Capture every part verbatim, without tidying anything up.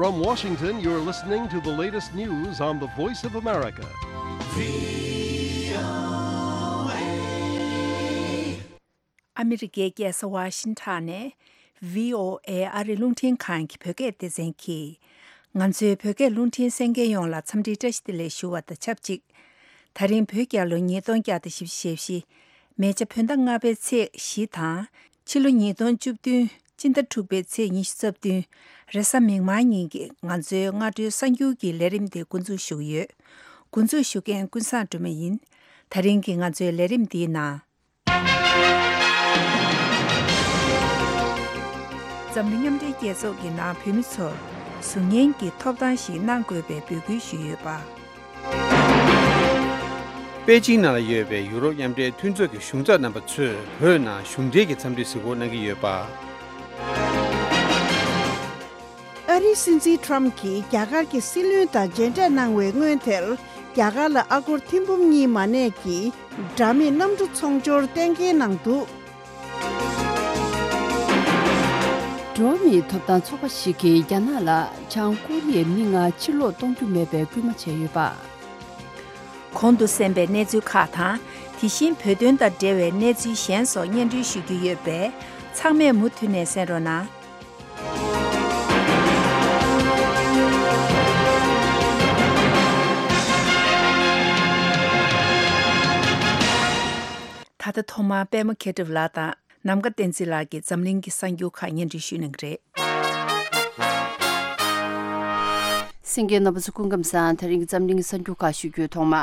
From Washington, you're listening to the latest news on the Voice of America. ཨ་མི་རི་ཀའི་རྒྱལ་ས་ཝ་ཤིང་ཊོན་ནས་བྷི་ཨོ་ཨེ་ཨ་རིའི་རླུང་འཕྲིན་ཁང་གི་བོད་སྐད་སྡེ་ཚན་གྱིས། ང་ཚོའི་བོད་སྐད་རླུང་འཕྲིན་གསན་མཁན་ཡོངས་ལ་འཚམས་འདྲིའི་བཀྲ་ཤིས་བདེ་ལེགས་ཞུ་བ་དང་ཆབས་ཅིག་ད་རིང་བོད་རྒྱལ་ལོ་ཉིས་སྟོང་བརྒྱ་དང་བཞི་བཅུ་ཞེ་བཞི། མེ་བྱ་བོད་ཟླ་ལྔ་པའི་ཚེས་བཞི་དང་། ཕྱི་ལོ་ཉིས་སྟོང་བཅུ་བདུན་སྤྱི་ཟླ་དྲུག་པའི་ཚེས་ཉི་ཤུ་རྩ་བདུན། རེས་གཟའ་མིག་དམར་ཉིན་གྱི་ང་ཚོའི་སྔ་དྲོའི་གསར་འགྱུར་གྱི་ལས་རིམ་དེ་འགོ་འཛུགས་ཞུ་གི་ཡོད། འགོ་འཛུགས་ཞུ་མཁན་ཀུན་བཟང་སྒྲོལ་མ་ཡིན། ད་རིང་གི་ང་ཚོའི་ལས་རིམ་འདིའི་ནང་། འཛམ་གླིང་མཉམ་འབྲེལ་རྒྱལ་ཚོགས་ཀྱི་ནང་བོད་མི་ཚོར་གཟུགས་བརྙན་གྱི་ཐོབ་ཐང་ཞིག་གནང་དགོས་པའི་འབོད་སྐུལ་ཞུས་ཡོད་པ། པེ་ཅིང་ནང་ལ་ཡོད་པའི་ཡུ་རོབ་མཉམ་འབྲེལ་མཐུན་ཚོགས་ཀྱི་གཞུང་ཚབ་རྣམ་པ་ཚོས་བོད་ནང་གཞུང་འབྲེལ་གྱི་འཚམས་འདྲི་གཟིགས་སྐོར་གནང་གི་ཡོད་པ། ཨ་རིའི་སྲིད་འཛིན་ཁྲོམ་གྱིས་རྒྱ་གར་གྱི་སྲིད་བློན་དང་མཇལ་འཕྲད་གནང་བའི་སྔོན་དེར། རྒྱ་གར་ལ་ཨ་སྒོར་ཐེར་འབུམ་གཉིས་མ་གནས་ཀྱི་དྲ་མིག་གནམ་གྲུ་ཚོང་སྦྱོར་གཏན་འཁེལ་གནང་འདུག། འགྲོ་བ་མིའི་ཐོབ་ཐང་ཚོགས་པ་ཞིག་གིས་རྒྱ་ནག་ལ་བྱང་ཀོ་རི་ཡའི་མི་ལྔ་ཕྱིར་ལོག་གཏོང་རྒྱུ་མེད་པའི་སྐུལ་མ་བྱས་ཡོད་པ། གོང་དུ་གསན་པའི་གནས་ཚུལ་ཁག་དང་། དེ་བཞིན་བོད་དོན་དང་འབྲེལ་བའི་གནས་ཚུལ་གཞན་སོགས་སྙན་སྒྲོན་ཞུ་རྒྱུ་ཡོད་པས། ཚང་མས་མུ་མཐུད་ནས་གསན་རོགས་གནང་། ད་ལྟ་ཐོག་མར་པད་མ་མཁས་གྲུབ་ལགས་དང་ནམ་མཁའ་བསྟན་འཛིན་ལགས་ཀྱིས་འཛམ་གླིང་གི་གསར་འགྱུར་ཁག་སྙན་སྒྲོན་ཞུ་གནང་གི་རེད། གསན་མཁན་རྣམ་པ་ཚོ་སྐུ་ཁམས་བཟང་། དེ་རིང་གི་འཛམ་གླིང་གི་གསར་འགྱུར་ཁག་ཞུ་རྒྱུའི་ཐོག་མ།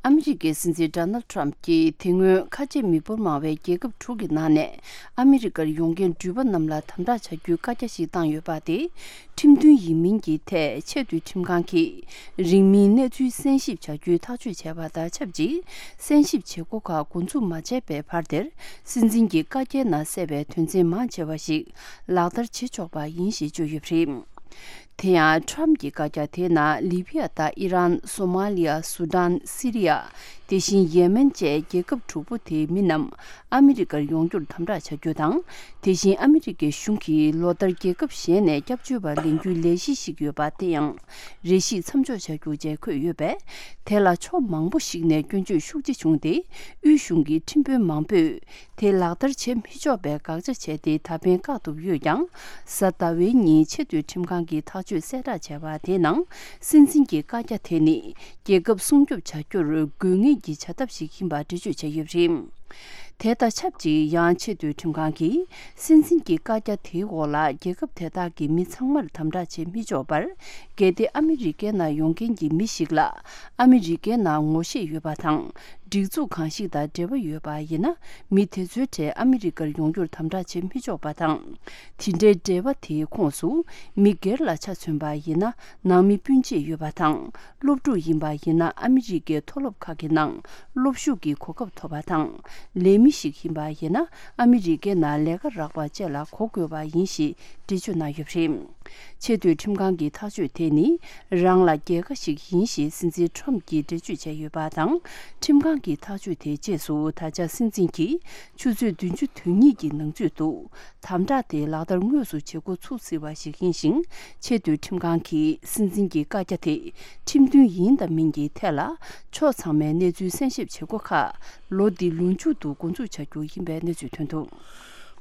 ཨ་མི་རི་ཀའི་སྲིད་འཛིན་ཌོ་ནལ་ཊམ་གྱིས་དེ་སྔོན་ཁ་ཆེ་མི་འབོར་མང་བའི་རྒྱལ་ཁབ་དྲུག་གི་ནང་ནས་ཨ་མི་རི་ཀར་ཡོང་མཁན་འགྲུལ་པ་རྣམས་ལ་དམ་དྲག་བྱ་རྒྱུའི་བཀའ་རྒྱ་ཞིག་བཏང་ཡོད་པ་དེ། ཁྲིམས་མཐུན་ཡིན་མིན་གྱི་ཐད་ཆེས་མཐོའི་ཁྲིམས་ཁང་གིས་རིང་མིན་གནས་ཚུལ་གསན་ཞིབ་བྱ་རྒྱུའི་ཐག་གཅོད་བྱས་པ་དང་ཆབས་ཅིག་གསན་ཞིབ་བྱེད་སྒོ་ཁག་འགོ་འཛུགས་མ་བྱས་པའི་བར་དེར། སྲིད་འཛིན་གྱི་བཀའ་རྒྱའི་ནང་གསལ་བའི་དོན་ཚན་མང་ཆེ་བ་ཞིག་ལག་བསྟར་བྱེད་ཆོག་པ་ཡིན་ཞེས་བརྗོད་ཡོད་པ་རེད། དེ་ཡང་ཊམ་གྱི་བཀའ་རྒྱ་དེའི་ནང་ལི་བྷི་ཡ་དང་ཨི་རན། སོ་མ་ལི་ཡ། སུ་ཌན། སི་རི་ཡ། དེ་བཞིན་ཡེ་མེན་བཅས་རྒྱལ་ཁབ་དྲུག་པོ་དེའི་མི་རྣམས་ཨ་མི་རི་ཀར་ཡོང་རྒྱུར་དམ་དྲག་བྱ་རྒྱུ་དང་། དེ་བཞིན་ཨ་མི་རི་ཀའི་གཞུང་གིས་ལོ་ལྟར་རྒྱལ་ཁབ་གཞན་ནས་སྐྱབས་བཅོལ་བ་ལེན་རྒྱུའི་ལས་གཞི་ཞིག་ཡོད་པ་དེ་ཡང་རེ་ཞིག་མཚམས་འཇོག་བྱ་རྒྱུ་བཅས་འཁོད་ཡོད་པས། དེ་ལ་ཕྱོགས་མང་པོ་ཞིག་ནས་སྐྱོན་བརྗོད་ཤུགས་ཆེ་བྱུང་སྟེ། དབུས་གཞུང་གི་ཁྲིམས་དཔོན་མང་པོས། དེ་ལག་བསྟར་བྱེད་མི་ཆོག་པའི་དགག་བྱ་བྱས་ཏེ། ད་ཕན་བཀག་ཐུབ་ཡོད་ཀྱང་། གཟའ་ཟླ་བའི་ཉིན་ཆེས་མཐོའི་ཁྲིམས་ཁང་གིས་ཐག་གཅོད་གསལ་བསྒྲགས་བྱས་པ་དེའི་ནང་། སྲིད་འཛིན་གྱི་བཀའ་རྒྱ་དེ་ནི་རྒྱལ་ཁབ་སྲུང་སྐྱོབ་བྱ་རྒྱུར་དགོས་ངེས་ཀྱི་བྱ་ཐབས་ཤིག་ཡིན་པ་འགྲེལ་བརྗོད་བྱས་ཡོད་པ་རེད། དེ་དང་ཆབས་ཅིག་ཡང་ཆེས་མཐོའི་ཁྲིམས་ཁང་གིས། སྲིད་འཛིན་གྱི་བཀའ་རྒྱ་དེའི་འོག་ལ་རྒྱལ་ཁབ་དེ་དག་གི་མི་ཚང་མར་དམ་དྲག་བྱེད་མི་ཆོག་པར། གལ་ཏེ་ཨ་མི་རི་ཀའི་ནང་ཡོང་མཁན་གྱི་མི་ཞིག་ལ་ཨ་མི་རི་ཀའི་ནང་ངོ་ཤེས་ཡོད་པ་དང་། སྒྲིག་འཛུགས་གང་ཞིག་དང་འབྲེལ་བ་ཡོད་པ་ཡིན་ན། མི་དེ་ཚོའི་གྲས་ཨ་མི་རི་ཀར་ཡོང་རྒྱུར་དམ་དྲག་བྱེད་མི་ཆོག་པ་དང་། དེ་འདྲའི་འབྲེལ་བ་དེའི་ཁོངས་སུ་མི་སྒེར་ལ་ཆ་མཚོན་པ་ཡིན་ན། ནང་མི་སྤུན་མཆེད་ཡོད་པ་དང་། སློབ་ཕྲུག་ཡིན་པ་ཡིན་ན། ཨ་མི་རི་ཀའི་མཐོ་སློབ་ཁག་གི་ནང་སློབ་ཞུགས་ཀྱི་གོ་སྐབས་ཐོབ་པ་དང་། ལས་མི་ཞིག་ཡིན་པ་ཡིན་ན། ཨ་མི་རི་ཀའི་ནང་ལས་ཀ་རག་པ་བཅས་ལ་གོ་དགོས་པ་ཡིན་ཞེས་འགྲེལ་བརྗོད་གནང་ཡོད་པ་རེད། ཆེས་མཐོའི་ཁྲིམས་ཁང་གི་ཐག་གཅོད་དེ་ནི་རང་ལ་རྒྱལ་ཁ་ཞིག་ཡིན་ཞེས་སྲིད་འཛིན་ཊམ་གྱིས་འགྲེལ་བརྗོད་བྱས་ཡོད་པ་དང་། ཁྲིམས་ཁང་གི་ཐག་གཅོད་དེའི་རྗེས་སུ་ད་ཆ་སྲིད་འཛིན་གྱིས་ཆུ་ཚོད་བདུན་ཅུ་དོན་གཉིས་ཀྱི་ནང་ཚུད་འདུག། དམ་དྲག་དེ་ལག་བསྟར་དངོས་སུ་བྱེད་འགོ་ཚུགས་སྲིད་པ་ཞིག་ཡིན་ཞིང་། ཆེས་མཐོའི་ཁྲིམས་ཁང་གིས་སྲིད་འཛིན་གྱི་བཀའ་རྒྱ་དེ་ཁྲིམས་མཐུན་ཡིན་དང་མིན་གྱི་ཐད་ལ་ཕྱོགས་ཚང་མའི་གནས་ཚུལ་གསན་ཞིབ་བྱེད་སྒོ་ཁག་ལོ་འདི་ལོ་མཇུག་ཏུ་འགོ་འཛུགས་བྱ་རྒྱུ་ཡིན་པའི་གནས་ཚུལ་ཐོན་འདུག།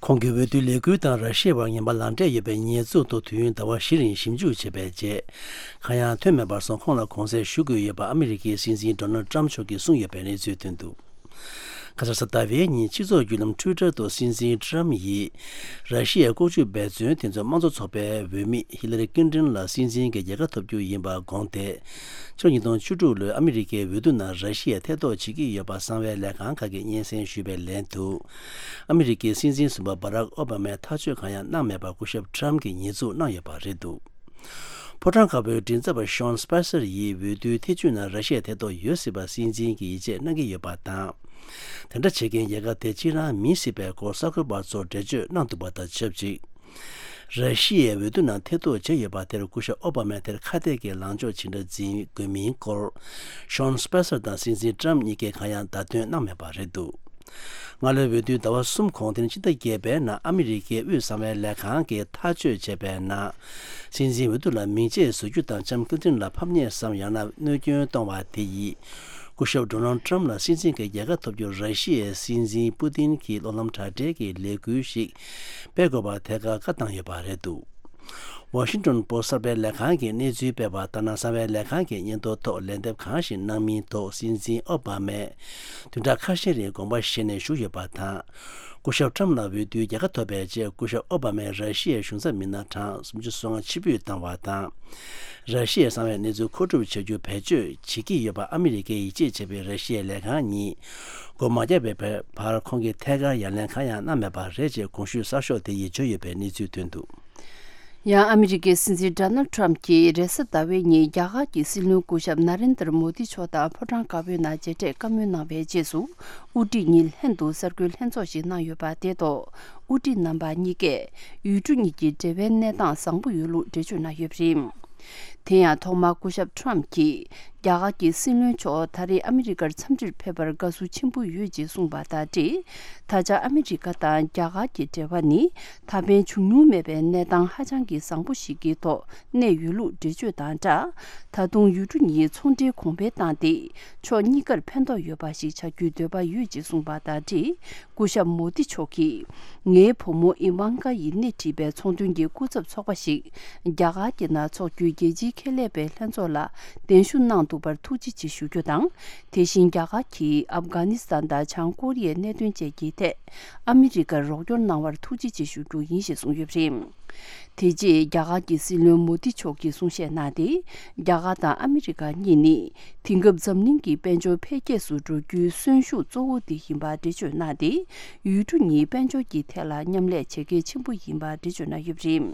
ཁོང་གིས་འོས་བསྡུའི་ལས་འགུལ་དང་ར་ཤི་ཡའི་བར་ངན་པ་ལག་འབྲེལ་ཡོད་པའི་ཉེས་འཛུགས་ཐོག་དུས་ཡུན་ཟླ་བ་བཞི་རིང་ཞིབ་འཇུག་བྱས་པའི་རྗེས། གང་ཡང་ཐོན་མེད་པར་སོང་། ཁོང་ལ་དགོངས་སེལ་ཞུ་དགོས་ཡོད་པ་ཨ་མི་རི་ཀའི་སྲིད་འཛིན་ཌོ་ནལ་ཊམ་མཆོག་གིས་གསུངས་ཡོད་པའི་གནས་ཚུལ་ཐོན་འདུག། ཁ་སང་གཟའ་ཟླ་བའི་ཉིན་སྤྱི་ཚོགས་བརྒྱུད་ལམ་ཊུའི་ཊར་ཐོག་སྲིད་འཛིན་ཊམ་ཡིས། ར་ཤི་ཡའི་ལྐོག་ཇུས་འབད་བརྩོན་དེ་ཚོ་དམངས་གཙོ་ཚོགས་པའི་འོས་མི་ཧི་ལ་རི་ཀིན་ཏོན་ལ་སྲིད་འཛིན་གྱི་རྒྱལ་ཁ་ཐོབ་རྒྱུ་ཡིན་པ་དགོངས་ཏེ། ཕྱི་ལོ་ཉིས་སྟོང་བཅུ་དྲུག་ལོའི་ཨ་མི་རི་ཀའི་འོས་བསྡུ་ནང་ར་ཤི་ཡས་ཐེ་གཏོགས་བྱེད་ཀྱི་ཡོད་པ་གསང་བའི་ལས་ཁང་ཁག་གིས་སྙན་སེང་ཞུས་པའི་ལན་དུ། ཨ་མི་རི་ཀའི་སྲིད་འཛིན་གསུམ་པ་བྷ་རག་ཨོ་བྷ་མས་ཐག་གཅོད་གང་ཡང་གནང་མེད་པར་སྐུ་ཞབས་ཊམ་གྱིས་ཉེས་འཛུགས་གནང་ཡོད་པ་རེད་འདུག། ཕོ་བྲང་དཀར་པོའི་མགྲིན་ཚབ་པ་ཤོན་སྤེ་སར་ཡིས་འོས་བསྡུའི་ཐེ་བྱུས་ནང་ར་ཤི་ཡའི་ཐེ་གཏོགས་ཡོད་སྲིད་པ་སྲིད་འཛིན་གྱིས་ཡིད་ཆེས་གནང་གི་ཡོད་པ་དང་། དེ་འདྲ་བྱེད་མཁན་རྒྱལ་ཁབ་དེ་གཅིག་རང་མིན་སྲིད་པའི་སྐོར་གསར་འགོད་པ་ཚོར་འགྲེལ་བརྗོད་གནང་འདུག་པ་དང་ཆབས་ཅིག། ར་ཤི་ཡའི་འོས་བསྡུ་ནང་ཐེ་གཏོགས་བྱས་ཡོད་པ་དེར་སྐུ་ཞབས་ཨོ་བྷ་མས་དེར་ཁ་གཏད་ཀྱི་ལངས་ཕྱོགས་ཇི་འདྲ་འཛིན་དགོས་མིན་སྐོར། ཤོན་སྤེ་སར་དང་སྲིད་འཛིན་ཊམ་གཉིས་ཀས་གང་ཡང་བརྡ་སྟོན་གནང་མེད་པ་རེད་འདུག། སྔ་ལོའི་འོས་བསྡུའི་ཟླ་བ་གསུམ་གོང་དེ་ནི་ཕྱི་ཟླ་བརྒྱད་པའི་ནང་ཨ་མི་རི་ཀའི་དབུས་གསང་བའི་ལས་ཁང་གིས་ཐག་གཅོད་བྱས་པའི་ནང་། སྲིད་འཛིན་འོས་བསྡུ་ལ་མིང་ཆད་བཟོ་རྒྱུ་དང་ལྕམ་ཀིལ་ཏིན་ལ་ཕམ་ཉེས་སམ་ཡང་ན་གནོད་སྐྱོན་གཏོང་བ་དེ་ཡིས། སྐུ་ཞབས་ཌོ་ནལ་ཏྲམ་ལ་སྲིད་འཛིན་གྱི་རྒྱལ་ཁ་ཐོབ་རྒྱུར་ར་ཤི་ཡའི་སྲིད་འཛིན་པུ་ཏིན་གྱིས་གློག་ལམ་དྲ་སྦྲེལ་གྱི་ལས་འགུལ་ཞིག་སྤེལ་དགོས་པ་ཐད་ཀར་བཀའ་བཏང་ཡོད་པ་རེད་འདུག་ཝ་ཤིང་ཏོན་པོ་སི་གསར་པའི་ལས་ཁང་གིས་གནས་ཚུལ་སྤེལ་བ་ལྟར་ན། གསང་བའི་ལས་ཁང་གི་སྙན་ཐོ་ཐོག་ལན་འདེབས་གང་ཞིག་གནང་མིན་ཐོག་སྲིད་འཛིན་ཨོ་བྷ་མས་བདུན་ཕྲག་ཁ་ཤས་རིང་དགོངས་པ་བཞེས་ནས་བཞུགས་ཡོད་པ་དང་། སྐུ་ཞབས་ཏྲམ་ལ་འོས་བསྡུའི་རྒྱལ་ཁ་ཐོབ་པའི་རྗེས། སྐུ་ཞབས་ཨོ་བྷ་མས་ར་ཤི་ཡའི་གཞུང་ཚབ་མི་སྣ་གྲངས་སུམ་ཅུ་སོ་ལྔ་ཕྱིར་འབུད་བཏང་བ་དང་། ར་ཤི་ཡའི་གསང་བའི་གནས་ཚུལ་མཁོ་སྒྲུབ་བྱ་རྒྱུ་བེད་སྤྱོད་བྱེད་ཀྱི་ཡོད་པ་ཨ་མི་རི་ཀས་ཡིད་ཆེས་བྱེད་པའི་ར་ཤི་ཡའི་ལས་ཁང་གཉིས་སྒོ་མ་བརྒྱབ་པའི་བར་ཁོང་གིས་ཐད་ཀར་ཡ་ལན་གང་ཡང་གནང་མེད་པ་རེད་ཅེས་གོང་ཞུས་གསར་ཤོག་དེ་ཡིས་བརྗོད་ཡོད་པའི་གནས་ཚུལ་ཐོན་འདུག་ཡང་ཨ་མི་རི་ཀའི་སྲིད་འཛིན་ཌོ་ནལ་ཏྲམ་གྱིས་རེས་གཟའ་ཟླ་བའི་ཉིན་རྒྱ་གར་གྱི་སྲིད་བློན་སྐུ་ཞབས་ན་རེན་དར་མོ་དི་མཆོག་དང་ཕོ་བྲང་དཀར་པོའི་ནང་མཇལ་འཕྲད་བཀའ་མོལ་གནང་བའི་རྗེས་སུ། དབུ་ཁྲིད་གཉིས་ལྷན་དུ་གསར་འགོད་ལྷན་ཚོགས་ཤིག་གནང་ཡོད་པ་དེ་ཐོག་དབུ་ཁྲིད་རྣམ་པ་གཉིས་ཀས་ཡུལ་གྲུ་གཉིས་ཀྱི་འབྲེལ་བའི་གནས་སྟངས་བཟང་པོ་ཡོད་ལུགས་འགྲེལ་བརྗོད་གནང་ཡོད་པ་རེད། དེ་ཡང་ཐོག་མར་སྐུ་ཞབས་ཏྲམ་གྱིས། རྒྱ་གར་གྱི་སྲིད་བློན་མཆོག་ད་རེས་ཨ་མི་རི་ཀར་འཚམས་འདྲིར་ཕེབས་པར་དགའ་བསུ་ཆེན་པོ་ཡོད་ཅེས་གསུངས་པ་དང་འབྲེལ། ད་ཆ་ཨ་མི་རི་ཀ་དང་རྒྱ་གར་གྱི་འབྲེལ་བ་ནི་ད་ཕན་བྱུང་མྱོང་མེད་པའི་གནས་སྟངས་ཧ་ཅང་གི་བཟང་པོ་ཞིག་གི་ཐོག་གནས་ཡོད་ལུགས་འགྲེལ་བརྗོད་དང་སྦྲགས། ད་དུང་ཡུལ་གྲུ་གཉིས་ཚོང་འབྲེལ་གོང་འཕེལ་བཏང་སྟེ། ཕྱོགས་གཉིས་ཀར་ཕན་ཐོགས་ཡོད་པ་ཞིག་བྱ་རྒྱུའི་འདོད་པ་ཡོད་ཅེས་གསུངས་པ་དང་འབྲེལ། སྐུ་ཞབས་མོ་དི་མཆོག་གིས། ངའི་བུ་མོ་ཨི་ཝང་ཀ་ཡིས་སྣེ་ཁྲིད་པའི་ཚོང་དོན་གྱི་སྐུ་ཚབ་ཚོགས་པ་ཞིག་རྒྱ་གར་གྱི་ནང་འཚོགས་རྒྱུའི་རྒྱལ་སྤྱིའི་ཁེ་ལས་པའི་ལྷན་ཚོགས་ལ་གདན་ཞུ་གནང་འདུག་པར་ཐུགས་རྗེ་ཆེ་ཞུ་རྒྱུ་དང་། དེ་བཞིན་རྒྱ་གར་གྱིས་ཨབ་གྷ་ནི་སི་ཐན་དང་བྱང་ཀོ་རི་ཡའི་གནད་དོན་བཅས་ཀྱི་ཐད་ཨ་མི་རི་ཀར་རོགས་སྐྱོར་གནང་བར་ཐུགས་རྗེ་ཆེ་ཞུ་རྒྱུ་ཡིན་ཞེས་གསུངས་ཡོད་པ་རེད། དེ་རྗེས་རྒྱ་གར་གྱི་སྲིད་བློན་མོ་དི་མཆོག་གིས་གསུང་བཤད་གནང་སྟེ། རྒྱ་གར་དང་ཨ་མི་རི་ཀ་གཉིས་ནི། དེང་སྐབས་འཛམ་གླིང་གི་དཔལ་འབྱོར་འཕེལ་རྒྱས་སུ་འགྲོ་རྒྱུའི་གསོན་ཤུགས་གཙོ་བོ་དེ་ཡིན་པ་འགྲེལ་བརྗོད་གནང་སྟེ། ཡུལ་གྲུ་གཉིས་དཔལ་འབྱོར་གྱི་ཐད་ལ་མཉམ་ལས་བྱེད་གལ་ཆེན་པོ་ཡིན་པ་འགྲེལ་བརྗོད་གནང་ཡོད་པ་རེད།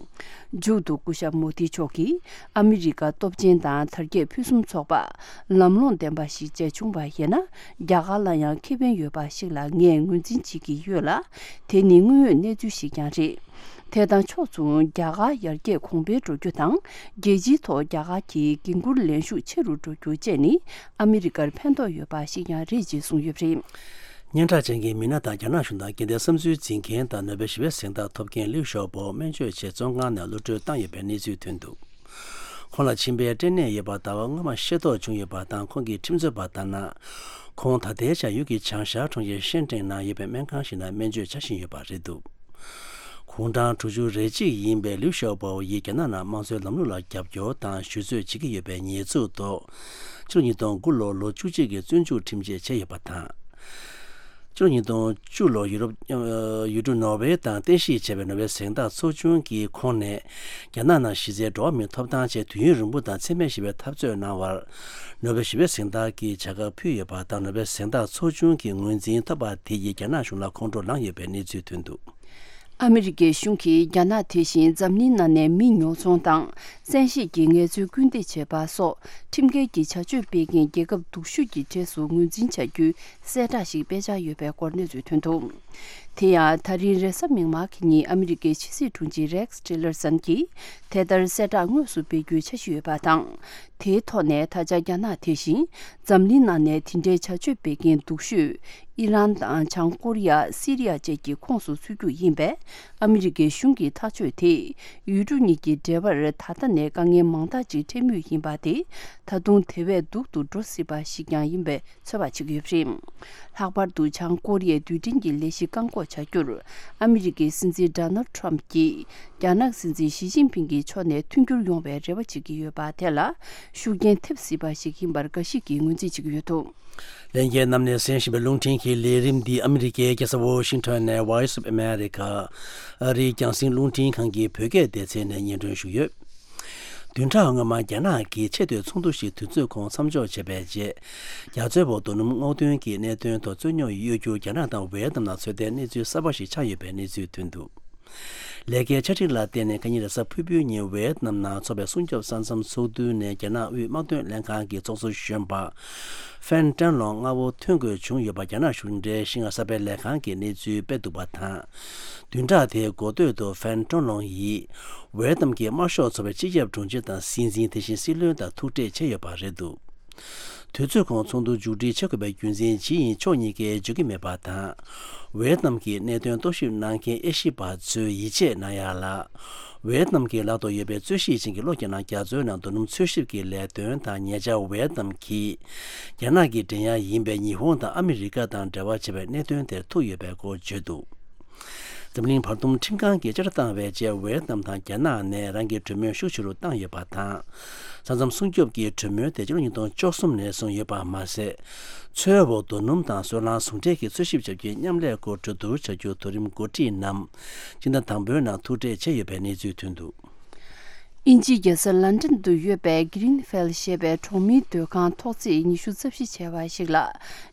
མཇུག་ཏུ་སྐུ་ཞབས་མོ་དི་མཆོག་གིས་ཨ་མི་རི་ཀ་སྟོབས་ཆེན་དང་དར་རྒྱས་ཕུན་སུམ་ཚོགས་པ། ལམ་ལྷོང་ལྡན་པ་ཞིག་མཇལ་བྱུང་བ་ཡིན་ན། རྒྱ་གར་ལ་ཡང་ཁེ་ཕན་ཡོད་པ་ཞིག་ལ་ངས་ངོས་འཛིན་བྱེད་ཀྱི་ཡོད་ལ། དེ་ནི་དངོས་ཡོད་གནས་ཚུལ་ཞིག་ཀྱང་རེད། དེ་དང་ཕྱོགས་མཚུངས་རྒྱ་གར་ཡར་རྒྱས་གོང་འཕེལ་འགྲོ་རྒྱུ་དང་། རྒྱལ་སྤྱིའི་ཐོག་རྒྱ་གར་གྱི་འགན་འཁུར་ལེན་ཤུགས་ཆེ་རུ་འགྲོ་རྒྱུ་བཅས་ནི་ཨ་མི་རི་ཀར་ཕན་ཐོགས་ཡོད་པ་ཞིག་ཀྱང་རེད་ཅེས་གསུངས་ཡོད་པ་རེད། སྙན་གྲགས་ཅན་གྱི་མི་སྣ་དང་རྒྱ་ནག་གཞུང་དང་རྒྱལ་བསྟན་བསམ་ཚུལ་འཛིན་མཁན་དང་ནོ་བེལ་ཞི་བའི་གཟེངས་རྟགས་ཐོབ་མཁན་ལིའུ་ཞའོ་པོ་སྨན་བཅོས་ཆེད་བཙོན་ཁང་ནས་གློད་གྲོལ་བཏང་ཡོད་པའི་གནས་ཚུལ་ཐོན་འདུག་ཁོང་ལ་མཆིན་པའི་སྐྲན་ནད་ཡོད་པ་ཟླ་བ་སྔོན་མ་ཤེས་རྟོགས་བྱུང་ཡོད་པ་དང་། ཁོང་གི་ཁྲིམས་རྩོད་པ་ལྟར་ན། ཁོང་ད་ལྟའི་ཆར་ཡུལ་གྱི་བྱང་ཤར་གྲོང་ཁྱེར་ཤན་ཀྲེང་ནང་ཡོད་པའི་སྨན་ཁང་ཞིག་ནང་སྨན་བཅོས་བྱ་བཞིན་ཡོད་པ་རེད་འདུག་གུང་ཁྲན་དྲུག་ཅུ་རེ་གཅིག་ཡིན་པའི་ལིའུ་ཞའོ་པོ་ཡིས་རྒྱ་ནག་ནང་དམངས་གཙོའི་ལམ་ལུགས་ལ་རྒྱབ་སྐྱོར་དང་ཞུ་གསོད་བྱེད་ཀྱི་ཡོད་པའི་ཉེས་འཛུགས་ཐོག་ཕྱི་ལོ་ཉིས་སྟོང་དགུ་ལོར་ལོ་བཅུ་གཅིག་གི་བཙོན་འཇུག་ཁྲིམས་ཆད་བཅད་ཡོད་པ་དང་། ཕྱི་ལོ་ཉིས་སྟོང་བཅུ་ལོར་ཡུ་རོབ་ཡུལ་གྲུ་ནོར་ཝེ་དང་རྟེན་གཞི་བྱས་པའི་ནོ་བེལ་གཟེངས་རྟགས་ཚོགས་ཆུང་གིས་ཁོང་ནས་རྒྱ་ནག་ནང་གཞི་རྩའི་འགྲོ་བ་མིའི་ཐོབ་ཐང་ཆེད་དུས་ཡུན་རིང་པོ་དང་འཚེ་མེད་ཞི་བའི་འཐབ་རྩོད་གནང་བར། ནོ་བེལ་ཞི་བའི་གཟེངས་རྟགས་ཀྱི་བྱ་དགའ་ཕུལ་ཡོད་པ་དང་། ནོ་བེལ་གཟེངས་རྟགས་ཚོགས་ཆུང་གི་ངོས་འཛིན་ཐོབ་པ་དེ་ཡིས་རྒྱ་ནག་གཞུང་ལ་ཁོང་ཁྲོ་ལངས་ཡོད་པའི་གནས་ཚུལ་ཐོན་འདུག་ཨ་མི་རི་ཀའི་གཞུང་གིས་རྒྱ་ནག་དེ་བཞིན་འཛམ་གླིང་ནང་ནས་མི་ཉོ་ཚོང་དང་། བཙན་ཤེད་ཀྱིས་ངལ་རྩོལ་སྐུལ་འདེད་བྱེད་པ་སོགས་ཁྲིམས་འགལ་གྱི་བྱ་སྤྱོད་སྤེལ་མཁན་རྒྱལ་ཁབ་སྡུག་ཤོས་ཀྱི་གྲས་སུ་ངོས་འཛིན་བྱ་རྒྱུའི་གསལ་བསྒྲགས་ཤིག་སྤེལ་འཆར་ཡོད་པའི་སྐོར་གནས་ཚུལ་ཐོན་འདུག་དེ་ཡང་ད་རིང་རེས་གཟའ་མིག་དམར་གྱི་ཉིན་ཨ་མི་རི་ཀའི་ཕྱི་སྲིད་དྲུང་ཆེ་Rex Tillerson གྱིས་དེ་ལྟར་གསལ་བསྒྲགས་དངོས་སུ་སྤེལ་རྒྱུའི་འཆར་གཞི་ཡོད་པ་དང་། དེའི་ཐོག་ནས་ད་ཆ་རྒྱ་ནག་དེ་བཞིན་འཛམ་གླིང་ནང་ནས་དེ་འདྲའི་བྱ་སྤྱོད་སྤེལ་མཁན་སྡུག་ཤོས་ཨི་རན་དང་བྱང་ཀོ་རི་ཡ། སི་རི་ཡ་བཅས་ཀྱི་ཁོངས་སུ་ཚུད་རྒྱུ་ཡིན་པས། ཨ་མི་རི་ཀའི་གཞུང་གི་ཐག་གཅོད་དེས་ཡུལ་གྲུ་གཉིས་ཀྱི་འབྲེལ་བར་ད་ལྟ་ནས་དཀའ་ངལ་མང་དག་ཅིག་འཕྲད་མུས་ཡིན་པ་དེ་ད་དུང་དེ་བས་སྡུག་ཏུ་འགྲོ་སྲིད་པ་ཞིག་ཀྱང་ཡིན་པའི་ཚོད་དཔག་བྱེད་ཀྱི་ཡོད་པ་རེད། ལྷག་པར་དུ་བྱང་ཀོ་རི་ཡའི་རྡུལ་ཕྲན་གྱི་ལས་གཞི་བཀག་འགོག་བྱ་རྒྱུར་ཨ་མི་རི་ཀའི་སྲིད་འཛིན་Donald Trump གྱིས་རྒྱ་ནག་སྲིད་འཛིན་ཞི་ཅིན་ཕིང་གི་ཕྱོགས་ནས་མཐུན་འགྱུར་ཡོང་བའི་རེ་བ་བྱེད་ཀྱི་ཡོད་པ་དེ་ལ་ཤུགས་རྐྱེན་ཐེབས་སྲིད་པ་ཞིག་ཡིན་པར་འགའ་ཞིག་གིས་ངོས་འཛིན་བྱེད་ཀྱི་ཡོད་འདུག་ལྷན་རྒྱས་རྣམས་ནས་གསན་བཞིན་པའི་རླུང་འཕྲིན་གྱི་ལས་རིམ་འདི་ཨ་མི་རི་ཀའི་རྒྱལ་ས་ཝོ་ཤིང་ཊོན་ནས་Voice of America ཨ་རིའི་རྒྱང་སྲིང་རླུང་འཕྲིན་ཁང་གི་བོད་སྐད་སྡེ་ཚན་ནས་སྙན་སྒྲོན་ཞུས་ཡོད། བདུན་ཕྲག་སྔོན་མ་རྒྱ་ནག་གིས་ཆེས་མཐོའི་ཚོགས་འདུ་ཞིག་དུས་ཚོད་ཁོངས་མཚམས་འཇོག་བྱས་པའི་རྗེས། རྒྱ་མཚོའི་འོག་རྡོ་སྣུམ་སྔོག་འདོན་གྱི་གནད་དོན་ཐོག་རྩོད་རྙོག་གཡོ་སྒྱུར་རྒྱ་ནག་དང་ཝེ་ཏི་ནམ་ནང་འཚོལ་བསྡད་གནས་ཚུལ་གསར་པ་ཞིག་ཆགས་ཡོད་པའི་གནས་ཚུལ་ཐོན་འདུག་ལས་ཀའི་ཆ་འགྲིག་ལ་བརྟེན་ནས་ཁ་ཉིན་རེས་གཟའ་ཕུར་བུའི་ཉིན་ཝེ་ཏི་ནམ་ནང་འཚོགས་པའི་སྲུང་སྐྱོབ་ས་མཚམས་ཚོགས་འདུ་ནས་རྒྱ་ནག་དབུས་དམག་དོན་ལྷན་ཁང་གི་ཚོགས་གཙོ་གཞོན་པ་ཧྥན་ཀྲན་ལོང་མངའ་འོག་ཐོན་དགོས་བྱུང་ཡོད་པ་རྒྱ་ནག་གཞུང་འབྲེལ་ཤིན་ཧྭ་གསར་སྤེལ་ལས་ཁང་གིས་གནས་ཚུལ་སྤེལ་འདུག་པ་དང་། བདུན་ཕྲག་དེའི་འགོ་སྟོད་དུ་ཧྥན་ཀྲན་ལོང་ཡིས་ཝེ་ཏི་ནམ་གྱི་དམར་ཤོག་ཚོགས་པའི་སྤྱི་ཁྱབ་དྲུང་ཆེ་དང་སྲིད་འཛིན། དེ་བཞིན་སྲིད་བློན་དང་ཐུག་འཕྲད་བྱས་ཡོད་པ་རེད་འདུག་དུས་ཚོད་ཁོངས་ཚོགས་འདུ་མཇུག་སྒྲིལ་བྱེད་དགོས་པའི་རྒྱུ་མཚན་ཇི་ཡིན་ཕྱོགས་གཉིས་ཀས་བརྗོད་ཀྱི་མེད་པ་དང་། ཝེ་ཏི་ནམ་གྱི་གནད་དོན་རྟོག་ཞིབ་གནང་མཁན་དབྱེ་ཞིབ་པ་ཚོས་ཡིད་ཆེས་གནང་ཡག་ལ། ཝེ་ཏི་ནམ་གྱི་ལག་ཏུ་ཡོད་པའི་རྩོད་གཞི་ཅན་གྱི་གློག་རྒྱག་ནག་རྒྱ་མཚོའི་ནང་རྡོ་སྣུམ་འཚོལ་ཞིབ་ཀྱི་ལས་དོན་དང་ཉེ་ཆར་ཝེ་ཏི་ནམ་གྱིས་རྒྱ་ནག་གི་འགྲན་ཡག་ཡིན་པའི་ཉི་ཧོང་དང་ཨ་མི་རི་ཀ་དང་འབྲེལ་བ་བྱས་པའི་གནད་དོན་དེར་ཐུག་ཡོད་པའི་སྐོར་བརྗོད་འདུག་འཛམ་གླིང་བར་འདུམ་ཁྲིམས་ཁང་གིས་བཅད་ཁྲ་བཏང་བའི་རྗེས་ཝེ་ཏི་ནམ་དང་རྒྱ་ནག་ནས་རང་གི་གྲོས་མོལ་ཤུགས་ཆེ་རུ་བཏང་ཡོད་པ་དང་། ས་མཚམས་སྲུང་སྐྱོབ་ཀྱི་གྲོས་མོལ་དེ་ཕྱི་ལོ་ཉིས་སྟོང་བཅུ་གསུམ་ནས་བཟུང་ཡོད་པ་མ་ཟད། མཚོའི་འོག་རྡོ་སྣུམ་དང་སོལ་རླངས་ཟུང་འབྲེལ་གྱི་འཚོལ་ཞིབ་བྱ་རྒྱུའི་མཉམ་ལས་སྐོར་གྲོས་བསྡུར་བྱ་རྒྱུ་མཐོ་རིམ་འགོ་ཁྲིད་རྣམས་སྤྱི་ཟླ་དང་པོའི་ནང་ཐུག་འཕྲད་བྱས་ཡོད་པའི་གནས་ཚུལ་ཐོན་འདུག་དབྱིན་ཇིའི་རྒྱལ་ས་ལན་ཀྲན་དུ་ཡོད་པའི་Grenfell ཞེས་པའི་གྲོང་མིའི་སྡོད་ཁང་ཐོག་བརྩེགས་ཉི་ཤུ་རྩ་བཞི་བྱས་པ་ཞིག་ལ།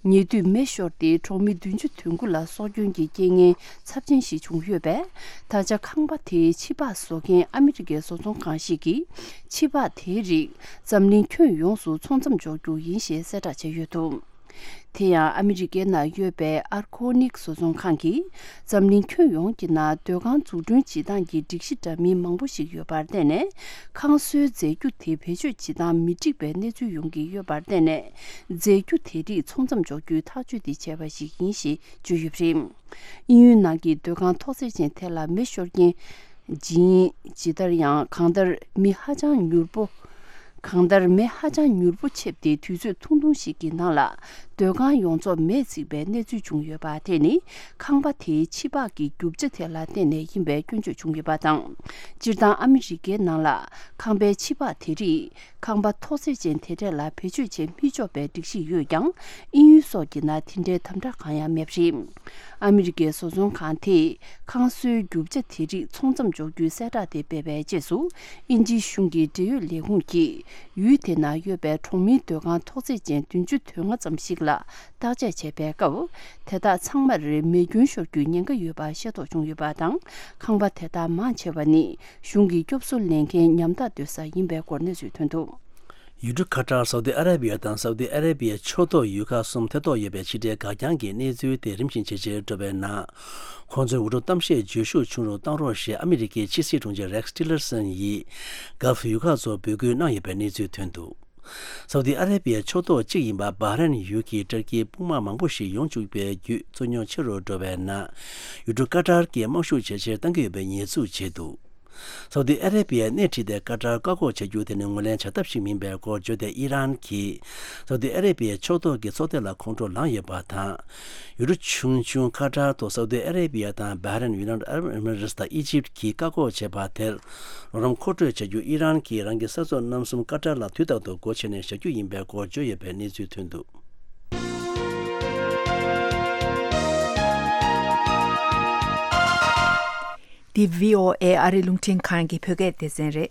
ཉེ་དུས་མེ་ཤོར་ཏེ་གྲོང་མི་བདུན་ཅུ་དོན་དགུ་ལ་སྲོག་སྐྱོན་གྱི་རྐྱེན་ངན་ཚབས་ཆེན་ཞིག་བྱུང་ཡོད་པས། ད་ཆ་ཁང་པ་དེའི་ཕྱི་པགས་བཟོ་མཁན་ཨ་མི་རི་ཀའི་བཟོ་ཚོང་ཁང་ཞིག་གིས་ཕྱི་པགས་དེའི་རིགས་འཛམ་གླིང་ཁྱོན་ཡོངས་སུ་ཚོང་མཚམས་འཇོག་རྒྱུ་ཡིན་ཞེས་གསལ་བསྒྲགས་བྱས་ཡོད་འདུག་དེ་ཡང་ཨ་མི་རི་ཀའི་ནང་ཡོད་པའི་Arconic་བཟོ་ཚོང་ཁང་གིས་འཛམ་གླིང་ཁྱོན་ཡོངས་ཀྱི་ནང་སྡོད་ཁང་འཛུགས་སྐྲུན་བྱེད་སྟངས་ཀྱི་སྒྲིག་གཞི་འདྲ་མིན་མང་པོ་ཞིག་ཡོད་པར་བརྟེན་ནས། ཁང་སོའི་རྫས་འགྱུར་དེ་བེད་སྤྱོད་བྱེད་སྟངས་མི་འགྲིག་པའི་གནས་ཚུལ་ཡོང་གི་ཡོད་པར་བརྟེན་ནས། རྫས་འགྱུར་དེ་རིགས་ཚོང་མཚམས་འཇོག་རྒྱུའི་ཐག་གཅོད་དེ་བྱས་པ་ཞིག་ཡིན་ཞེས་བརྗོད་ཡོད་པ་རེད། དབྱིན་ཡུལ་ནང་གི་སྡོད་ཁང་ཐོག་བརྩེགས་ཅན་དེ་ལ་མེ་ཤོར་རྐྱེན། ཇི་ཡིན་ཇི་ལྟར་ཡང་གང་ལྟར་མི་ཧ་ཅང་མྱུར་པོ། གང་ལྟར་མེ་ཧ་ཅང་མྱུར་པོ་མཆེད་དེ་དུས་ཚོད་ཐུང་ཐུང་ཞིག་གི་ནང་ལ་སྡོད་ཁང་ཡོངས་རྫོགས་མེས་ཚིག་པའི་གནས་ཚུལ་བྱུང་ཡོད་པ་དེ་ནི་ཁང་པ་དེའི་ཕྱི་པགས་ཀྱི་རྒྱུ་ཆ་དེ་ལ་བརྟེན་ནས་ཡིན་པའི་སྐྱོན་བརྗོད་བྱུང་ཡོད་པ་དང་། སྤྱིར་བཏང་ཨ་མི་རི་ཀའི་ནང་ལ་ཁང་པའི་ཕྱི་པགས་དེ་རིགས་ཁང་པ་ཐོག་བརྩེགས་ཅན་དེ་འདྲས་ལ་བེད་སྤྱོད་བྱེད་མི་ཆོག་པའི་སྒྲིག་གཞི་ཡོད་ཀྱང་། དབྱིན་ཡུལ་སོགས་ཀྱི་ནང་དེ་འདྲའི་དམ་དྲག་གང་ཡང་མེད་པ་རེད། ཨ་མི་རི་ཀའི་བཟོ་ཚོང་ཁང་དེས་ཁང་སོའི་རྒྱུ་ཆ་དེ་རིགས་ཚོང་མཚམས་འཇོག་རྒྱུའི་གསལ་བསྒྲགས་དེ་སྤེལ་བའི་རྗེས་སུ། དབྱིན་ཇིའི་གཞུང་གི་འབྲེལ་ཡོད་ལས་ཁུངས་ཀྱིས་ཡུལ་དེ་ན་ཡོད་པའི་གྲོང་མིའི་སྡོད་ཁང་ཐོག་བརྩེགས་ཅན་བདུན་ཅུ་དོན་ལྔ་ཙམ་ཞིག་ལ་བརྟག་དཔྱད་བྱས་པའི་སྐབས། དེ་དག་ཚང་མར་མེ་སྐྱོན་ཤོར་རྒྱུའི་ཉེན་ཁ་ཡོད་པ་ཤེས་རྟོགས་བྱུང་ཡོད་པ་དང་། ཁང་པ་དེ་དག་མང་ཆེ་བ་ནི་གཞུང་གི་སྐྱོབ་གསོ་ལེན་མཁན་ཉམ་ཐག་སྡོད་ས་ཡིན་པའི་སྐོར་གནས་ཚུལ་ཐོན་འདུག་ཡུལ་གྲུ་ཁ་ཏར། སའུ་ཏི་ཨ་ར་བི་ཡ་དང་སའུ་ཏི་ཨ་ར་བི་ཡའི་ཕྱོགས་གཏོགས་ཡུལ་ཁག་གསུམ་ཐེ་གཏོགས་ཡོད་པའི་ཕྱི་འབྲེལ་འགག་རྐྱང་གི་གནས་ཚུལ་དེ་རིམ་བཞིན་ཇེ་ཆེར་འགྲོ་བའི་ནང་། ཁོང་ཚོའི་འུར་སྒྲོག་གཏམ་བཤད་བརྗོད་ཤུགས་ཆུང་རུ་གཏོང་རོགས་ཞེས་ཨ་མི་རི་ཀའི་ཕྱི་སྲིད་དྲུང་ཆེ་རེག་སི་ཊི་ལར་སན་ཡིས་གྷལ་ཕ་ཡུལ་ཁག་ཚོར་འབོད་སྐུལ་གནང་ཡོད་པའི་གནས་ཚུལ་ཐོན་འདུག་སའུ་ཏི་ཨ་ར་བི་ཡའི་ཕྱོགས་གཏོགས་གཅིག་ཡིན་པ་བྷ་རེན་ཡུལ་གྱི་ཊར་ཀིའི་དཔུང་དམག་མང་པོ་ཞིག་ཡོང་བཅུག་པའི་བརྒྱུད་རྩོད་རྙོག་ཆེ་རུ་འགྲོ་བའི་ནང་། ཡུལ་གྲུ་ཀ་ཏར་གྱིས་དམག་ཤུགས་ཇེ་ཆེར་གཏང་གི་ཡོད་པའི་ཉེས་འཛུགས་བྱས་འདུག་སའུ་ཏི་ཨ་ར་བི་ཡས་སྣེ་ཁྲིད་དེ་ཀ་ཏར་བཀག་འགོག་བྱ་རྒྱུ་དེ་ནི་ངོས་ལེན་བྱ་ཐབས་ཤིག་མིན་པའི་སྐོར་བརྗོད་དེ། ཨི་རན་གྱིས་སའུ་ཏི་ཨ་ར་བི་ཡའི་ཕྱོགས་གཏོགས་ཀྱི་ཚོགས་སྡེ་ལ་ཁོང་ཁྲོ་ལངས་ཡོད་པ་དང་། ཡུལ་གྲུ་ཆུང་ཆུང་ཀ་ཏར་དུ་སའུ་ཏི་ཨ་ར་བི་ཡ་དང་བྷ་རེན། ཡུ་ནའི་ཊེཌ་ཨ་རབ་ཨེ་མི་རེ་ཊི་དང་ཨི་ཇིབ་གྱིས་བཀག་འགོག་བྱས་པ་དེར་རོགས་རམ་མཁོ་སྤྲོད་བྱ་རྒྱུ་ཨི་རན་གྱིས་རང་གི་ས་ཕྱོགས་རྣམ་གསུམ་ཀ་ཏར་ལ་དུས་རྟག་ཏུ་སྒོ་ཕྱེ་ནས་བཞག་རྒྱུ་ཡིན་པའི་སྐོར་བརྗོད་ཡོད་པའི་གནས་ཚུལ་ཐོན་འདུག་འདི་བྷི་ཨོ་ཨེ་ཨ་རི་རླུང་འཕྲིན་ཁང་གི་བོད་སྐད་སྡེ་ཚན་རེད།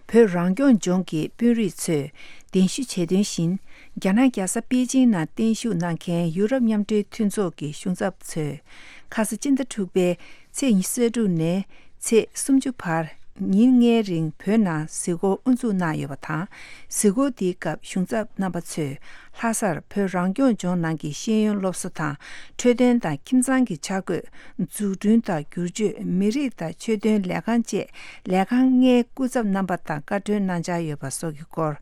བོད་རང་སྐྱོང་ལྗོངས་ཀྱི་དཔོན་རིགས་ཚོས་གདན་ཞུ་བྱས་དོན་བཞིན། རྒྱ་ནག་རྒྱལ་ས་པེ་ཅིང་ནང་བརྟན་བཞུགས་གནང་མཁན་ཡུ་རོབ་མཉམ་འབྲེལ་མཐུན་ཚོགས་ཀྱི་གཞུང་ཚབ་ཚོས། ཁ་ས་སྤྱི་ཟླ་དྲུག་པའི་ཚེས་ཉི་ཤུ་རྩ་དྲུག་ནས་ཚེས་སུམ་ཅུ་བར་ཉིན་ལྔའི་རིང་བོད་ནང་གཟིགས་སྐོར་དབུ་འཛུགས་གནང་ཡོད་པ་དང་། གཟིགས་སྐོར་འདིའི་སྐབས་གཞུང་ཚབ་རྣམ་པ་ཚོས་ལྷ་སར་བོད་རང་སྐྱོང་ལྗོངས་ནང་གི་ཤེས་ཡོན་སློབ་གསོ་དང་། འཕྲོད་བསྟེན་དང་ཁྱིམ་ཚང་གི་འཆར་འགོད། འཛུགས་སྐྲུན་དང་བསྒྱུར་བཅོས། མི་རིགས་དང་ཆོས་དོན་ལས་ཁང་བཅས་ལས་ཁང་ལྔའི་སྐུ་ཚབ་རྣམ་པ་དང་བཀའ་འཁྲོལ་གནང་འཆར་ཡོད་པ་སོགས་ཀྱི་སྐོར།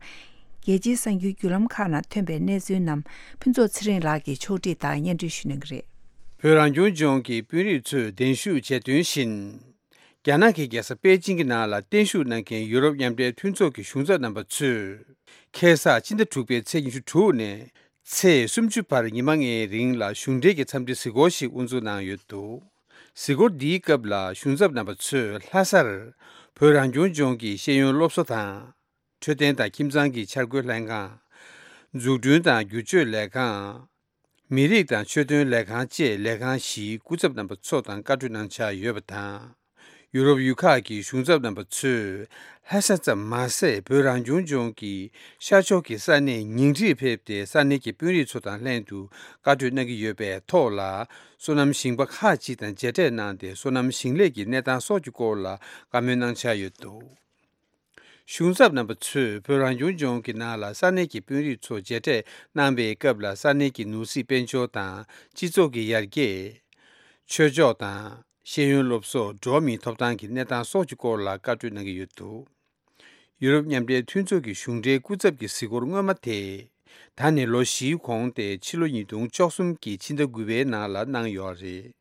རྒྱལ་སྤྱིའི་གསར་འགྱུར་བརྒྱུད་ལམ་ཁག་ནང་ཐོན་པའི་གནས་ཚུལ་རྣམས་ཕུན་ཚོགས་ཚེ་རིང་ལགས་ཀྱིས་ཕྱོགས་སྒྲིག་དང་སྙན་སྒྲོན་ཞུ་གནང་གི་རེད། བོད་རང་སྐྱོང་ལྗོངས་ཀྱི་དཔོན་རིགས་ཚོས་གདན་ཞུ་བྱས་དོན་བཞིན། རྒྱ་ནག་གི་རྒྱལ་ས་པེ་ཅིང་གི་ནང་ལ་བརྟན་བཞུགས་གནང་མཁན་ཡུ་རོབ་མཉམ་འབྲེལ་མཐུན་ཚོགས་ཀྱི་གཞུང་ཚབ་རྣམ་པ་ཚོས། ཁ་སང་སྤྱི་ཟླ་དྲུག་པའི་ཚེས་ཉི་ཤུ་དྲུག་ནས་ཚེས་སུམ་ཅུ་བར་ཉི་མ་ལྔའི་རིང་ལ་གཞུང་འབྲེལ་གྱི་འཚམས་འདྲི་གཟིགས་སྐོར་ཞིག་དབུ་འཛུགས་གནང་ཡོད་འདུག་གཟིགས་སྐོར་འདིའི་སྐབས་ལ་གཞུང་ཚབ་རྣམ་པ་ཚོས་ལྷ་སར་བོད་རང་སྐྱོང་ལྗོངས་ཀྱི་ཤེས་ཡོན་སློབ་གསོ་དང་། འཕྲོད་བསྟེན་དང་ཁྱིམ་ཚང་གི་འཆར་འགོད་ལྷན་ཁང་། འཛུགས་སྐྲུན་དང་བསྒྱུར་བཅོས་ལས་ཁང་། མི་རིགས་དང་ཆོས་དོན་ལས་ཁང་བཅས་ལས་ཁང་བཞིའི་སྐུ་ཚབ་རྣམ་པ་ཚོ་དང་བཀའ་འཁྲོལ་གནང་འཆར་ཡོད་པ་དང་། ཡུ་རོབ་ཡུལ་ཁག་གི་གཞུང་ཚབ་རྣམ་པ་ཚོས་ལྷ་ས་ཙམ་མ་ཟད། བོད་རང་སྐྱོང་ལྗོངས་ཀྱི་ཤར་ཕྱོགས་ཀྱི་ས་གནས་ཉིང་ཁྲིར་ཕེབས་ཏེ། ས་གནས་ཀྱི་དཔོན་རིགས་ཚོ་དང་ལྷན་དུ་བཀའ་འཁྲོལ་གནང་གི་ཡོད་པའི་ཐོག་ལ། སོ་ནམ་ཞིང་པ་ཁག་ཅིག་དང་མཇལ་འཕྲད་གནང་སྟེ། སོ་ནམ་ཞིང་ལས་ཀྱི་གནས་སྟངས་སོགས་ཀྱི་སྐོར་ལ་བཀའ་མོལ་གནང་འཆར་ཡོད་འདུག་གཞུང་ཚབ་རྣམ་པ་ཚོས་བོད་རང་སྐྱོང་ལྗོངས་ཀྱི་ནང་ལ་ས་གནས་ཀྱི་དཔོན་རིགས་ཚོ་མཇལ་འཕྲད་གནང་བའི་སྐབས་ལ། ས་གནས་ཀྱི་ནོར་སྲིད་དཔལ་འབྱོར་དང་། སྤྱི་ཚོགས་ཀྱི་ཡར་རྒྱས། ཆོས་ཕྱོགས་དང་། ཤེས་ཡོན་སློབ་གསོ། འགྲོ་བ་མིའི་ཐོབ་ཐང་གི་གནས་སྟངས་སོགས་ཀྱི་སྐོར་ལ་བཀའ་འཁྲོལ་གནང་གི་ཡོད་འདུག་ཡུ་རོབ་མཉམ་འབྲེལ་མཐུན་ཚོགས་ཀྱི་གཞུང་འབྲེལ་སྐུ་ཚབ་ཀྱི་གཟིགས་སྐོར་སྔོན་མ་དེ། ད་ནས་ལོ་བཞིའི་གོང་སྟེ་ཕྱི་ལོ་ཉིས་སྟོང་བཅུ་གསུམ་གྱི་ཕྱི་ཟླ་དགུ་པའི་ནང་ལ་གནང་ཡོད་རེད།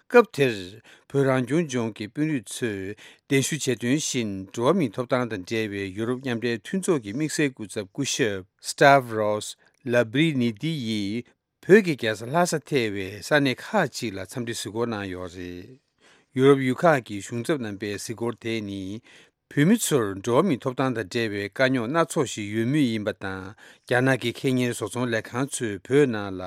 སྐབས་དེར་བོད་རང་སྐྱོང་ལྗོངས་ཀྱི་དཔོན་རིགས་ཚོས་གདན་ཞུ་བྱས་དོན་བཞིན་འགྲོ་བ་མིའི་ཐོབ་ཐང་དང་འབྲེལ་བའི་ཡུ་རོབ་མཉམ་འབྲེལ་མཐུན་ཚོགས་ཀྱི་དམིགས་བསལ་སྐུ་ཚབ་སྐུ་ཞབས་Stavros Lambrinidis་ཡིས་བོད་ཀྱི་རྒྱལ་ས་ལྷ་ས་ཐེ་བའི་ས་གནས་ཁག་ཅིག་ལ་འཚམས་འདྲི་གཟིགས་སྐོར་གནང་ཡོད་རེད། ཡུ་རོབ་ཡུལ་ཁག་གི་གཞུང་ཚབ་རྣམ་པའི་གཟིགས་སྐོར་དེ་ནི། བོད་མི་ཚོར་འགྲོ་བ་མིའི་ཐོབ་ཐང་དང་འབྲེལ་བའི་དཀའ་རྙོག་སྣ་ཚོགས་ཤིག་ཡོད་མུས་ཡིན་པ་དང་། རྒྱ་ནག་གི་ཁེ་གཉེར་བཟོ་ཚོང་ལས་ཁང་ཚོས་བོད་ནང་ལ་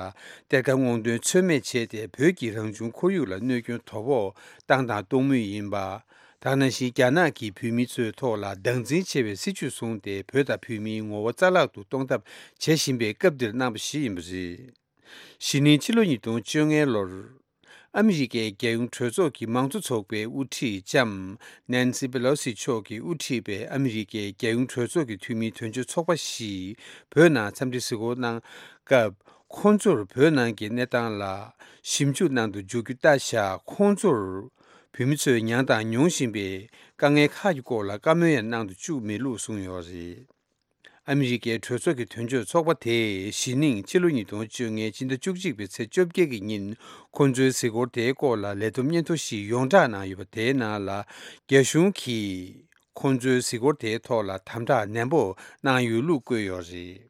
གཏེར་ཁ་སྔོག་འདོན་ཚོད་མེད་བྱས་ཏེ། བོད་ཀྱི་རང་བྱུང་ཁོར་ཡུག་ལ་གནོད་སྐྱོན་དོ་ཕོག་བཏང་དང་གཏོང་མུས་ཡིན་པ། ད་ག་ནང་བཞིན་རྒྱ་ནག་གིས་བོད་མི་ཚོའི་ཐོག་ལ་སྡང་འཛིན་ཆེ་བའི་སྲིད་བྱུས་བཟུང་སྟེ། བོད་དང་བོད་མིའི་ངོ་བོ་རྩ་བརླག་ཏུ་གཏོང་ཐབས་བྱེད་བཞིན་པའི་སྐབས་འདིར་གནང་བ་ཞིག་ཡིན་པ་རེད། གཞེས་ནིང་ཕྱི་ལོ་ཉིས་སྟོང་བཅོ་ལྔ་ལོར། ཨ་མི་རི་ཀའི་རྒྱལ་ཡོངས་གྲོས་ཚོགས་ཀྱི་མང་གཙོ་ཚོགས་པའི་དབུ་ཁྲིད་ལྕམ་Nancy Pelosi་མཆོག་གིས་དབུ་ཁྲིད་པའི་ཨ་མི་རི་ཀའི་རྒྱལ་ཡོངས་གྲོས་ཚོགས་ཀྱི་འཐུས་མིའི་དོན་གཅོད་ཚོགས་པ་ཞིག་བོད་ནང་འཚམས་འདྲི་གཟིགས་སྐོར་གནང་སྐབས། ཁོང་ཚོར་བོད་ནང་གི་གནས་སྟངས་ལ་ཞིབ་འཇུག་གནང་དུ་འཇུག་རྒྱུ་ལྟ་བཞག་ཁོང་ཚོར་བོད་མི་ཚོས་མྱངས་དང་མྱོང་བཞིན་པའི་དཀའ་ངལ་ཁག་གི་སྐོར་ལ་བཀའ་མོལ་ཡང་གནང་དུ་བཅུག་མེད་ལུགས་གསུངས་ཡོད་རེད། ཨ་མི་རི་ཀའི་གྲོས་ཚོགས་ཀྱི་དོན་གཅོད་ཚོགས་པ་དེས་གཞེས་ནིང་ཕྱི་ལོ་ཉིས་སྟོང་བཅོ་ལྔའི་ཕྱི་ཟླ་བཅུ་གཅིག་པའི་ཚེས་བཅོ་བརྒྱད་ཀྱི་ཉིན། ཁོང་ཚོའི་གཟིགས་སྐོར་དེའི་སྐོར་ལ་ལས་བསྡོམས་སྙན་ཐོ་ཞིག་ཡོངས་བསྒྲགས་གནང་ཡོད་པ། དེའི་ནང་ལ་རྒྱ་གཞུང་གིས་ཁོང་ཚོའི་གཟིགས་སྐོར་དེའི་ཐོག་ལ་དམ་དྲག་ནན་པོ་གནང་ཡོད་ལུགས་བཀོད་ཡོད་རེད།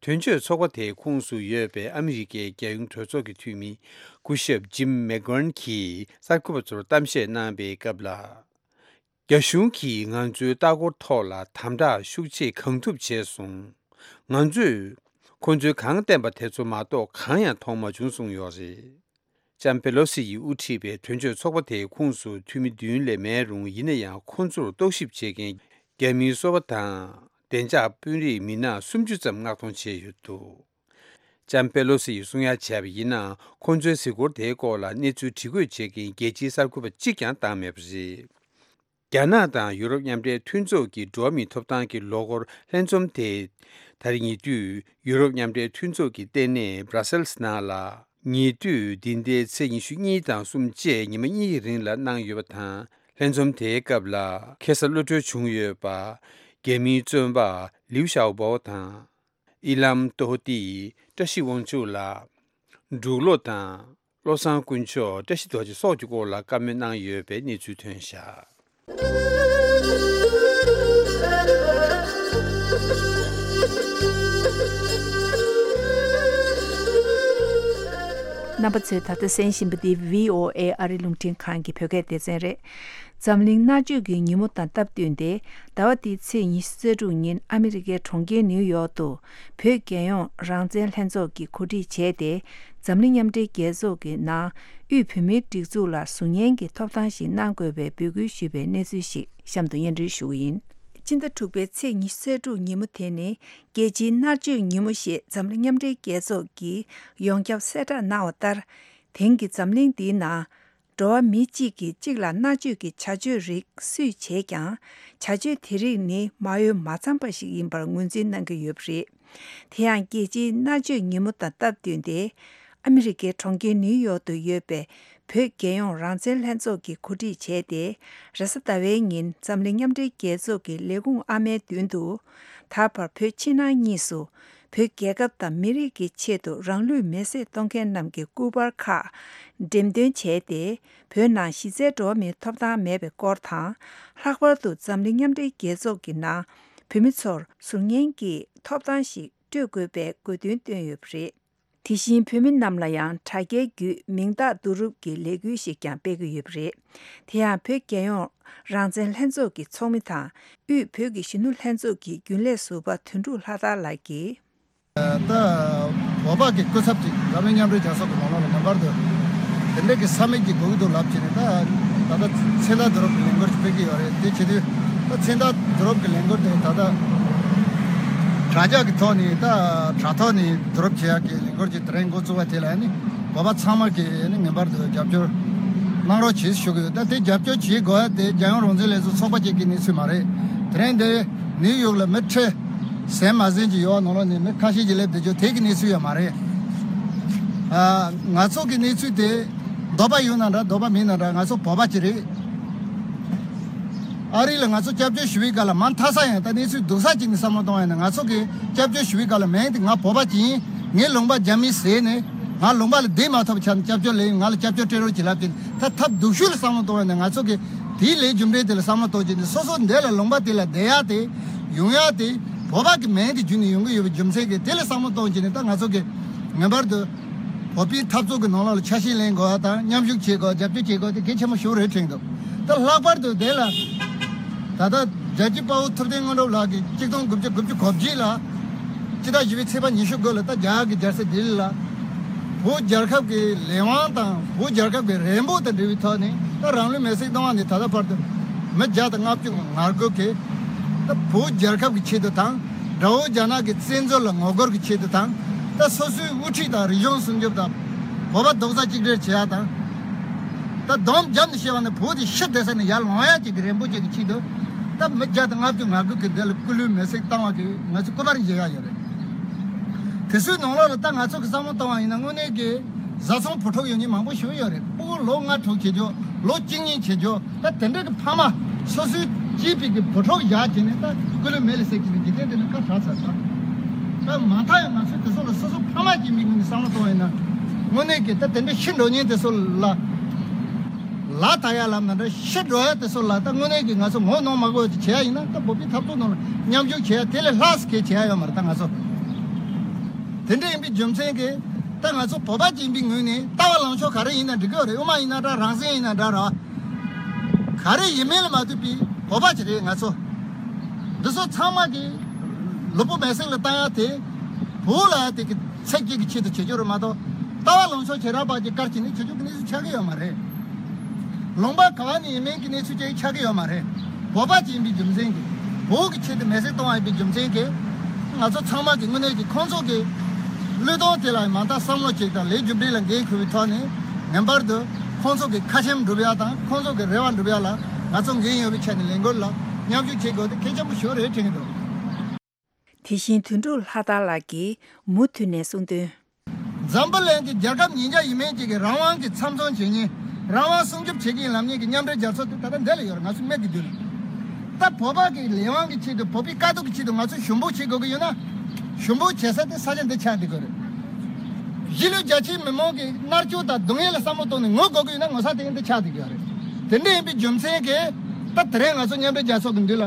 དོན་གཅོད་ཚོགས་པ་དེའི་ཁོངས་སུ་ཡོད་པའི་ཨ་མི་རི་ཀའི་རྒྱལ་ཡོངས་གྲོས་ཚོགས་ཀྱི་འཐུས་མི་སྐུ་ཞབས་Jim McGovern་གྱིས་གསར་འགོད་པ་ཚོར་གཏམ་བཤད་གནང་པའི་སྐབས་ལ། རྒྱ་གཞུང་གིས་ང་ཚོའི་ལྟ་སྐོར་ཐོག་ལ་དམ་དྲག་ཤུགས་ཆེ་གང་ཐུབ་བྱས་སོང་། ང་ཚོས་ཁོང་ཚོས་གང་བསྟན་པ་དེ་ཚོ་མ་གཏོགས་གང་ཡང་མཐོང་མ་བྱུང་གསུངས་ཡོད་རེད། ལྕམ་པེ་ལོ་སི་ཡིས་དབུ་ཁྲིད་པའི་དོན་གཅོད་ཚོགས་པ་དེའི་ཁོངས་སུ་འཐུས་མི་བདུན་ལས་མེད་རུང་། ཡིན་ན་ཡང་ཁོང་ཚོར་རྟོག་ཞིབ་བྱེད་མཁན་རྒྱ་མིའི་སོ་པ་དང་བདེ་འཇགས་དཔོན་རིགས་མི་སྣ་སུམ་ཅུ་ཙམ་མངགས་གཏོང་བྱས་ཡོད་འདུག་ལྕམ་པེ་ལོ་སི་ཡིས་གསུང་ཡ་བྱས་པ་ཡིན་ན། ཁོང་ཚོའི་གཟིགས་སྐོར་དེའི་སྐོར་ལ་གནས་ཚུལ་དྲི་བཀོད་བྱེད་མཁན་རྒྱལ་སྤྱིའི་གསར་འགོད་པ་གཅིག་ཀྱང་བཏང་མེད་པ་རེད། རྒྱ་ནག་དང་ཡུ་རོབ་མཉམ་འབྲེལ་མཐུན་ཚོགས་ཀྱི་འགྲོ་བ་མིའི་ཐོབ་ཐང་གི་ལོ་འཁོར་ལྷན་འཛོམས་དེ། ད་རེས་ཉེ་དུས་ཡུ་རོབ་མཉམ་འབྲེལ་མཐུན་ཚོགས་ཀྱི་ལྟེ་གནས་Brussels་ནང་ལ། ཉེ་དུས་འདི་ཟླའི་ཚེས་ཉི་ཤུ་གཉིས་དང་གསུམ་བཅས་ཉི་མ་གཉིས་ཀྱི་རིང་ལ་གནང་ཡོད་པ་དང་། ལྷན་འཛོམས་དེའི་སྐབས་ལ་ཁ་སང་གློད་གྲོལ་བྱུང་ཡོད་པ། རྒྱ་མིའི་བཙོན་པ་ལིའུ་ཞའོ་པོ་དང་། ཨི་ལམ་ཏོ་ཧོ་ཏི་བཀྲ་ཤིས་དབང་ཕྱུག་ལགས། འབྲུག་ལོ་དང་། བློ་བཟང་དཀོན་མཆོག་བཀྲ་ཤིས་རྡོ་རྗེ་སོགས་ཀྱི་སྐོར་ལ་བཀའ་མོལ་གནང་ཡོད་པའི་གནས་ཚུལ་ཐོན་བཞག་རྣམ་པ་ཚོས་ད་ལྟ་གསན་བཞིན་པ་འདི་བྷི་ཨོ་ཨེ་ཨ་རི་རླུང་འཕྲིན་ཁང་གི་བོད་སྐད་སྡེ་ཚན་རེད། འཛམ་གླིང་མནར་གཅོད་ཀྱི་ཉིན་མོ་དང་སྟབས་བསྟུན་ཏེ། ཟླ་བ་འདིའི་ཚེས་ཉི་ཤུ་རྩ་དྲུག་ཉིན་ཨ་མི་རི་ཀའི་གྲོང་ཁྱེར་ནིའུ་ཡོག་ཏུ། བོད་རྒྱལ་ཡོངས་རང་བཙན་ལྷན་ཚོགས་ཀྱིས་གོ་སྒྲིག་བྱས་ཏེ། འཛམ་གླིང་མཉམ་འབྲེལ་རྒྱལ་ཚོགས་ཀྱི་ནང་དབུས་བོད་མིའི་སྒྲིག་འཛུགས་ལ་གཟུགས་བརྙན་གྱི་ཐོབ་ཐང་ཞིག་གནང་དགོས་པའི་འབོད་སྐུལ་ཞུས་པའི་གནས་ཚུལ་ཞིག་གཤམ་དུ་སྙན་སྒྲོན་ཞུ་གི་ཡིན། སྤྱི་ཟླ་དྲུག་པའི་ཚེས་ཉི་ཤུ་རྩ་དྲུག་ཉིན་མོ་དེ་ནི་རྒྱལ་སྤྱིའི་མནར་གཅོད་ཉིན་མོ་ཞེས་འཛམ་གླིང་མཉམ་འབྲེལ་རྒྱལ་ཚོགས་ཀྱིས་ཡོངས་ཁྱབ་གསལ་བསྒྲགས་གནང་བ་ལྟར། དེང་གི་འཛམ་གླིང་འདིའི་ནང་། འགྲོ་བ་མི་གཅིག་གིས་གཅིག་ལ་མནར་གཅོད་ཀྱི་བྱ་སྤྱོད་རིགས་སུས་བྱས་ཀྱང་། བྱ་སྤྱོད་དེ་རིགས་ནི་མ་འོས་མ་འཚམས་པ་ཞིག་ཡིན་པར་ངོས་འཛིན་གནང་གི་ཡོད་པ་རེད། དེ་ཡང་རྒྱལ་སྤྱིའི་མནར་གཅོད་ཉིན་མོ་དང་སྟབས་བསྟུན་ཏེ། ཨ་མི་རི་ཀའི་གྲོང་ཁྱེར་ནིའུ་ཡོག་ཏུ་ཡོད་པའི་བོད་རྒྱལ་ཡོངས་རང་བཙན་ལྷན་ཚོགས་ཀྱིས་གོ་སྒྲིག་བྱས་ཏེ། རེས་གཟའ་ཟླ་བའི་ཉིན་འཛམ་གླིང་མཉམ་འབྲེལ་རྒྱལ་ཚོགས་ཀྱི་ལས་ཁུངས་ཨ་མའི་མདུན་དུ། ད་བར་བོད་ཕྱི་ནང་གཉིས་སུ། བོད་རྒྱལ་ཁབ་དང་མི་རིགས་ཀྱི་ཆེད་དུ་རང་ལུས་མེར་སྲེག་གཏོང་མཁན་རྣམས་ཀྱི་སྐུ་པར་ཁག་འགྲེམས་སྟོན་བྱས་ཏེ། བོད་ནང་གཞི་རྩའི་འགྲོ་བ་མིའི་ཐོབ་ཐང་མེད་པའི་སྐོར་དང་། ལྷག་པར་དུ་འཛམ་གླིང་མཉམ་འབྲེལ་རྒྱལ་ཚོགས་ཀྱི་ནང་བོད་མི་ཚོར་གཟུགས་བརྙན་གྱི་ཐོབ་ཐང་ཞིག་སྤྲོད་དགོས་པའི་དགོས་འདུན་བཏོན་ཡོད་པ་རེད། དེ་བཞིན་བོད་མི་རྣམས་ལ་ཡང་དྲ་རྒྱའི་བརྒྱུད་མིང་རྟགས་བསྡུ་རུབ་ཀྱི་ལས་འགུལ་ཞིག་ཀྱང་སྤེལ་གྱི་ཡོད་པ་རེད། དེ་ཡང་བོད་རྒྱལ་ཡོངས་རང་བཙན་ལྷན་ཚོགས་ཀྱི་ཚོགས་མི་དང་། དབུས་བོད་ཀྱི་གཞོན་ནུ་ལྷན་ཚོགས་ཀྱི་རྒྱུན་ལས་ཟུར་པ་དོན་གྲུབ་ལྷ་དར་ལགས་ཀྱིས། ད་བོད་པ་གི་སྐུ་ཚབ་ཅིག་འཛམ་གླིང་མཉམ་འབྲེལ་རྒྱལ་ཚོགས་ཀྱི་ནང་ལོགས་ལ་ངེས་པར་དུ་དེ་འདྲ་གི་ས་མིག་ཅིག་དགོས་ཀྱི་འདུག་ལབ་བྱས་ནས། ད་ད་ལྟ་མཚན་རྟགས་བསྡུ་རུབ་ཀྱི་ལས་འགུལ་ཅིག་སྤེལ་གྱི་ཡོད་རེད། དེ་བྱེད་དུས་ད་མཚན་རྟགས་བསྡུ་རུབ་ཀྱི་ལས་འགུལ་དེ་ད་ལྟ་དྲ་རྒྱ་གི་ཐོག་ནས། ད་དྲ་ཐོག་ནས་བསྡུ་རུབ་བྱེད་ཡག་གི་ལས་འགུལ་ཅིག་དེ་རིང་འགོ་བཙུགས་པ་དེ་ལ་ནི་བོད་པ་ཚང་མ་གིས་ནི་ངེས་པར་དུ་རྒྱབ་སྐྱོར་གནང་རོགས་བྱེད་ཞུ་གི་ཡོད། ད་དེ་རྒྱབ་སྐྱོར་བྱེད་དགོས་ཡ་དེ་རྒྱལ་ཡོངས་རང་བཙན་ལས་འཛིན་ཚོགས་པ་ཅིག་གི་གནས་ཚུལ་མ་རེད། དེ་རིང་འདི་ནིའུ་ཡོག་ལ་མི་ཁྲི་ཟིན་མ་ཟིན་ཅིག་ཡོད་པ་ནང་ལོགས་ནས་མི་ཁ་ཤས་ཅིག་སླེབས་བསྡད་རྒྱུ་དེ་གི་གནས་ཚུལ་ཡོད་མ་རེད། ཨ། ང་ཚོ་གི་གནས་ཚུལ་དེ་འདོད་པ་ཡོད་ན་འདྲ། འདོད་པ་མེད་ན་འདྲ། ང་ཚོ་བོད་པ་ཅིག་རེད། ཨ་རི་ལ་ང་ཚོ་སྐྱབས་བཅོལ་ཞུ་བའི་སྐབས་ལ་མ་མཐའ་ས་ཡང་ད་གནས་ཚུལ་སྡུག་ས་ཅིག་ནས་བསམ་བློ་གཏོང་བ་ཡིན་ན། ང་ཚོ་གི་སྐྱབས་བཅོལ་ཞུ་བའི་སྐབས་ལ་མིང་དེ་ང་བོད་པ་ཅིག་ཡིན། ངའི་ལུང་པ་རྒྱ་མིས་བཟས་ནས་ང་ལུང་པ་ལ་བསྡད་མ་ཐུབ་པ་ཆགས་ནས་སྐྱབས་བཅོལ་ལེན། ང་ལ་སྐྱབས་བཅོལ་སྤྲད་རོགས་ཅིག་ལབ་ཀྱིན། ད་ཐབས་སྡུག་ཤོས་ལ་བསམ་བློ་གཏོང་བ་ཡིན་ན། ང་ཚོ་གི་དེའི་ལས་རྒྱུ་འབྲས་དེ་ལ་བསམ་བློ་གཏོང་བྱས་ནས་སོ་སོ་འདི་ལ་ལུང་པ་དེ་ལ་བསྡད་ཡག་དེ་ཡོང་ཡག་དེ་བོད་པ་གི་མིང་དེ་བརྒྱུད་ནས་ཡོང་གི་ཡོད་པའི་རྒྱུ་མཚན་གྱིས། དེ་ལ་བསམ་བློ་གཏོང་བྱས་ནས་ད་ང་ཚོ་གི་ངེས་པར་དུ་བོད་པའི་འཐབ་རྩོད་ཀྱི་ནང་ལོགས་ལ་ཆ་ཤས་ལེན་དགོས་པ་དང་མཉམ་ཞུགས་བྱེད་དགོས། རྒྱབ་སྐྱོར་བྱེད་དགོས་དེ་གལ་ཆེན་པོ་ཞིག་རེད་དྲན་འདུག་ད་ལྷག་པར་དུ་དེ་ལ་ད་ལྟ་རྒྱལ་གཅེས་དཔའ་བོ་ཐུབ་བསྟན་དངོས་གྲུབ་ལགས་ཀྱིས་གཅིག་སྟོང་དགུ་བརྒྱ་དགུ་བཅུ་གོ་བརྒྱད་ལ་སྤྱི་ཟླ་བཞི་པའི་ཚེས་པ་ཉི་ཤུ་དགུ་ལ་ད་རྒྱ་གར་གྱི་རྒྱལ་ས་ལྡི་ལི་ལ་བོད་རྒྱལ་ཁབ་ཀྱི་ལས་དབང་དང་བོད་རྒྱལ་ཁབ་ཀྱི་རེ་འབོད་དང་འབྲེལ་བའི་ཐོག་ནས། ད་རང་ལུས་མེར་སྲེག་བཏང་བ་ནས་ད་ལྟ་བར་དུ་མི་བརྒྱ་དང་ལྔ་བཅུ་ང་དགུ་གིས་ད་བོད་རྒྱལ་ཁབ་ཀྱི་ཆེད་དུ་དང་། དགྲ་བོ་རྒྱ་ནག་གི་བཙན་འཛུལ་ལ་ངོ་རྒོལ་གྱི་ཆེད་དུ་དང་། ད་སོ་སོའི་དབུ་ཁྲིད་དང་རིག་གཞུང་སྲུང་སྐྱོབ་དང་། བོད་པ་རྡོག་རྩ་གཅིག་སྒྲིལ་བྱེད་ཡག་དང་། ད་སྡོམ་བརྒྱབ་ནས་བཤད་པ་ནི་བོད་དེ་ཤི་བསྡད་ས་ནས་ཡར་ལོང་ཡག་ཅིག་གི་རེ་འབོད་ཅིག་གི་ཆེད་དུ། ད་མི་བརྒྱ་དང་ལྔ་བཅུ་ང་དགུ་གིས་འདི་ལ་སྐུ་ལུས་མེར་སྲེག་བཏང་བ་གི་ང་ཚོ་སྐུ་པར་མཇལ་ཡག་ཡོད་རེད། དེ་ཚོའི་ནང་ལོགས་ལ་ད་ང་ཚོ་གི་བསམ་བློ་བཏང་བ་ཡིན་ན། དངོས་གནས་ཀྱི་བཟའ་ཚང་བུ་ཕྲུག་ཡོད་མཁན་མང་པོ་ཞིག་ཡོད་རེད། སྤུ་གུ་ལོ་ལྔ་དྲུག་བྱེད་རྒྱུ། ལོ་བཅུ་གཉིས་བྱེད་རྒྱུ། ད་དེ་འདྲ་གི་ཕ་མ་སོ་སོའི་གཅེས་པའི་གི་བུ་ཕྲུག་བཞག་བྱས་ནས་ད་སྐུ་ལུས་མེ་ལ་བསྲེགས་ཀྱི་འཇིག་རྟེན་དེ་ནི་ཁ་བྲལ་ཚར་ཚར། ད་མ་མཐའ་ཡང་ང་ཚོས་དེ་ཚོ་ལ་སོ་སོ་ཕ་མ་གཅིག་ཡིན་པའི་ངོས་ནས་བསམ་བློ་གཏོང་བ་ཡིན་ན། དངོས་གནས་ཀྱི་ད་དེ་འདྲ་ཤི་འགྲོ་མཁན་དེ་ཚོ་ལ་ལག་བསྟར་ཡག་ལབ་ན་འདྲ། ཤི་འགྲོ་ཡག་དེ་ཚོ་ལ་ད་དངོས་གནས་ཀྱི་ང་ཚོ་ངོ་གནོང་མ་དགོས་པ་ཅིག་བྱེད་ཡག་ཡིན་ན། ད་བོད་པའི་འཐབ་རྩོད་ནང་ལ་མཉམ་ཞུགས་བྱེད་ཡག་དེ་ལས་ལྷག་ཙམ་གང་ཡང་བྱེད་ཡག་ཡོད་མ་རེད། ད་ང་ཚོ་དེ་འདྲ་ཡིན་པའི་རྒྱུ་མཚན་གྱིས་ད་ང་ཚོ་བོད་པ་གཅིག་ཡིན་པའི་ངོས་ནས་ལྟ་བ་ལངས་ཕྱོགས་ག་རེ་ཡིན་ན་འགྲིག་གི་ཡོད་རེད། དབུ་མ་ཡིན་ན་འདྲ། རང་བཙན་ཡིན་ན་འདྲ་ར། ག་རེ་ཡིན་མིན་ལ་མ་ལྟོས་པའི་བོད་པ་ཅིག་རེད་ང་ཚོ། འདི་ཚོ་ཚང་མ་གི་ལུས་པོ་མེ་སྲེག་ལ་བཏང་ཡག་དེ་བོད་ལ་དེ་གི་ཚེ་སྐྱིད་ཀྱི་ཆེད་དུ་བྱེད་རྒྱུ་རེད་མ་གཏོགས། ལྟ་བ་ལངས་ཕྱོགས་བྱེ་བྲག་པ་ཅིག་བཀར་བྱས་ནས་བྱེད་རྒྱུ་གི་གནས་ཚུལ་ཆགས་ཀྱི་ཡོད་མ་རེད། ལུང་པ་ག་བ་ནས་ཡིན་མིན་གྱི་གནས་ཚུལ་ཅིག་ཆགས་ཀྱི་ཡོད་མ་རེད། བོད་པ་ཅིག་ཡིན་པའི་རྒྱུ་མཚན་གྱིས། བོད་ཀྱི་ཆེད་དུ་མེ་སྲེག་གཏོང་བ་ཡིན་པའི་རྒྱུ་མཚན་གྱིས། ང་ཚོ་ཚང་མ་གི་དངོས་གནས་ཀྱི་ཁོང་ཚོ་གི་བློས་གཏོང་དེ་ལ་མ་མཐའ་བསམ་བློ་ཅིག་དང་ལས་རྒྱུ་འབྲས་ལ་འགན་འཁུར་བའི་ཐོག་ནས། ངེས་པར་དུ་ཁོང་ཚོ་གི་ཁ་ཆེམས་འགྲུབ་ཡག་དང་ཁོང་ཚོ་གི་རེ་བ་འགྲུབ་ཡག་ལ་ང་ཚོ་འགན་ཡོད་པའི་ཆ་ནས་ལས་འགུལ་ལ་མཉམ་ཞུགས་བྱེད་དགོས་དེ་གལ་ཆེན་པོ་ཞིག་རེད་དྲན་གྱི་འདུག་དེ་བཞིན་དོན་གྲུབ་ལྷ་དར་ལགས་ཀྱིས་མུ་མཐུད་ནས་གསུངས་དོན། འཛམ་བུ་གླིང་གི་རྒྱལ་ཁབ་ཉིས་བརྒྱ་ཡིན་མིན་ཅིག་གི་རང་དབང་གི་མཚམས་མཚོན་བྱེད་མཁན། རང་དབང་སྲུང་སྐྱོབ་བྱེད་ཀྱི་ཡིན་ལབ་མཁན་གྱི་མཉམ་འབྲེལ་རྒྱལ་ཚོགས་དེ་ད་ལྟ་འདི་ལ་ཡོད་རེད། ང་ཚོ་མིག་གི་མདུན་ལ། ད་བོད་པ་གི་ལས་དབང་གི་ཆེད་དུ། བོད་པའི་དཀའ་སྡུག་གི་ཆེད་དུ་ང་ཚོ་ཞུ་འབོད་བྱེད་དགོས་ཀྱི་ཡོད་ན། ཞུ་འབོད་བྱེད་ས་དེ་ས་ཆ་འདི་ཆགས་བསྡད་ཀྱི་རེད། གཞིས་ལུས་རྒྱ་ཆེའི་མི་མང་གི་མནར་གཅོད་དང་སྡུག་བསྔལ་ལ་བསམ་བློ་གཏོང་ནས་ངུ་དགོས་ཀྱི་ཡོད་ན་ངུ་ས་དེ་འདི་ཆགས་བསྡད་ཀྱི་ཡོད་རེད། དེ་འདྲ་ཡིན་པའི་རྒྱུ་མཚན་གྱིས་ད་དེ་རིང་ང་ཚོ་མཉམ་འབྲེལ་རྒྱལ་ཚོགས་ཀྱི་མདུན་ལ་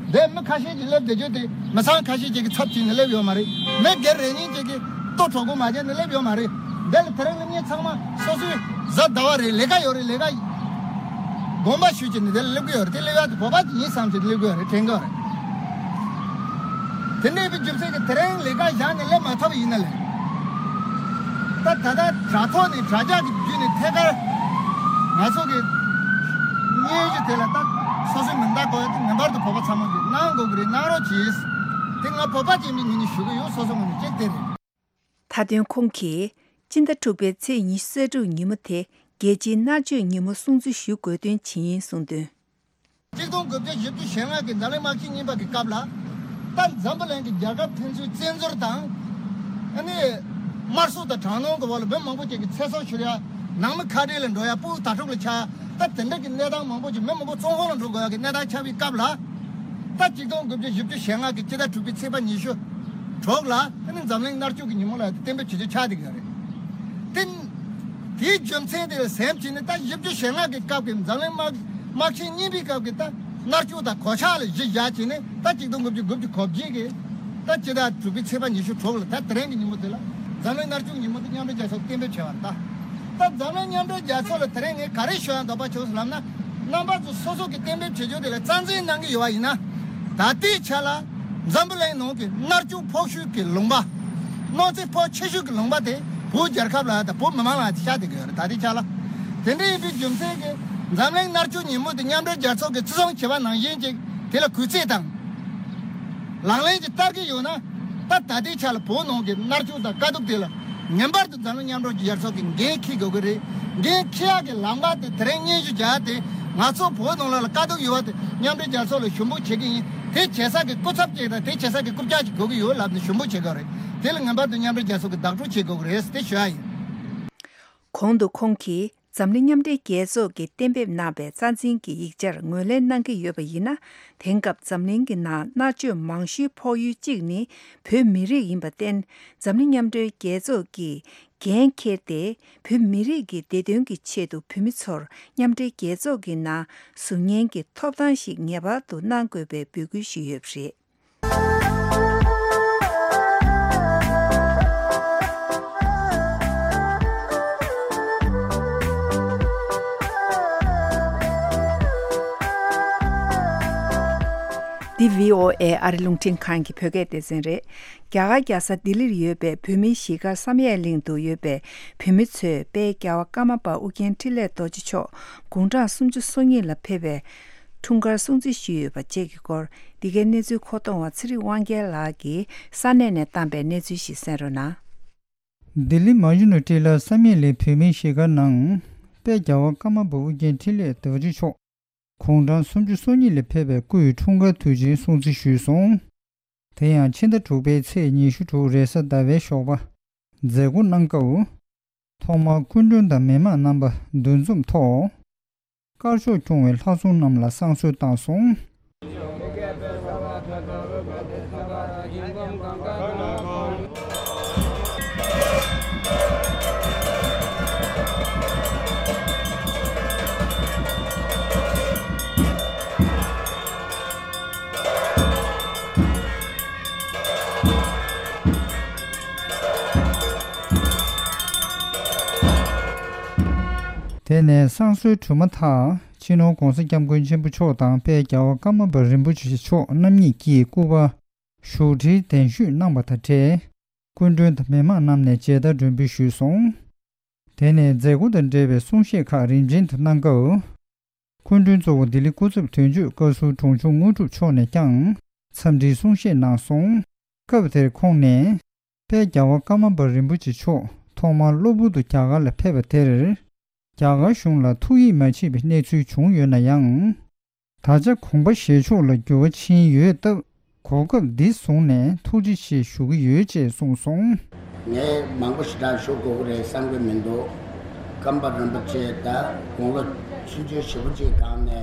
འདི་མི་ཁ་ཤས་ཀྱིས་སླེབས་བསྡད་རྒྱུ་དེ་མི་ཚང་ཁ་ཤས་ཅིག་གི་ཚབ་བྱས་ནས་སླེབས་ཡོད་མ་རེད། མི་སྒེར་རེ་གཉིས་ཅིག་གིས་ལྟོ་གྲོགས་པོ་མ་བྱས་ནས་སླེབས་ཡོད་མ་རེད། འདི་ལ་དེ་རིང་སླེབས་མཁན་ཚང་མ་སོ་སོའི་གཟའ་ཟླ་བ་རེད། ལས་ཀ་ཡོད་རེད། ལས་ཀ་དགོངས་པ་ཞུས་བྱས་ནས་འདི་ལ་སླེབས་ཀྱི་ཡོད་རེད། དེ་སླེབས་ཡག་དེ་བོད་པ་ཅིག་ཡིན་བསམ་བྱས་སླེབས་ཀྱི་ཡོད་རེད། དྲན་གྱི་ཡོད་རེད། དེ་འདྲ་ཡིན་པའི་རྒྱུ་མཚན་གྱིས་དེ་རིང་ལས་ཀ་བཞག་ནས་སླེབས་མ་ཐུབ་པ་ཡིན་ན་ལས། ད་ད་ལྟ་དྲ་ཐོག་ནས་དྲ་རྒྱ་གི་བརྒྱུད་ནས་ཐད་ཀར་ང་ཚོ་གི་སྙན་ཞུ་དེ་ལ་ད་སོ་སོའི་མིང་རྟགས་འགོད་ཡག་དེ་ངེས་པར་དུ་བོད་པ་ཚང་མ་གིས་གནང་དགོས་ཀྱི་རེད། གནང་རོགས་གྱིས། དེ་ང་བོད་པ་ཅིག་ཡིན་པའི་ངོས་ནས་ཞུ་གི་ཡོད། སོ་སོ་ངོས་ནས་གཅིག་དེ་རེད། མཐའ་དོན་ཁོང་གིས་སྤྱི་ཟླ་དྲུག་པའི་ཚེས་ཉི་ཤུ་རྩ་དྲུག་ཉིན་མོ་དེ་རྒྱལ་སྤྱིའི་མནར་གཅོད་ཉིན་མོ་སྲུང་བརྩི་ཞུ་དགོས་དོན་ཇི་ཡིན་གསུངས་དོན། གཅིག་སྟོང་དགུ་བརྒྱ་བཞི་བཅུ་ཞེ་ལྔ་གི་འཛམ་གླིང་དམག་ཆེན་གཉིས་པ་གི་སྐབས་ལ། ད་འཛམ་བུ་གླིང་གི་རྒྱལ་ཁབ་ཕན་ཚུན་བཙན་འཛུལ་དང་། ཨ་ནི། དམར་གསོད་དང་དྲག་གནོན་གྱི་འོག་ལ་མི་མང་པོ་ཅིག་གི་ཚེ་སྲོག་ཤོར་ཡག་ནང་མི་ཁ་བྲལ་ལ་འགྲོ་ཡག་སྤུ་གུ་དྭ་ཕྲུག་ལ་ཆགས་ཡག་ད་དེ་འདྲ་གི་གནས་སྟངས་མང་པོ་ཅིག་མི་མང་པོ་བཙོན་ཁང་ལ་འགྲོ་དགོས་ཡག་གི་གནས་སྟངས་ཆགས་པའི་སྐབས་ལ། ད་གཅིག་སྟོང་དགུ་བརྒྱ་བཞི་བཅུ་ཞེ་ལྔ་གི་སྤྱི་ཟླ་དྲུག་པའི་ཚེས་པ་ཉི་ཤུ་དྲུག་ལ་ཨ་ནི་འཛམ་གླིང་མནར་གཅོད་ཀྱི་ཉིན་མོ་ལ་གཏན་འབེབས་བྱེད་རྒྱུ་ཆགས་བསྡད་ཀྱི་ཡོད་རེད། དེ། དེའི་རྒྱུ་མཚན་དེ་ལ་སེམས་བྱས་ནས་ད་བཞི་བཅུ་ཞེ་ལྔ་གི་སྐབས་ཀྱི་འཛམ་གླིང་དམག་དམག་ཆེན་གཉིས་པའི་སྐབས་ཀྱི་ད་མནར་གཅོད་དང་གོད་ཆག་ལ་གཞི་བཞག་བྱས་ནས། ད་གཅིག་སྟོང་དགུ་བརྒྱ་དགུ་བཅུ་གོ་བརྒྱད་ཀྱི་ད་སྤྱི་ཟླ་དྲུག་པའི་ཚེས་པ་ཉི་ཤུ་དྲུག་ལ་ད་དེ་རིང་གི་ཉིན་མོ་དེ་ལ་འཛམ་གླིང་མནར་གཅོད་ཉིན་མོ་དེ་མཉམ་འབྲེལ་རྒྱལ་ཚོགས་གཏན་འབེབས་བྱས་པ་རེད། ད་ད་འཛམ་གླིང་མཉམ་འབྲེལ་རྒྱལ་ཚོགས་ལ་དེ་རིང་ངས་ག་རེ་ཞུ་ཡག་འདོད་པ་བྱུང་ཟེར་ལབ་ན། རྣམ་པ་ཚོ་སོ་སོ་གི་གཏན་འབེབས་བྱེད་རྒྱུ་དེ་ལ་རྩ་འཛིན་གནང་གི་ཡོད་པ་ཡིན་ན། ད་ལྟའི་ཆ་ལ་འཛམ་བུ་གླིང་ནང་གི་མནར་གཅོད་ཕོག་ཤོས་ཀྱི་ལུང་པ། གནོད་འཚེ་ཕོག་ཆེ་ཤོས་ཀྱི་ལུང་པ་དེ་བོད་རྒྱལ་ཁབ་ལ་དང་བོད་མི་མང་ལ་དེ་ཤར་བསྡད་ཀྱི་ཡོད་རེད། ད་ལྟའི་ཆ་ལ། དེ་འདྲ་ཡིན་པའི་རྒྱུ་མཚན་གྱིས་འཛམ་གླིང་མནར་གཅོད་ཉིན་མོ་དེ་མཉམ་འབྲེལ་རྒྱལ་ཚོགས་ཀྱིས་བརྩི་སྲུང་བྱས་པ་ནང་བཞིན་ཅིག་དེ་ལ་གུས་བརྩི་དང་། ལག་ལེན་གྱི་བསྟར་གྱི་ཡོད་ན། ད་ད་ལྟའི་ཆ་ལ་བོད་ནང་གི་མནར་གཅོད་དང་དཀའ་སྡུག་དེ་ལ་ངེས་པར་དུ་འཛམ་གླིང་མཉམ་འབྲེལ་རྒྱལ་ཚོགས་ཀྱིས་འགན་འཁྱེར་དགོས་ཀྱི་རེད། འགན་འཁྱེར་ཡག་གི་ལམ་ཁ་དེ་དེ་རིང་སྙན་ཞུ་བརྒྱབ་སྟེ། ང་ཚོ་བོད་ནང་ལོགས་ལ་དཀའ་སྡུག་ཡོད་པ་དེ་མཉམ་འབྲེལ་རྒྱལ་ཚོགས་ལ་ཞུ་འབོད་བྱེད་ཀྱི་ཡིན། དེ་བྱེད་ས་གི་སྐུ་ཚབ་ཅིག་དང་དེ་བྱེད་ས་གི་རྐུབ་བཀྱག་ཅིག་དགོས་ཀྱི་ཡོད་ལབ་ནས་ཞུ་འབོད་བྱེད་དགོས་རེད། དེ་ལ་ངེས་པར་དུ་མཉམ་འབྲེལ་རྒྱལ་ཚོགས་ཀྱིས་བདག་སྤྲོད་བྱེད་དགོས་ཀྱི་རེད་དེ་ཞུ་ཡག་ཡིན། གོང་དུ་ཁོང་གིས་ འཛམ་གླིང་མཉམ་འབྲེལ་རྒྱལ་ཚོགས་ཀྱིས་གཏན་འབེབས་གནང་བའི་རྩ་འཛིན་གྱི་ཡིག་ཆར་ངོས་ལེན་གནང་གི་ཡོད་པ་ཡིན་ན། དེང་སྐབས་འཛམ་གླིང་གི་ནང་མནར་གཅོད་མང་ཤོས་ཕོག་ཡུལ་གཅིག་ནི་བོད་མི་རིགས་ཡིན་པར་བརྟེན། འཛམ་གླིང་མཉམ་འབྲེལ་རྒྱལ་ཚོགས་ཀྱིས་འགན་འཁྱེར་ཏེ། བོད་མི་རིགས་ཀྱི་བདེ་དོན་གྱི་ཆེད་དུ་བོད་མི་ཚོར་མཉམ་འབྲེལ་རྒྱལ་ཚོགས་ཀྱི་ནང་ཟུར་ཉན་གྱི་ཐོབ་ཐང་ཞིག་ངེས་པར་དུ་གནང་དགོས་པའི་འབོད་སྐུལ་ཞུས་ཡོད་པ་རེད། འདི་བྷི་ཨོ་ཨེ་ཨ་རི་རླུང་འཕྲིན་ཁང་གི་བོད་སྐད་སྡེ་ཚན་རེད། རྒྱ་གར་རྒྱལ་ས་ལྡི་ལིར་ཡོད་པའི་བོད་མིའི་གཞིས་སྒར་བསམ་ཡས་གླིང་དུ་ཡོད་པའི་བོད་མི་ཚོས་དཔལ་རྒྱལ་བ་ཀརྨ་པ་ཨོ་རྒྱན་འཕྲིན་ལས་རྡོ་རྗེ་མཆོག་དགུང་གྲངས་སུམ་ཅུ་སོ་གཉིས་ལ་ཕེབས་པའི་འཁྲུངས་སྐར་སྲུང་བརྩི་ཞུས་ཡོད་པ་བཅས་ཀྱི་སྐོར། འདི་གའི་གནས་ཚུལ་མཁོ་གཏོང་བ་ཚེ་རིང་དབང་རྒྱལ་ལགས་ཀྱིས་ས་གནས་ནས་བཏང་པའི་གནས་ཚུལ་ཞིག་གསན་རོགས་གནང་། ལྡི་ལི་མ་ཡུ་ནི་ཊི་ལ་བསམ་ཡས་གླིང་བོད་མིའི་གཞིས་སྒར་ནང་། དཔལ་རྒྱལ་བ་ཀརྨ་པ་ཨོ་རྒྱན་འཕྲིན་ལས་རྡོ་རྗེ་མཆོག་དགུང་གྲངས་སུམ་ཅུ་སོ་གཉིས་ལ་ཕེབས་པའི་སྐུའི་འཁྲུངས་སྐར་དུས་ཆེན་སྲུང་བརྩི་ཞུས་སོང་། དེ་ཡང་ཕྱི་ཟླ་དྲུག་པའི་ཚེས་ཉི་ཤུ་དྲུག་རེས་གཟའ་ཟླ་བའི་ཞོགས་པ། མཛད་སྒོ་གནང་སྐབས། ཐོག་མར་སྐུ་མགྲོན་དང་མི་མང་རྣམ་པ་འདུ་འཛོམས་ཐོག་དཀར་ཕྱོགས་སྐྱོང་བའི་ལྷ་སྲུང་རྣམས་ལ་བསང་གསོལ་བཏང་སོང་། དེ་ནས་བསང་གསོལ་གྲུབ་མ་ཐག་སྤྱི་ནོར་༧གོང་ས་༧སྐྱབས་མགོན་ཆེན་པོ་མཆོག་དང་དཔལ་རྒྱལ་བ་ཀརྨ་པ་རིན་པོ་ཆེ་མཆོག་རྣམ་གཉིས་ཀྱིས་སྐུ་པར་བཞུགས་ཁྲིར་གདན་ཞུས་གནང་བ་དང་འབྲེལ། སྐུ་མགྲོན་དང་མི་མང་རྣམས་ནས་མཇལ་དར་སྒྲོན་འབུལ་ཞུས་སོང་། དེ་ནས་མཛད་སྒོ་དང་འབྲེལ་བའི་གསུང་བཤད་ཁག་རིམ་བྱོན་དུ་གནང་སྐབས། སྐུ་མགྲོན་གཙོ་བོ་ལྡི་ལི་སྐུ་ཚབ་དོན་གཅོད་བཀའ་ཟུར་དྲུང་ཆུང་དངོས་གྲུབ་མཆོག་ནས་ཀྱང་འཚམས་འདྲིའི་གསུང་བཤད་གནང་སོང་། སྐབས་དེར་ཁོང་ནས། དཔལ་རྒྱལ་བ་ཀརྨ་པ་རིན་པོ་ཆེ་མཆོག་ཐོག་མར་གློ་བུར་དུ་རྒྱ་གར་ལ་ཕེབས་པ་དེར། རྒྱ་གར་གཞུང་ལ་ཐུགས་ཡིད་མ་ཆེས་པའི་གནས་ཚུལ་བྱུང་ཡོད་ན་ཡང་། ད་ཆ་དགོངས་པ་བཞེས་ཕྱོགས་ལ་འགྱུར་བ་ཕྱིན་ཡོད་སྟབས། གོ་སྐབས་འདི་བཟུང་ནས་ཐུགས་རྗེ་ཆེ་ཞུ་གི་ཡོད་ཅེས་གསུངས་སོང་། ངས་མང་པོ་ཞེ་དྲག་ཞུ་དགོས་ཀྱི་རེད་བསམ་གྱི་མི་འདུག་ཀརྨ་པ་རིན་པོ་ཆེ་ད་དགུང་ལོ་ཆུང་ཆུང་ཞེ་པོ་ཅིག་སྒང་ནས་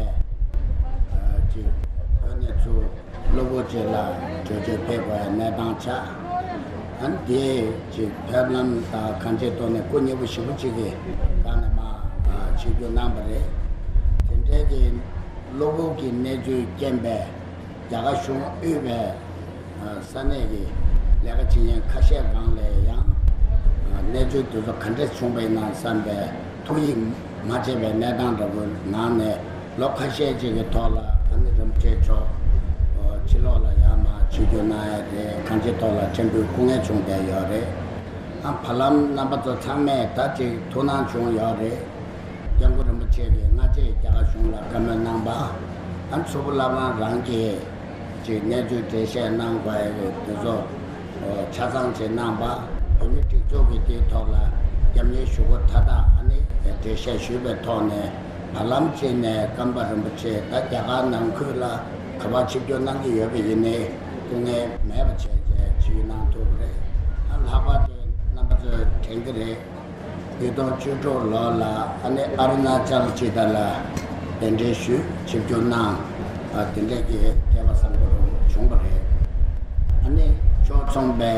ཨ་ཅིག་བོད་ནས་ཚུར་གློ་བུར་ཅིག་ལ་བྲོས་བྱོལ་ཕེབས་དགོས་ཡ་གནས་སྟངས་ཆགས། ཨ་ནི་དེ་ཅིག་ཕེབས་ལམ་དང་གང་ཅིའི་ཐོག་ནས་སྐུ་མཉེལ་པོ་ཞེ་པོ་ཅིག་གི་སྒང་ནས་མར་ཨ་ཆིབས་བསྒྱུར་གནང་བ་རེད། དེ་འདྲའི་གི་གློ་བུར་གྱི་གནས་ཚུལ་རྐྱེན་པས། རྒྱ་གར་གཞུང་དབུས་པའི་ས་གནས་ཀྱི་ལས་ཀ་བྱེད་མཁན་ཁ་ཤས་རང་ལ་ཡང་གནས་ཚུལ་དེ་ཚོ་ག་འདྲས་བྱུང་བ་ཡིན་ན་བསམ་པའི་ཐུགས་ཡིད་མ་ཆེས་པའི་གནས་སྟངས་འདྲ་པོའི་ནང་ནས་ལོ་ཁ་ཤས་ཅིག་གི་ཐོག་ལ་ཨ་ནི་རིན་པོ་ཆེ་མཆོག་ཕྱི་ལོགས་ལ་ཡར་མར་ཆིབས་བསྒྱུར་གནང་ཡ་རེད། གང་ཅིའི་ཐོག་ལ་ཕྲན་བུ་སྐུ་ངལ་བྱུང་བསྡད་ཡོད་རེད། ཨ་བར་ལམ་རྣམ་པ་ཚོ་ཚང་མས་ད་ཅིག་ཐུགས་སྣང་བྱུང་ཡོད་རེད། སྐྱབས་མགོན་རིན་པོ་ཆེ་གིས་སྔ་རྗེས་རྒྱ་གར་གཞུང་ལ་བཀའ་མོལ་གནང་བ། ཨ་མཚུར་ཕུ་བླ་བྲང་རང་གིས་ཅིག་གནས་ཚུལ་འགྲེལ་བཤད་གནང་དགོས་ཡ་གི་དེ་ཚོ་ཆ་ཚང་ཅིག་གནང་བ། བོད་མི་སྒྲིག་འཛུགས་ཀྱི་དེའི་ཐོག་ལ་རྒྱབ་གཉེར་ཞུ་སྒོ་མཐའ་དག་ཨ་ནི་འགྲེལ་བཤད་ཞུས་པའི་ཐོག་ནས་བར་ལམ་ཅིག་ནས་ཀརྨ་པ་རིན་པོ་ཆེ་ད་རྒྱ་གར་ནང་ཁུལ་ལ་ག་པར་ཆིབས་བསྒྱུར་གནང་གི་ཡོད་པ་ཡིན་ནའི་སྐུ་ངལ་མེད་པ་བྱས་རྗེས་ཆིབས་བསྒྱུར་གནང་ཐུབ་པ་རེད། ཨ་ལྷག་པར་དུ་རྣམ་པ་ཚོས་དྲན་གྱི་རེད། ཉིས་སྟོང་བཅུ་དྲུག་ལོ་ལ་ཨ་ནི་ཨ་རུ་ན་ཅལ་ཅི་ད་ལ་གདན་འདྲེན་ཞུས་ཆིབས་བསྒྱུར་གནང་། ཨ་དེ་འདྲས་ཀྱི་སྐལ་བ་བཟང་པོ་བྱུང་བ་རེད། ཨ་ནི་ཕྱོགས་མཚུངས་པའི་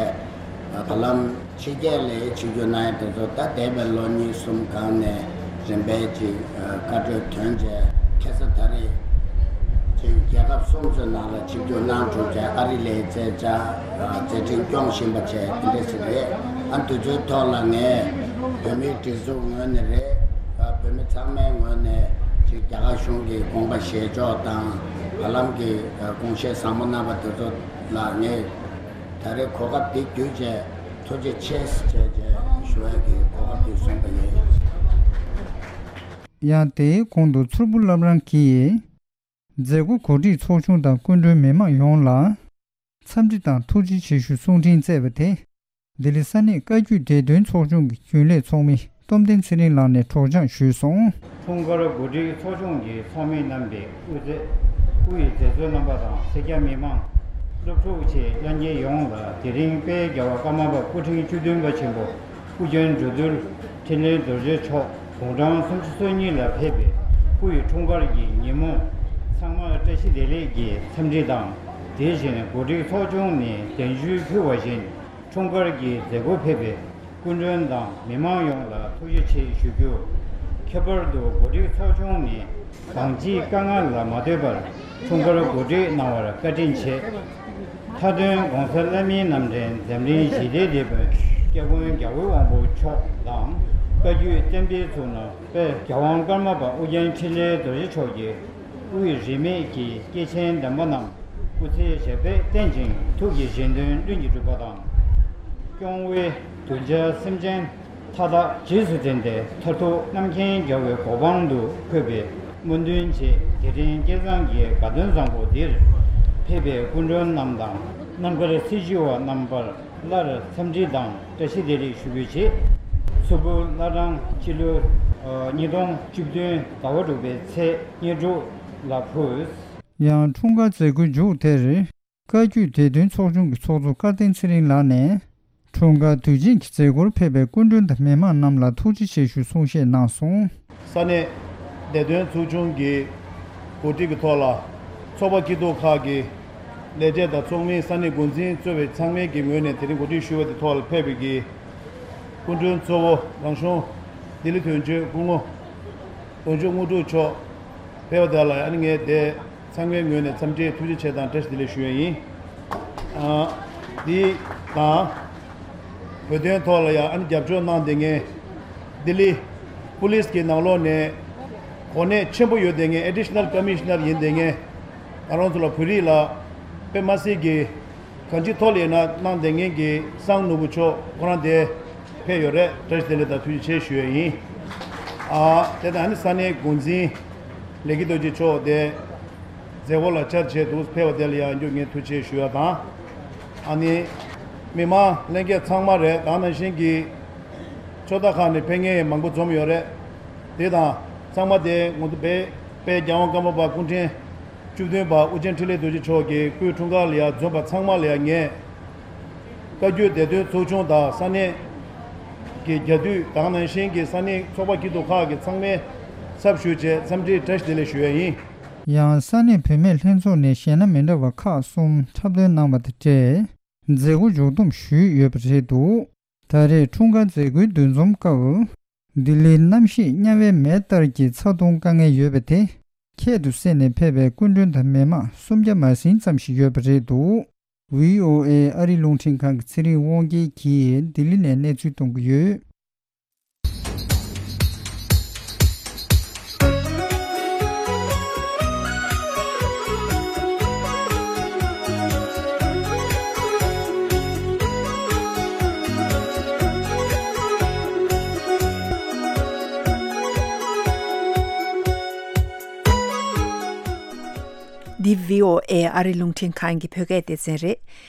ཨ་བར་ལམ་ཕྱི་རྒྱལ་ལ་ཆིབས་བསྒྱུར་གནང་ཡ་དེ་ཚོ་ད་འདས་པའི་ལོ་གཉིས་གསུམ་སྒང་ནས་རིམ་པས་ཅིག་ཨ་བཀའ་འཁྲོལ་ཐོན་རྗེས་ཁ་སང་ད་རེས་ཅིག་རྒྱལ་ཁབ་གསུམ་ཚོའི་ནང་ལ་ཆིབས་བསྒྱུར་གནང་གྲུབ་རྗེས་ཨ་རི་ལ་མཛད་བྱ་ཨ་མཛད་འཕྲིན་སྐྱོང་བཞིན་པ་བྱས་དེ་འདྲ་ཞིག་རེད། ཨ་དེ་ཚོའི་ཐོག་ལ་ངས་བོད་མིའི་སྒྲིག་འཛུགས་ངོས་ནས་རེད། ཨ་བོད་མི་ཚང་མའི་ངོས་ནས་ཅིག་རྒྱ་གར་གཞུང་གི་དགོངས་པ་བཞེས་ཕྱོགས་དང་བར་ལམ་གྱི་ཨ་དགོངས་བཞེས་བཟང་པོ་གནང་བ་དེ་ཚོ་ལ་ངས་ད་རེས་གོ་སྐབས་འདི་བརྒྱུད་བྱས་ཐུགས་རྗེ་ཆེ་ཞེས་བྱས་ཞུ་ཡ་གི་གོ་སྐབས་འདི་བཟུང་བ་ཡིན། ཡང་དེའི་གོང་དུ་མཚུར་ཕུ་བླ་བྲང་གིས། མཛད་སྒོ་གོ་སྒྲིག་ཚོགས་ཆུང་དང་སྐུ་མགྲོན་མི་མང་ཡོངས་ལ་འཚམས་འདྲི་དང་ཐུགས་རྗེ་ཆེ་ཞུ་གསུང་འཕྲིན་བསྩལ་བ་དེ་ལྡི་ལི་ས་གནས་བཀའ་བརྒྱུད་བདེ་དོན་ཚོགས་ཆུང་གི་རྒྱུན་ལས་ཚོགས་མི་རྟོམ་ལྡན་ཚེ་རིང་ལགས་ནས་སྒྲོག་སྦྱང་ཞུས་སོང་། འཁྲུངས་སྐར་གོ་སྒྲིག་ཚོགས་ཆུང་གི་ཚོགས་མི་རྣམ་པས་དབུ་མཛད་དབུ་ཡི་མཛད་གཙོ་རྣམ་པ་དང་སེར་སྐྱ་མི་མང་སློབ་ཕྲུག་བཅས་དབྱངས་སྐྱིད་ཡོངས་ལ་དེ་རིང་དཔལ་རྒྱལ་བ་ཀརྨ་པ་སྐུ་ཕྲེང་བཅུ་བདུན་པ་ཆེན་པོ་ཨོ་རྒྱན་འགྲོ་འདུལ་འཕྲིན་ལས་རྡོ་རྗེ་མཆོག་ དགུང་གྲངས་སུམ་ཅུ་སོ་གཉིས་ལ་ཕེབས་པའི་སྐུ་ཡི་འཁྲུངས་སྐར་གྱི་ཉིན་མོ། ཚང་མར་བཀྲ་ཤིས་བདེ་ལེགས་ཀྱི་འཚམས་འདྲི་དང་། དེ་བཞིན་གོ་སྒྲིག་ཚོགས་ཆུང་ནས་གདན་ཞུ་ཕུལ་བ་བཞིན། འཁྲུངས་སྐར་གྱི་མཛད་སྒོར་ཕེབས་པའི་སྐུ་མགྲོན་དང་མི་མང་ཡོངས་ལ་ཐུགས་རྗེ་ཆེ་ཞུ་རྒྱུ། ཁྱད་པར་དུ་གོ་སྒྲིག་ཚོགས་ཆུང་ནས་གང་ཅིའི་དཀའ་ངལ་ལ་མ་ལྟོས་པར། འཁྲུངས་སྐར་གོ་སྒྲིག་གནང་བར་བཀའ་དྲིན་ཆེ། མཐའ་དོན་༸གོང་ས་ལྷ་མིའི་རྣམ་འདྲེན་འཛམ་གླིང་ཞི་བདེའི་དེད་དཔོན་སྐྱབས་མགོན་རྒྱལ་བའི་དབང་པོ་མཆོག་དང་། བཀའ་བརྒྱུད་བསྟན་པའི་གཙུག་ན་དཔལ་རྒྱལ་དབང་ཀརྨ་པ་ཨོ་རྒྱན་འཕྲིན་ལས་རྡོ་རྗེ་མཆོག་གི་དབུས་རིས་མེད་ཀྱི་སྐྱེས་ཆེན་དམ་པ་རྣམས་སྐུ་ཚེ་ཞབས་པད་བརྟན་ཅིང་ཐུགས་ཀྱི་བཞེད་དོན་ལྷུན་གྱིས་གྲུབ་པ་དང་། སྐྱོང་བའི་གདུལ་བྱ་སེམས་ཅན་མཐའ་དག་རྗེས་སུ་འཛིན་ཏེ། མཐར་ཐུག་རྣམ་མཁྱེན་རྒྱལ་བའི་གོ་འཕང་དུ་འཁོད་པའི་སྨོན་འདུན་བཅས། རྗེས་དྲན་སྐལ་བཟང་གི་དགའ་སྟོན་བཟང་པོ་འདིར་ཕེབས་པའི་སྐུ་མགྲོན་རྣམས་དང་། རྣམ་དཀར་སྲི་ཞུ་བ་རྣམ་པར་སླར་འཚམས་འདྲི་དང་བཀྲ་ཤིས་བདེ་ལེགས་ཞུ་རྒྱུའི་ཆེད། མཚུར་ཕུ་བླ་བྲང་སྤྱི་ལོའི་ཉིས་སྟོང་བཅུ་བདུན་ཟླ་བ་དྲུག་པའི་ཚེས་ཉེར་དྲུག་ལ་ཕུལ། ཡང་འཁྲུངས་སྐར་མཛད་སྒོའི་མཇུག་དེར། བཀའ་བརྒྱུད་བདེ་དོན་ཚོགས་ཆུང་གི་ཚོགས་གཙོ་བཀའ་བསྟན་ཚེ་རིང་ལགས་ནས། འཁྲུངས་སྐར་དུས་ཆེན་གྱི་མཛད་སྒོར་ཕེབས་པའི་སྐུ་མགྲོན་དང་མི་མང་རྣམས་ལ་ཐུགས་རྗེ་ཆེ་ཞུ་གསུང་བཤད་གནང་སོང་། ས་གནས་བདེ་དོན་ཚོགས་ཆུང་གི་གོ་སྒྲིག་གི་ཐོག་ལ། ཚོགས་པ་སྐྱིད་སྡུག་ཁག་གི་ལས་བྱེད་དང་ཚོགས་མི། ས་གནས་འགོ་འཛིན་གཙོས་པའི་ཚང་མའི་གི་ངོས་ནས་དེ་རིང་གོ་སྒྲིག་ཞུས་པ་དེ་ཐོག་ལ་ཕེབས་པའི་གི་སྐུ་མགྲོན་གཙོ་བོ་རང་གཞུང་ལྡི་ལི་དོན་གཅོད་སྐུ་ངོ་དོན་གཅོད་དངོས་གྲུབ་མཆོག་ཕེབས་པ་དེ་ལ། ཨ་ནི་ངས་དེ་ཚང་མའི་ངོས་ནས་འཚམས་འདྲི་ཐུགས་རྗེ་ཆེ་དང་བཀྲ་ཤིས་བདེ་ལེགས་ཞུ་ཡ་ཡིན། ཨ། འདི་དང་། བོད་དོན་ཐོག་ལ་ཡང་ཨ་ནི་རྒྱབ་སྐྱོར་གནང་བསྡད་མཁན། ལྡི་ལི་པུ་ལིས་ཀྱི་ནང་ལོགས་ནས་གོ་གནས་ཆེན་པོ་ཡོད་བསྡད་མཁན། Additional Commissioner ཡིན་བསྡད་མཁན། ང་རང་ཚོ་ལ་བོད་རིགས་ལ་དཔེ་མ་སྲིད་ཀྱི་གང་ཅིའི་ཐོག་ལ་ཡིན་ན་གནང་བསྡད་མཁན་གྱི་སངས་ནོར་བུ་མཆོག་ཁོ་རང་དེ་ཕེབས་ཡོད་རེད། བཀྲ་ཤིས་བདེ་ལེགས་དང་ཐུགས་རྗེ་ཆེ་ཞུ་ཡ་ཡིན། ཨ། དེ་དང་ཨ་ནི་ས་གནས་འགོ་འཛིན་ལས་ཀྱི་རྡོ་རྗེ་མཆོག་དེ་མཛད་སྒོ་ལ་བཅར་བྱས་འདུག་ཕེབས་པ་དེ་ལ་ཡང་མགྱོགས་ངས་ཐུགས་རྗེ་ཆེ་ཞུ་ཡ་དང་། ཨ་ནི་མི་མང་ལྷན་རྒྱས་ཚང་མ་རེད། དེ་ནང་བཞིན་གྱི་ཕྱོགས་མཐའ་ཁག་ནས་ཕེབས་མཁན་མང་པོ་འཛོམས་ཡོད་རེད། དེ་དང་ཚང་མ་དེ་ངོ་དེ་དཔལ་རྒྱལ་དབང་ཀརྨ་པ་སྐུ་ཕྲེང་བཅུ་བདུན་པ་ཨོ་རྒྱན་འཕྲིན་ལས་རྡོ་རྗེ་མཆོག་གི་སྐུའི་འཁྲུངས་སྐར་ལ་ཡང་འཛོམས་པ་ཚང་མ་ལ་ཡང་ངས་བཀའ་བརྒྱུད་བདེ་དོན་ཚོགས་ཆུང་དང་ས་གནས་ཀྱི་རྒྱ་འདུས་དེ་ནང་བཞིན་གྱི་ས་གནས་ཚོགས་པ་སྐྱིད་སྡུག་ཁག་གི་ཚང་མའི་ཚབ་ཞུས་བྱས་འཚམས་འདྲིའི་བཀྲ་ཤིས་བདེ་ལེགས་ཞུ་ཡ་ཡིན། ཡང་ས་གནས་བུད་མེད་ལྷན་ཚོགས་ནས་གཞས་སྣ་མི་འདྲ་བ་ཁག་གསུམ་འཁྲབ་སྟོན་གནང་བ་དང་འབྲེལ། མཛད་སྒོ་མཇུག་བསྡོམས་ཞུས་ཡོད་པ་རེད་འདུག་ད་རེས་འཁྲུངས་སྐར་མཛད་སྒོའི་འདུ་འཛོམས་སྐབས། ལྡི་ལིའི་གནམ་གཤིས་དམྱལ་བའི་མེ་ལྟར་གྱི་ཚ་གདུང་དཀའ་ངལ་ཡོད་པ་དེ་ཁྱད་དུ་བསད་ནས་ཕེབས་པའི་སྐུ་མགྲོན་དང་མི་མང་སུམ་བརྒྱ་མ་ཟིན་ཙམ་ཞིག་ཡོད་པ་རེད་འདུག་བྷི་ཨོ་ཨེ་ཨ་རིའི་རླུང་འཕྲིན་ཁང་གི་ཚེ་རིང་དབང་རྒྱལ་གྱིས་ལྡི་ལི་ནས་གནས་ཚུལ་གཏོང་གི་ཡོད། འདི་བྷི་ཨོ་ཨེ་ཨ་རི་རླུང་འཕྲིན་ཁང་གི་བོད་སྐད་སྡེ་ཚན་རེད།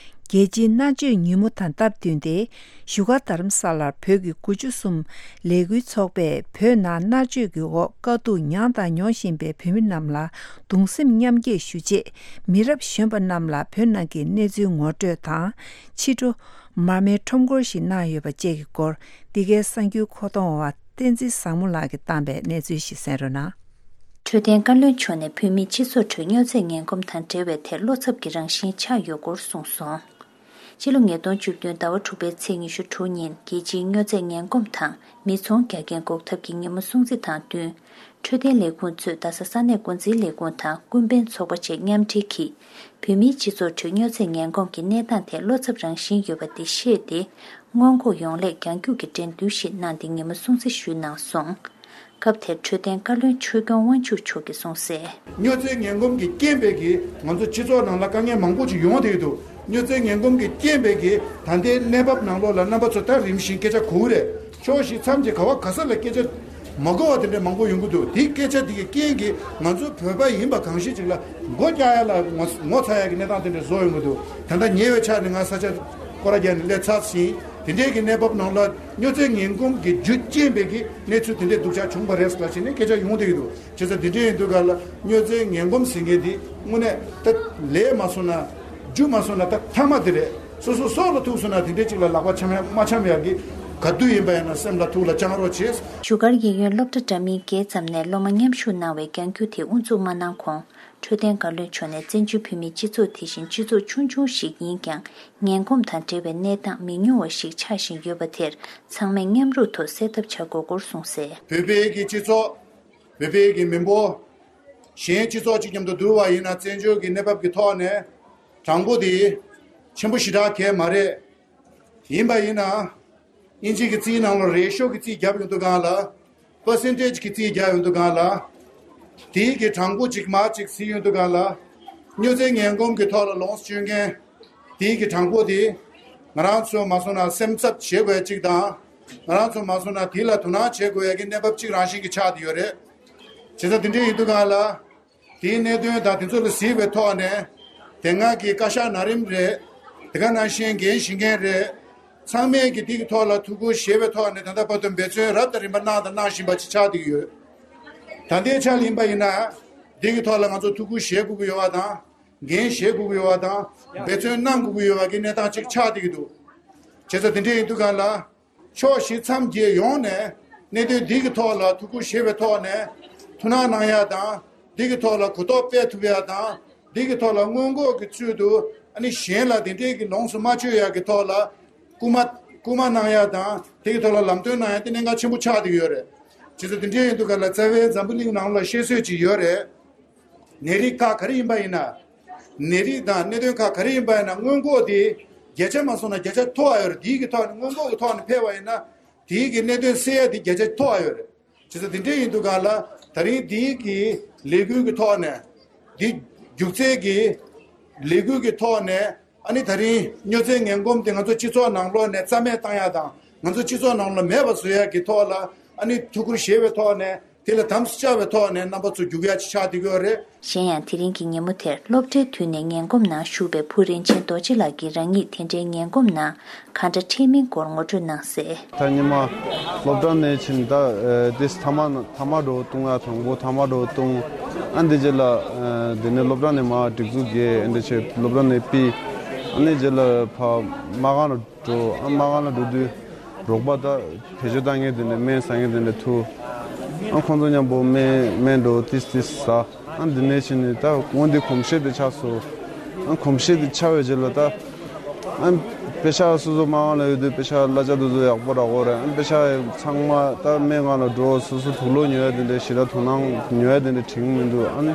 རྒྱལ་སྤྱིའི་མནར་གཅོད་ཉིན་མོ་དང་སྟབས་བསྟུན་ཏེ། བཞུགས་སྒར་རྡ་རམ་ས་ལར་བོད་ཀྱི་དགུ་བཅུ་གསུམ་ལས་འགུལ་ཚོགས་པས་བོད་ནང་མནར་གཅོད་ཀྱི་འོག་དཀའ་སྡུག་མྱངས་དང་མྱོང་བཞིན་པའི་བོད་མི་རྣམས་ལ་གདུང་སེམས་མཉམ་སྐྱེད་ཞུ་ཆེད། མི་རབས་གཞོན་པ་རྣམས་ལ་བོད་ནང་གི་གནས་ཚུལ་ངོ་སྤྲོད་དང་། ཕྱི་དྲོ། མར་མེའི་ཁྲོམ་སྐོར་ཞིག་གནང་ཡོད་པ་བཅས་ཀྱི་སྐོར། འདི་གའི་གསར་འགྱུར་མཁོ་གཏོང་བ་བསྟན་འཛིན་བཟང་མོ་ལགས་ཀྱིས་བཏང་པའི་གནས་ཚུལ་ཞིག་གསན་རོགས་གནང་། འཕྲོད་བསྟེན་བཀའ་བློན་མཆོག་ནས་བོད་མིའི་སྤྱི་ཚོགས་ཁྲོད་སྨྱོ་རྫས་ངན་གོམས་དང་འབྲེལ་བའི་ཐད་བློ་འཚབ་ཀྱི་རང་བཞིན་ཆགས་ཡོད་སྐོར་གསུངས་སོང་། ཕྱི་ལོ་ཉིས་སྟོང་བཅུ་བདུན་ཟླ་བ་དྲུག་པའི་ཚེས་ཉི་ཤུ་དྲུག་ཉིན་རྒྱལ་སྤྱིའི་སྨྱོ་རྫས་ངན་གོམས་དང་མི་ཚོང་རྒྱག་རྐྱེན་འགོག་ཐབས་ཀྱི་ཉིན་མོ་སྲུང་བརྩི་དང་བསྟུན། འཕྲོད་བསྟེན་ལས་ཁུངས་གཙོས་རྡ་ས་ས་གནས་འགོ་འཛིན་ལས་ཁུངས་དང་ཀུན་ཕན་ཚོགས་པ་བཅས་མཉམ་འབྲེལ་གྱིས། བོད་མིའི་སྤྱི་ཚོགས་ཁྲོད་སྨྱོ་རྫས་ངན་གོམས་ཀྱི་གནས་སྟངས་ཐད་བློ་འཚབ་རང་བཞིན་ཡོད་པ་འདི་ཤེས་ཏེ། སྔོན་འགོག་ཡོང་སླད་རྒྱང་རྒྱུག་གི་འགྲན་བསྡུར་ཞིག་གནང་སྟེ་ཉིན་མོ་སྲུང་བརྩི་ཞུས་གནང་སོང་། སྐབས་དེར་འཕྲོད་བསྟེན་བཀའ་བློན་ཆོས་སྐྱོང་དབང་ཕྱུག་མཆོག་གིས་གསུངས་གསལ། སྨྱོ་རྫས་ངན་གོམས་ཀྱི་རྐྱེན་པས་ཀྱིས་ང་ཚོ་སྤྱི་ཚོགས་ནང་ལ་དཀའ་ངལ་མང་པོ་ཞིག་ཡོང་བསྡད་འདུག་སྨྱོ་རྫས་ངན་གོམས་ཀྱི་རྐྱེན་པས་ཀྱིས་ད་ལྟའི་གནས་བབ་ནང་ལོགས་ལ་རྣམ་པ་ཚོ་ད་རིམ་བཞིན་སྐད་ཆ་གོ་གི་རེད། ཕྱོགས་བཞི་མཚམས་བརྒྱད་ག་བ་ག་ས་ལ་སྐད་ཆ་མ་གོ་བ་དེ་འདྲ་མང་པོ་ཡོང་གི་འདུག་དེའི་སྐད་ཆ་དེ་གི་རྐྱེན་གྱིས་ང་ཚོ་བོད་པ་ཡིན་པ་གང་ཞིག་ཅིག་ལ་མགོ་བཀྱག་ཡ་ལ་ངོ་ངོ་ཚ་ཡ་གི་གནས་སྟངས་དེ་འདྲ་བཟོ་ཡོང་གི་འདུག་ད་ལྟ་ཉེ་བའི་ཆར་ནས་ང་ས་ཆ་སྐོར་ར་རྒྱག་ནས་སླེབས་ཚར་ཟིན། དེ་འདྲའི་གི་གནས་བབ་ནང་ལ་སྨྱོ་རྫས་ངན་གོམས་ཀྱི་རྒྱུ་རྐྱེན་པས་ཀྱི་གནས་ཚུལ་དེ་འདྲའི་སྡུག་ཅག་བྱུང་བ་རེད་ཟེར་ལ་ཕྱིན་ནས་སྐད་ཆ་ཡོང་བསྡད་ཀྱི་འདུག་བྱས་ཙང་དེ་འདྲ་ཡིན་དུས་ག་ལ་སྨྱོ་རྫས་ངན་གོམས་ཟེར་མཁན་དེ་དངོས་གནས་ད་ལས་མ་སོང་ན། རྒྱུ་མ་སོང་ན་ད་མཐའ་མ་དེ་རེད། སོ་སོ་སྲོག་ལ་ཐུག་སོང་ན་དེ་འདྲའི་ཅིག་ལ་ལག་པ་འཆང་ཡ་མ་འཆང་ཡ་གི་ ག་དུས་ཡིན་པ་ཡིན་ན་སེམས་ལ་ཐུགས་ལ་བཅངས་རོགས་བྱེད། བཞུགས་སྒར་གཡས་གཡོན་སློབ་གྲྭ་འདྲ་མིན་བརྒྱད་ཙམ་ནས་སློབ་མ་མཉམ་ཞུགས་གནང་བའི་རྒྱང་རྒྱུག་དེ་དབུ་འཛུགས་མ་གནང་གོང་། འཕྲོད་བསྟེན་བཀའ་བློན་མཆོག་ནས་བཙན་བྱོལ་བོད་མིའི་སྤྱི་ཚོགས་དེ་བཞིན་སྤྱི་ཚོགས་ཆུང་ཆུང་ཞིག་ཡིན་ཀྱང་། ངན་གོམས་དང་འབྲེལ་བའི་གནས་སྟངས་མི་ཉུང་བ་ཞིག་ཆགས་བཞིན་ཡོད་པ་དེར་ཚང་མས་མཉམ་རུབ་ཐོག་སེལ་ཐབས་བྱ་དགོས་སྐོར་གསུངས་གསལ། བོད་པའི་གི་སྤྱི་ཚོགས། བོད་པའི་གི་མི་འབོར། གཞན་སྤྱི་ཚོགས་གཅིག་མཉམ་དུ་བསྡུར་བ་ཡིན་ན་བཙན་བྱོལ་གྱི་གནས་བབ་ཀྱི་ཐོག་ནས་གྲངས་འབོར་དེ་ཆེན་པོ་ཞེ་དྲག་གང་ཡང་མ་རེད། ཡིན་པ་ཡིན་ན་དབྱིན་ཇི་གི་རྩིས་ནང་ལ་རེ་ཤོ་གི་རྩིས་བརྒྱབ་ཡོང་དུས་སྒང་ལ། པར་སེན་ཊེ་ཇི་གི་རྩིས་བརྒྱབ་ཡོང་དུས་སྒང་ལ། དེའི་གི་གྲངས་འབོར་གཅིག་མ་གཅིག་གཟིགས་ཡོང་དུས་སྒང་ལ། སྨྱོ་རྫས་ངན་གོམས་ཀྱི་ཐོག་ལ་ལོངས་སུ་སྤྱོད་མཁན་དེའི་གི་གྲངས་འབོར་དེ། ང་རང་ཚོ་མ་སོང་ན་སེམས་འཚབ་བྱེད་དགོས་ཡ་གཅིག་དང་། ང་རང་ཚོ་མ་སོང་ན་དེ་ལ་དོ་སྣང་བྱེད་དགོས་ཡ་གི་གནས་བབ་གཅིག་རང་བཞིན་གྱི་ཆགས་བསྡད་ཡོད་རེད། བྱས་ཙང་དེ་འདྲ་ཡིན་དུས་སྒང་ལ། དེའི་གནད་དོན་དང་དེ་ཚོ་ལ་གཟིགས་པའི་ཐོག་ནས། དེ་སྔ་གི་བཀའ་ཤག་ན་རིམ་རེད། དེ་ག་ནང་བཞིན་འགན་བཞེས་མཁན་རེད། ཚང་མས་ཀྱི་དེ་གི་ཐོག་ལ་ཐུགས་ཁུར་བཞེས་པའི་ཐོག་ནས་ད་ལྟ་བར་དུ་འབད་བརྩོན་རབ་དང་རིམ་པ་གནང་དང་གནང་བཞིན་པ་ཅིག་ཆགས་བསྡད་ཀྱི་ཡོད། ད་ལྟའི་ཆ་ལ་ཡིན་པ་ཡིན་ན། དེ་གི་ཐོག་ལ་ང་ཚོ་ཐུགས་ཁུར་བཞེས་དགོས་ཀྱི་ཡོད་པ་དང་། འགན་བཞེས་དགོས་ཀྱི་ཡོད་པ་དང་། འབད་བརྩོན་གནང་དགོས་ཀྱི་ཡོད་པ་གི་གནས་སྟངས་ཅིག་ཆགས་བསྡད་ཀྱི་འདུག་བྱས་ཙང་དེ་འདྲ་ཡིན་དུས་སྒང་ལ། ཕྱོགས་བཞི་མཚམས་བརྒྱད་ཡོངས་ནས་གནད་དོན་འདི་གི་ཐོག་ལ་ཐུགས་ཁུར་བཞེས་པའི་ཐོག་ནས་ཐུགས་སྣང་གནང་ཡ་དང་། འདི་གི་ཐོག་ལ་གོ་རྟོགས་སྤེལ་ཐུབ་ཡ་དང་། འདི་གི་ཐོག་ལ་སྔོན་འགོག་གི་ཚུལ་དུ་ཨ་ནི་གཞན་ལ་དེ་འདྲའི་གི་ལོངས་སུ་མ་སྤྱོད་ཡ་གི་ཐོག་ལ་སྐུལ་མ་སྐུལ་མ་གནང་ཡ་དང་། དེ་གི་ཐོག་ལ་ལམ་སྟོན་གནང་ཡ་དེ་གནད་འགག་ཆེན་པོ་ཆགས་བསྡད་ཡོད་རེད། བྱས་ཙང་དེ་འདྲའི་ཡིན་དུས་ག་ལ་རྩ་བའི་འཛམ་བུ་གླིང་ནང་ལ་བཤད་སྲོལ་ཅིག་ཡོད་རེད། ནད་རིགས་ཁག་ག་རེ་ཡིན་པ་ཡིན་ན། ནད་རིགས་དང་གནད་དོན་ཁག་ག་རེ་ཡིན་པ་ཡིན་ན་སྔོན་འགོག་དེ་བརྒྱ་ཆ་མ་སོང་ན་བརྒྱ་ཆ་མཐོ་བ་ཡོད་རེད། དེའི་གི་ཐོག་ནས་སྔོན་འགོག་གི་ཐོག་ནས་ཕེབས་པ་ཡིན་ན་དེའི་གི་གནད་དོན་སེལ་ཡ་དེ་བརྒྱ་ཆ་མཐོ་བ་ཡོད་རེད། བྱས་ཙང་དེ་འདྲའི་ཡིན་དུས་སྒང་ལ་ད་རིང་དེའི་གི་ལས་འགུལ་གི་ཐོག་ནས་དེ་རྒྱུག་རྩལ་གི་ལས་འགུལ་གི་ཐོག་ནས་ཨ་ནི་ད་རིང་སྨྱོ་རྫས་ངན་གོམས་དེ་ང་ཚོ་སྤྱི་ཚོགས་ནང་ལོགས་ནས་རྩ་མེད་བཏང་ཡ་དང་ང་ཚོ་སྤྱི་ཚོགས་ནང་ལ་མེད་པ་བཟོ་ཡ་གི་ཐོག་ལ་ཨ་ནི་ཐུགས་ཁུར་བཞེས་པའི་ཐོག་ནས། དེ་ལ་དམ་སྲུ་བཅའ་བའི་ཐོག་ནས་རྣམ་པ་ཚོ་རྒྱུག་ཡ་ཅིག་ཆགས་བསྡད་ཀྱི་ཡོད་རེད། གཞན་ཡང་དེ་རིང་གི་ཉིན་མོ་དེར་སློབ་གྲྭའི་དུས་ནས་ངན་གོམས་ནང་ཞུགས་པའི་བུ་རིན་ཆེན་རྡོ་རྗེ་ལགས་ཀྱིས་རང་ཉིད་དེ་འདྲའི་ངན་གོམས་ནང་གང་འདྲ་འཕྲད་མིན་སྐོར་ངོ་སྤྲོད་གནང་གསལ། ད་ཉི་མ་སློབ་གྲྭ་ནས་ཕྱིན་ད་ཨེ་དེ་ཐ་མག་ཐ་མག་འགྲོ་བཏུང་ཡ་དང་པོ་ཐ་མག་འགྲོ་བཏུང་། ཨ་འདི་རྗེས་ལ་ཨེ་དེ་ནས་སློབ་གྲྭ་ནས་མར་སྒྲིག་འཛུགས་རྒྱས། ཨ་འདི་ཆེ་སློབ་གྲྭ་ནས་ཕུད། ཨ་ནི་རྗེས་ལ་ཕ་མ་གང་ལ་འགྲོ། ཨ་མ་གང་ལ་འགྲོ་དུས་རོགས་པ་ད་བེད་སྤྱོད་བཏང་མཁན་དེ་འདྲ་སྨན་ཟ་མཁན་དེ་འདྲ་ཐུག་ཨ་ཁོང་ཚོ་མཉམ་པོ་སྨན་སྨན་འགྲོ་ཏིས་ཏིས་ཟ། ཨ་འདི་ནས་ཕྱིན་ནས་ད་སྔོན་འདི་གོམས་གཤིས་དེ་ཆགས་སོང་། ཨ་གོམས་གཤིས་དེ་ཆགས་པའི་རྗེས་ལ་ད་ཨ་པེ་ཤག་སོ་སོ་མ་གང་ལ་ཡོད་དུས་པེ་ཤག་གླ་ཆ་དེ་ཚོ་ཡག་པོ་རག་གོ་རེད། ཨ་པེ་ཤག་ཚང་མ་ད་སྨན་ཁང་ལ་འགྲོ། སོ་སོ་དུག་ལོག་ཉོ་ཡ་དེ་འདྲ་ཞེ་དྲག་དོ་སྣང་ཉོ་ཡ་དེ་འདྲ་དྲན་གྱི་མི་འདུག་ཨ་ནི་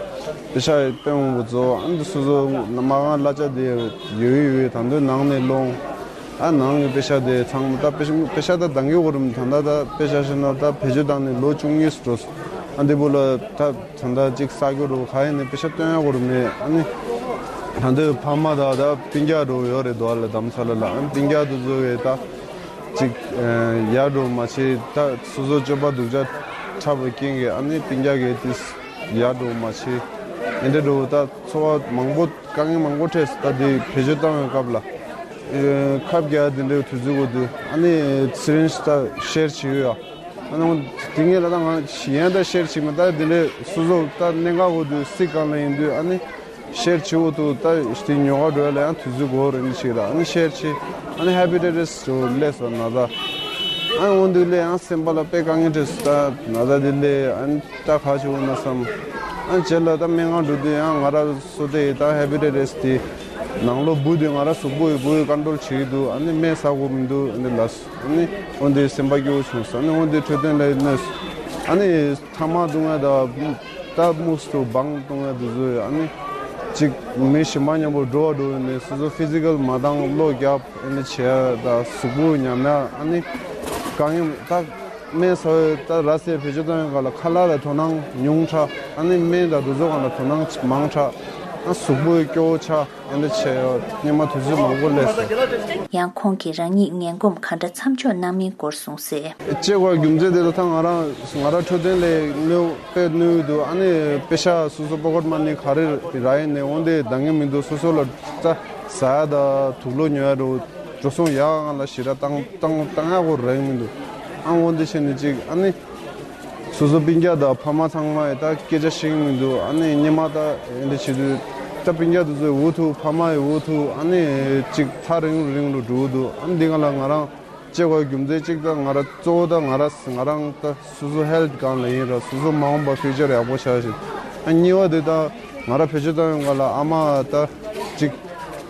པེ་ཤག་དཔེ་མང་པོ་རྫོགས། ཨ་ནི་སོ་སོ་མ་གང་གླ་ཆ་དེ་ཡོད་ཡོད་ད་དུང་ནང་ནས་སློང་། ཨ་ནང་གི་པེ་ཤག་དེ་ཚང་མ་ད་པེ་ཤག་པེ་ཤག་ད་འདང་གི་གོ་རུམ་ད་ད་ད་པེ་ཤག་ཤི་ན་ད་བེད་སྤྱོད་བཏང་ནས་ལོ་བཅུ་གཉིས་སུ་འགྲོ་སོང་། ཨ་འདི་བུ་ལ་ད་ད་ད་ཅིག་ས་རྒྱུ་རུ་ག་ཡིན་ནས་པེ་ཤག་སྟོན་ཡ་གོ་རུམ་མེད། ཨ་ནི་ད་འདོད་ཕ་མ་ད་ད་སྤུན་ཀྱག་རུ་ཡོད་རེད་དོ། ཨ་ལ་དམ་ས་ལ་ལ་ཨ་སྤུན་ཀྱག་དུ་བཟོ་བའི་ད་ཅིག་ཡར་འགྲོ་མ་བྱེད། ད་སོ་སོ་སྤྱོད་པ་སྡུག་ཅག་འཁྲབ་པའི་རྐྱེན་གྱིས་ཨ་ནི་སྤུན་ཀྱག་གིས་ཏིས་ཡར་འགྲོ་མ་བྱེད། ཨེ་འདྲ་འགྲོ་ད་འཚོ་བ་མང་པོ། དཀའ་ངལ་མང་པོ་འཕྲད་སོང་། ད་དེ་བེད་སྤྱོད་བཏང་བའི་སྐབས་ལ། ཨེ་ཁབ་རྒྱག་དེ་འདྲའི་དུས་ཚོད་འགོར་དུས་ཨ་ནི་སི་རིན་ཇི་ད་ཤེར་བྱེད་ཡོད་ཡ། ཨ་ནི་དེ་ངས་ལ་ད་ང་ཡན་ད་ཤེར་བྱེད་མ་ད་དེ་འདྲའི་སོ་སོ་ད་གནད་འགག་འགོར་དུས་སི་གང་ལ་ཡིན་དུས་ཨ་ནི་ཤེར་བྱེད་འོ་དུ་ད་དེ་ཉོ་ག་འགྲོ་ཡ་ལ་ཡང་དུས་ཚོད་འགོར་ཨ་ནི་ཞིག་ལ་ཨ་ནི་ཤེར་བྱེད། ཨ་ནི་ཧེ་པི་ཏེ་ཊས་ཇོ་སླེབས་སོང་ན་ད། ཨ་ནི་འོ་དུས་ལས་ཡང་སེམས་པ་ལ་དཔེ་དཀའ་ངལ་འཕྲད་སོང་། ད་ན་ད་དེ་ལས་ཨ་ནི། ད་ག་བྱེད་འོ་ན་བསམ། ཨ་རྗེས་ལ་ད་སྨན་ཁང་འགྲོ་དུས་ཡང་ང་ར་སོ་དེ་ད་ཧེ་པི་ཏེ་ཊས་དེ་ནང་ལོགས་འབུ་དེ་ང་ར་གཟུགས་པོ་ཡི་འབུ་ཡི་ཀོན་ཊོལ་བྱེད་ཀྱི་འདུག་ཨ་ནི་སྨན་ཟ་དགོས་མི་འདུག་ཨ་ནི་ལབ་སོང་། ཨ་ནི་འོ་དེ་སེམས་པ་སྐྱོ་བོ་བྱུང་སོང་། ཨ་ནི་འོ་དེ་འཕྲོད་བསྟེན་ལ་གནོད་སོང་། ཨ་ནི་ཐ་མག་བཏུང་ཡ་ད་ད་དམིགས་སུ་བང་བཏུང་ཡ་དེ་ཚོ་ཡོད། ཨ་ནི་གཅིག་མི་གཞན་པ་མཉམ་པོ་འགྲོ་བ་འགྲོ་ཡོད་ནས་སོ་སོ་ཕི་ཛི་ཀལ་མ་འདང་གློ་རྒྱབ་ཨ་ནི་བྱེད་ཡ་ད་གཟུགས་པོ་ཉམས་ཡ་ཨ་ནི་དཀའ་ངལ་ད། སྨན་ཟ་བའི་ད་ར་སའི་བེད་སྤྱོད་བཏང་བའི་སྒང་ལ་ཁ་ལག་ལ་དོ་སྣང་ཉུང་དྲགས། ཨ་ནི་སྨན་དང་དེ་ཚོ་སྒང་ལ་དོ་སྣང་མང་དྲགས། ཨ་གཟུགས་པོའི་སྐྱོ་བོ་ཆགས། ཨེ་འདྲ་བྱས་ཡོད། སྔོན་མ་དུས་ཚོད་མང་པོ་སླེབས་སོང་། ཡང་ཁོང་གིས་རང་ཉིད་ངན་གོམས་ག་འདྲ་མཚམས་འཇོག་གནང་མིན་སྐོར་གསུངས་གསལ། ལྕེ་བ་རྒྱུ་མཚན་དེ་ལ་ད་ང་རང་ང་རང་འཕྲོད་བསྟེན་ལས་གནོད་དཔེ་གནོད་འདུག་ཨ་ནི་པེ་ཤག་སོ་སོ་པོ་ཀེཊ་མ་ནི་ག་རེ་རག་ཡིན་ནའི་འོན་ཏེ་འདང་གི་མི་འདུག་སོ་སོ་ལ་ད་ཟ་ཡ་ད་དུག་ལོག་ཉོ་ཡ་འགྲོ་འགྲོ་སོང་ཡག་ང་ལ་ཞེ་དྲག་བཏང་བཏང་བཏང་ཡག་གོ་རེག་མི་འདུག་ཨ་འོ་འདི་བྱས་ནས་ཅིག་ཨ་ནི་སོ་སོ་སྤུན་ཀྱག་དང་ཕ་མ་ཚང་མ་ཡི་ད་སྐད་ཆ་བཤད་ཀྱི་མི་འདུག་ཨ་ནི་སྔོན་མ་ད་འདི་བྱེད་དུས་ད་སྤུན་ཀྱག་དེ་ཚོའི་འུ་ཐུག་ཕ་མ་ཡི་འུ་ཐུག་ཨ་ནི་ཅིག་ཐག་རིང་རུ་རིང་རུ་འགྲོ་གི་འདུག་ཨ་ནི་འདི་ག་ལ་ང་རང་ བྱེད་དགོས་རྒྱུ་མཚན་གཅིག་ད་ང་རང་གཙོ་བོ་ད་ང་རང་ང་རང་ད་སོ་སོ་ཧེལ་ཐི་སྒང་ལ་ཡིན་ར་སོ་སོ་མ་འོངས་པ་ཕིའུ་ཅར་ཡག་པོ་ཆགས་ཤིག་ཨ་གཉིས་པ་དེ་ད་ང་རང་བེད་སྤྱོད་བཏང་ཡོང་ག་ལ་ཨ་མ་ད་གཅིག་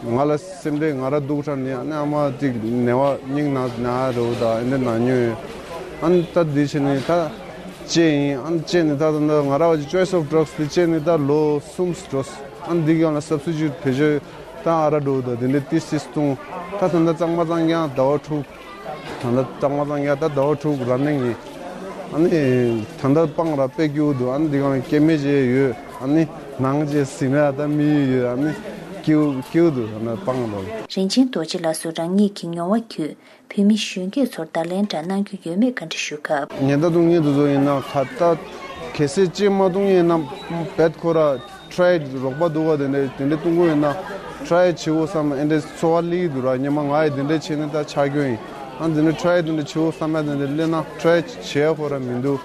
ང་ལ་སེམས་ཁྲལ་ང་རང་སྡུག་དྲགས་ནས་ཨ་ནི་ཨ་མ་གཅིག་ནད་པ་སྙིང་ན་ན་རུ་ད་ཨེ་འདྲ་ན་ཉོས་ཡོད། ཨ་ནི་ད་འདི་བྱས་ནས་ད་ལྕེ་ཡིན་ཨ་ནི་ལྕེ་ནི་ད་ད་ང་རང་བ་ཅི་ཅོའི་སི་ཨོཕ་ཌྲག་སི་དེ་ལྕེ་ནི་ད་ལོ་གསུམ་ཙམ་འགྲོ་སོང་། ཨ་ནི་འདི་ག་ལ་སབ་སི་ཊི་ཊུཊ་བེད་སྤྱོད་ད་ཨ་ར་འགྲོ་ད་དེ་འདྲ་ཏི་སིས་བཏུང་། ད་ད་ད་གཙང་མ་གཙང་རྐྱང་ཟླ་བ་དྲུག་ད་ལྟ་གཙང་མ་གཙང་རྐྱང་ད་ཟླ་བ་དྲུག་ར་ནིང་ཡིན། ཨ་ནི་ད་ལྟ་སྤང་ར་དཔེ་སྐྱིད་པོ་འདུག་ཨ་ནི་འདི་ག་ལ་སྐྱེ་དམན་ཅིག་ཡོད། ཨ་ནི་ནང་ཅིག་ཟིན་ན་ད་མི་ཡོད་ཡོད། ཨ་ནི་སྐྱིད་པོ་སྐྱིད་པོ་འདུག་ད་ལྟ་སྤང་ར། རིན་ཆེན་རྡོ་རྗེ་ལགས་སུ་རང་ཉིད་ཀྱི་མྱོང་བ་བརྒྱུད་བོད་མི་གཞོན་སྐྱེས་ཚོར་བརྡ་ལན་འདྲ་གནང་རྒྱུ་ཡོད་མེད་བཀའ་འདྲི་ཞུ་སྐབས། ཉེན་བརྡ་གཏོང་མཁན་དེ་ཚོ་ཡིན་ན་ཁ་ད་གལ་སྲིད་ཅིག་མ་གཏོང་ཡིན་ན་བེད་ཁོ་ར་ཊི་རའི་རོགས་པ་འདུག་བ་དེ་འདྲས་དེ་འདྲས་གཏོང་གི་ཡོད་ན་ཊི་རའི་བྱེད་འོ་བསམ་ཨེ་འདྲས་ཚོར་བ་སླེབས་ཀྱི་འདུག་ར། སྔོན་མ་ང་ཡི་དེ་འདྲས་བྱས་ནས་ད་ཆགས་རྒྱུ་ཡིན། ཨ་དེ་འདྲས་ཊི་རའི་དེ་འདྲས་བྱེད་འོ་བསམ་ཡ་དེ་འདྲས་སླེབས་ན་ཊི་རའི་བྱེད་ཡ་ཁོ་ར་མི་འདུག་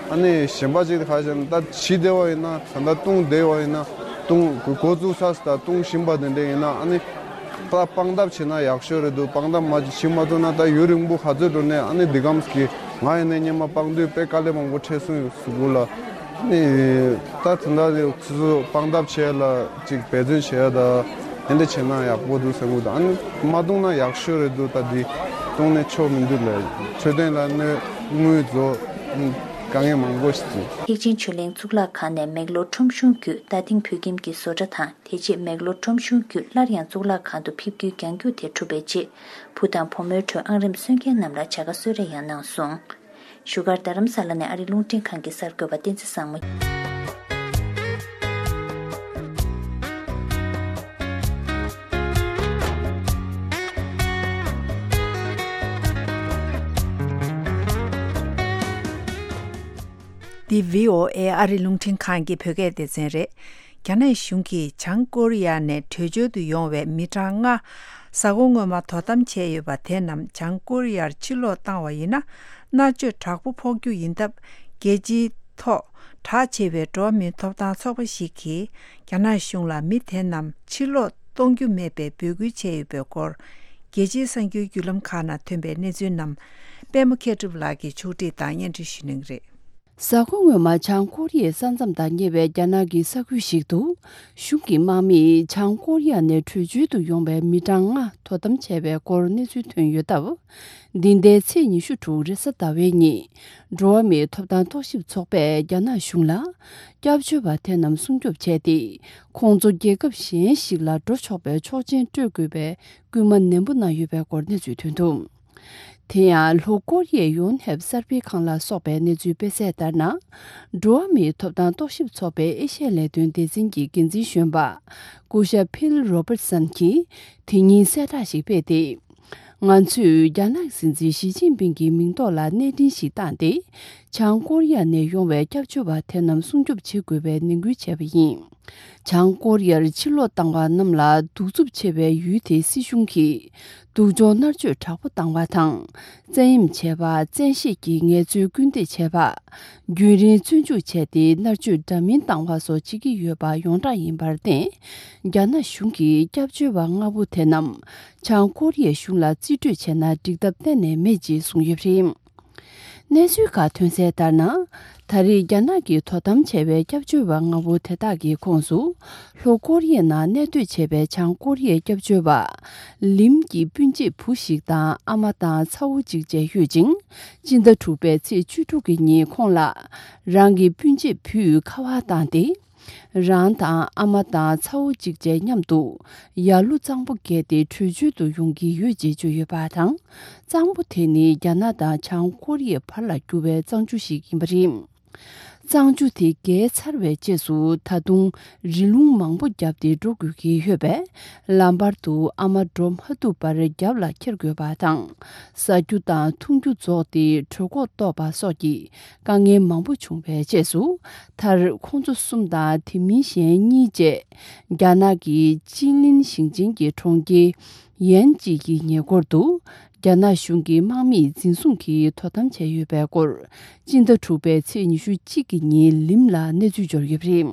ཨ་ནི་གཞན་པ་ཅིག་ཁ་ཤས་ད་བྱིས་བསྡད་པ་ཡིན་ན་ད་ལྟ་བཏུང་བསྡད་པ་ཡིན་ན་བཏུང་འགོ་བཙུགས་ཚར་ད་བཏུང་བཞིན་པ་དེ་འདྲས་ཡིན་ན་ཨ་ནི་ད་སྤང་ཐབས་བྱེད་ན་ཡག་ཤོས་རེད་འདུག་སྤང་ཐབས་མ་བྱེད་མ་ཐུབ་ན་ད་ཡུན་རིང་པོ་ག་ཚོད་འགྲོ་ནས་ཨ་ནི་འདི་གམ་གི་ང་ཡིན་ན་སྔོན་མ་སྤང་དུས་དཔེ་དཀའ་ལས་མང་པོ་འཕྲད་སོང་ཡོད་གཟུགས་པོ་ལ། ནི་ད་དེ་འདྲ་ནི་སོ་སོ་སྤང་ཐབས་བྱས་ལ་ཅིག་འབད་བརྩོན་བྱས་ད་དེ་འདྲ་བྱས་ན་ཡག་པོ་འདུག་བསམ་གི་འདུག་ཨ་ནི་མ་བཏུང་ན་ཡག་ཤོས་རེད་འདུག་ད་འདི་བཏུང་ནས་ཆོག་མི་འདུག་ལ་འཕྲོད་བསྟེན་ལ་གནོད་དངུལ་རྫོགས་དཀའ་ངལ་མང་པོ་ཞིག་འདུག་ཐེག་ཆེན་ཆོས་གླིང་གཙུག་ལག་ཁང་ནས་མེག་ལོར་ཁྲོམ་གཞུང་བརྒྱུད་རྟ་སྡིང་བོད་ཁྱིམ་གྱི་བཟོ་གྲྭ་དང་དེ་རྗེས་མེག་ལོར་ཁྲོམ་གཞུང་བརྒྱུད་སླར་ཡང་གཙུག་ལག་ཁང་དུ་ཕེབས་རྒྱུའི་རྒྱང་རྒྱུག་དེ་གྲུབ་པའི་རྗེས་བུ་དང་བུ་མོའི་ཁྲོད་ཨང་རིམ་སོན་མཁན་རྣམས་ལ་བྱ་དགའ་གསོལ་རས་ཡང་གནང་སོང་། བཞུགས་སྒར་རྡ་རམ་ས་ལ་ནས་ཨ་རིའི་རླུང་འཕྲིན་ཁང་གི་གསར་འགོད་པ་བསྟན་འཛིན་བཟང་མོ། འདི་བྷི་ཨོ་ཨེ་ཨ་རིའི་རླུང་འཕྲིན་ཁང་གི་བོད་སྐད་སྡེ་ཚན་རེད། རྒྱ་ནག་གཞུང་གིས་བྱང་ཀོ་རི་ཡ་ནས་བྲོས་བྱོལ་དུ་ཡོང་བའི་མི་གྲངས་ལྔ་གཟའ་འཁོར་སྔོན་མ་དོ་དམ་བྱས་ཡོད་པ་དེ་རྣམས་བྱང་ཀོ་རི་ཡར་ཕྱིར་ལོག་བཏང་བ་ཡིན་ན་མནར་གཅོད་དྲག་པོ་ཕོག་རྒྱུ་ཡིན་སྟབས་རྒྱལ་སྤྱིའི་ཐོག་གྲགས་ཆེ་བའི་འགྲོ་བ་མིའི་ཐོབ་ཐང་ཚོགས་པ་ཞིག་གིས་རྒྱ་ནག་གཞུང་ལ་མི་དེ་རྣམས་ཕྱིར་ལོག་གཏོང་རྒྱུ་མེད་པའི་འབོད་སྐུལ་བྱས་ཡོད་པའི་སྐོར་རྒྱལ་སྤྱིའི་གསར་འགྱུར་བརྒྱུད་ལམ་ཁག་ནང་ཐོན་པའི་གནས་ཚུལ་རྣམས་པད་མ་མཁས་གྲུབ་ལགས་ཀྱིས་ཕྱོགས་སྒྲིག་དང་སྙན་སྒྲོན་ཞུ་གནང་གི་རེད། གཟའ་འཁོར་སྔོན་མ་བྱང་ཀོ་རི་ཡའི་ས་མཚམས་དང་ཉེ་བའི་རྒྱ་ནག་གི་ས་ཁུལ་ཞིག་ཏུ་གཞུང་གི་དམག་མིས་བྱང་ཀོ་རི་ཡ་ནས་བྲོས་བྱོལ་དུ་ཡོང་བའི་མི་གྲངས་ལྔ་དོ་དམ་བྱས་པའི་སྐོར་གནས་ཚུལ་ཐོན་ཡོད་སྟབས། འདི་ཟླའི་ཚེས་ཉི་ཤུ་དྲུག་རེས་གཟའ་ཟླ་བའི་ཉིན། འགྲོ་བ་མིའི་ཐོབ་ཐང་རྟོག་ཞིབ་ཚོགས་པས་རྒྱ་ནག་གཞུང་ལ། སྐྱབས་བཅོལ་བ་དེ་རྣམས་སྲུང་སྐྱོབ་བྱས་ཏེ། ཁོང་ཚོ་རྒྱལ་ཁབ་གཞན་ཞིག་ལ་འགྲོ་ཆོག་པའི་ཆོག་མཆན་སྤྲོད་དགོས་པའི་སྐུལ་མ་ནན་པོ་གནང་ཡོད་པའི་སྐོར་གནས་ཚུལ་ཐོན་འདུག་དེ་ཡང་ལྷོ་ཀོ་རི་ཡའི་ཡོན་ཧེབ་གསར་སྤེལ་ཁང་ལ་སོགས་པའི་གནས་ཚུལ་སྤེལ་གསལ་ལྟར་ན། འགྲོ་བ་མིའི་ཐོབ་ཐང་རྟོག་ཞིབ་ཚོགས་པའི་ཨེ་ཤ་ཡ་ལས་དོན་སྡེ་ཚན་གྱི་འགན་འཛིན་གཞོན་པ། སྐུ་ཞབས་ཕིལ་རོ་བར་སན་གྱིས་དེ་ཉིན་གསལ་བསྒྲགས་ཤིག་སྤེལ་ཏེ། ང་ཚོས་རྒྱ་ནག་སྲིད་འཛིན་ཞི་ཅིན་ཕིང་གི་མིང་ཐོག་ལ་གནས་འཕྲིན་ཞིག་བཏང་སྟེ། བྱང་ཀོ་རི་ཡ་ནས་ཡོང་བའི་སྐྱབས་བཅོལ་བ་དེ་རྣམས་སྲུང་སྐྱོབ་བྱེད་དགོས་པའི་ནན་སྐུལ་བྱས་པ་ཡིན། བྱང་ཀོ་རི་ཡར་ཕྱིར་ལོག་བཏང་བ་རྣམས་ལ་གདུག་རྩུབ་ཆེ་བའི་ཡུལ་དེའི་སྲིད་གཞུང་གིས་སྡུག་སྦྱོང་མནར་གཅོད་དྲག་པོ་བཏང་བ་དང་། བཙན་གཡེམ་བྱས་པ། བཙན་ཤེད་ཀྱིས་ངལ་རྩོལ་སྐུལ་འདེད་བྱས་པ། རྒྱུན་རིང་བཙོན་འཇུག་བྱས་ཏེ་མནར་གཅོད་འདྲ་མིན་བཏང་བ་སོགས་བྱེད་ཀྱི་ཡོད་པ་ཡོངས་གྲགས་ཡིན་པར་བརྟེན། རྒྱ་ནག་གཞུང་གིས་སྐྱབས་བཅོལ་བ་ལྔ་བོ་དེ་རྣམས་བྱང་ཀོ་རི་ཡའི་གཞུང་ལ་རྩིས་སྤྲོད་བྱས་ན་འགྲིག་ཐབས་གཏན་ནས་མེད་ཅེས་གསུངས་ཡོད་པ་རེད། གནས་ཚུལ་ཁག་ཐོན་གསལ་ལྟར་ན། ད་རེས་རྒྱ་ནག་གིས་དོ་དམ་བྱས་པའི་སྐྱབས་བཅོལ་བ་ལྔ་བོ་དེ་དག་གི་ཁོངས་སུ། ལྷོ་ཀོ་རི་ཡའི་ནང་གནས་སྡོད་བྱས་པའི་བྱང་ཀོ་རི་ཡའི་སྐྱབས་བཅོལ་བ། ལིམ་གྱི་སྤུན་མཆེད་བུ་ཞིག་དང་ཨ་མ་དང་ཚ་བོ་གཅིག་བཅས་ཡོད་ཅིང་། སྤྱི་ཟླ་དྲུག་པའི་ཚེས་བཅུ་དྲུག་གི་ཉིན་ཁོང་ལ། རང་གི་སྤུན་མཆེད་བུས་ཁ་པར་བཏང་སྟེ། རང་དང་ཨ་མ་དང་ཚ་བོ་གཅིག་བཅས་མཉམ་དུ་ཡར་ཀླུང་གཙང་པོ་བརྒལ་ཏེ་བྲོས་བྱོལ་དུ་ཡོང་གི་ཡོད་ཅེས་བརྗོད་ཡོད་པ་དང་། གཙང་པོ་དེ་ནི་རྒྱ་ནག་དང་བྱང་ཀོ་རི་ཡའི་བར་ལ་རྒྱུ་བའི་གཙང་ཆུ་ཞིག་ཡིན་པ་རེད། གཙང་ཆུ་དེ་བརྒལ་ཚར་བའི་རྗེས་སུ་ད་དུང་རི་ལུང་མང་པོ་བརྒྱབ་སྟེ་འགྲོ་དགོས་ཀྱི་ཡོད་པས། ལམ་བར་དུ་ཨ་མ་འགྲོ་མ་ཐུབ་པར་རྒྱབ་ལ་འཁྱེར་དགོས་པ་དང་། ཟ་རྒྱུ་དང་འཐུང་རྒྱུ་རྫོགས་ཏེ་གྲོད་ཁོག་ལྟོགས་པ་སོགས་ཀྱི། དཀའ་ངལ་མང་པོ་བྱུང་བའི་རྗེས་སུ། མཐར་ཁོང་ཚོ་གསུམ་དང་དེ་མིན་གཞན་གཉིས་བཅས། རྒྱ་ནག་གི་ཅི་ལིན་ཞིང་ཆེན་གྱི་གྲོང་ཁྱེར་ཡན་ཅི་ཡི་ཉེ་འཁོར་དུ། རྒྱ་ནག་གཞུང་གི་དམག་མིས་འཛིན་བཟུང་གིས་དོ་དམ་བྱས་ཡོད་པའི་སྐོར། སྤྱི་ཟླ་དྲུག་པའི་ཚེས་ཉི་ཤུ་གཅིག་གི་ཉིན་ལིམ་ལ་གནས་ཚུལ་འབྱོར་ཡོད་པ་རེད།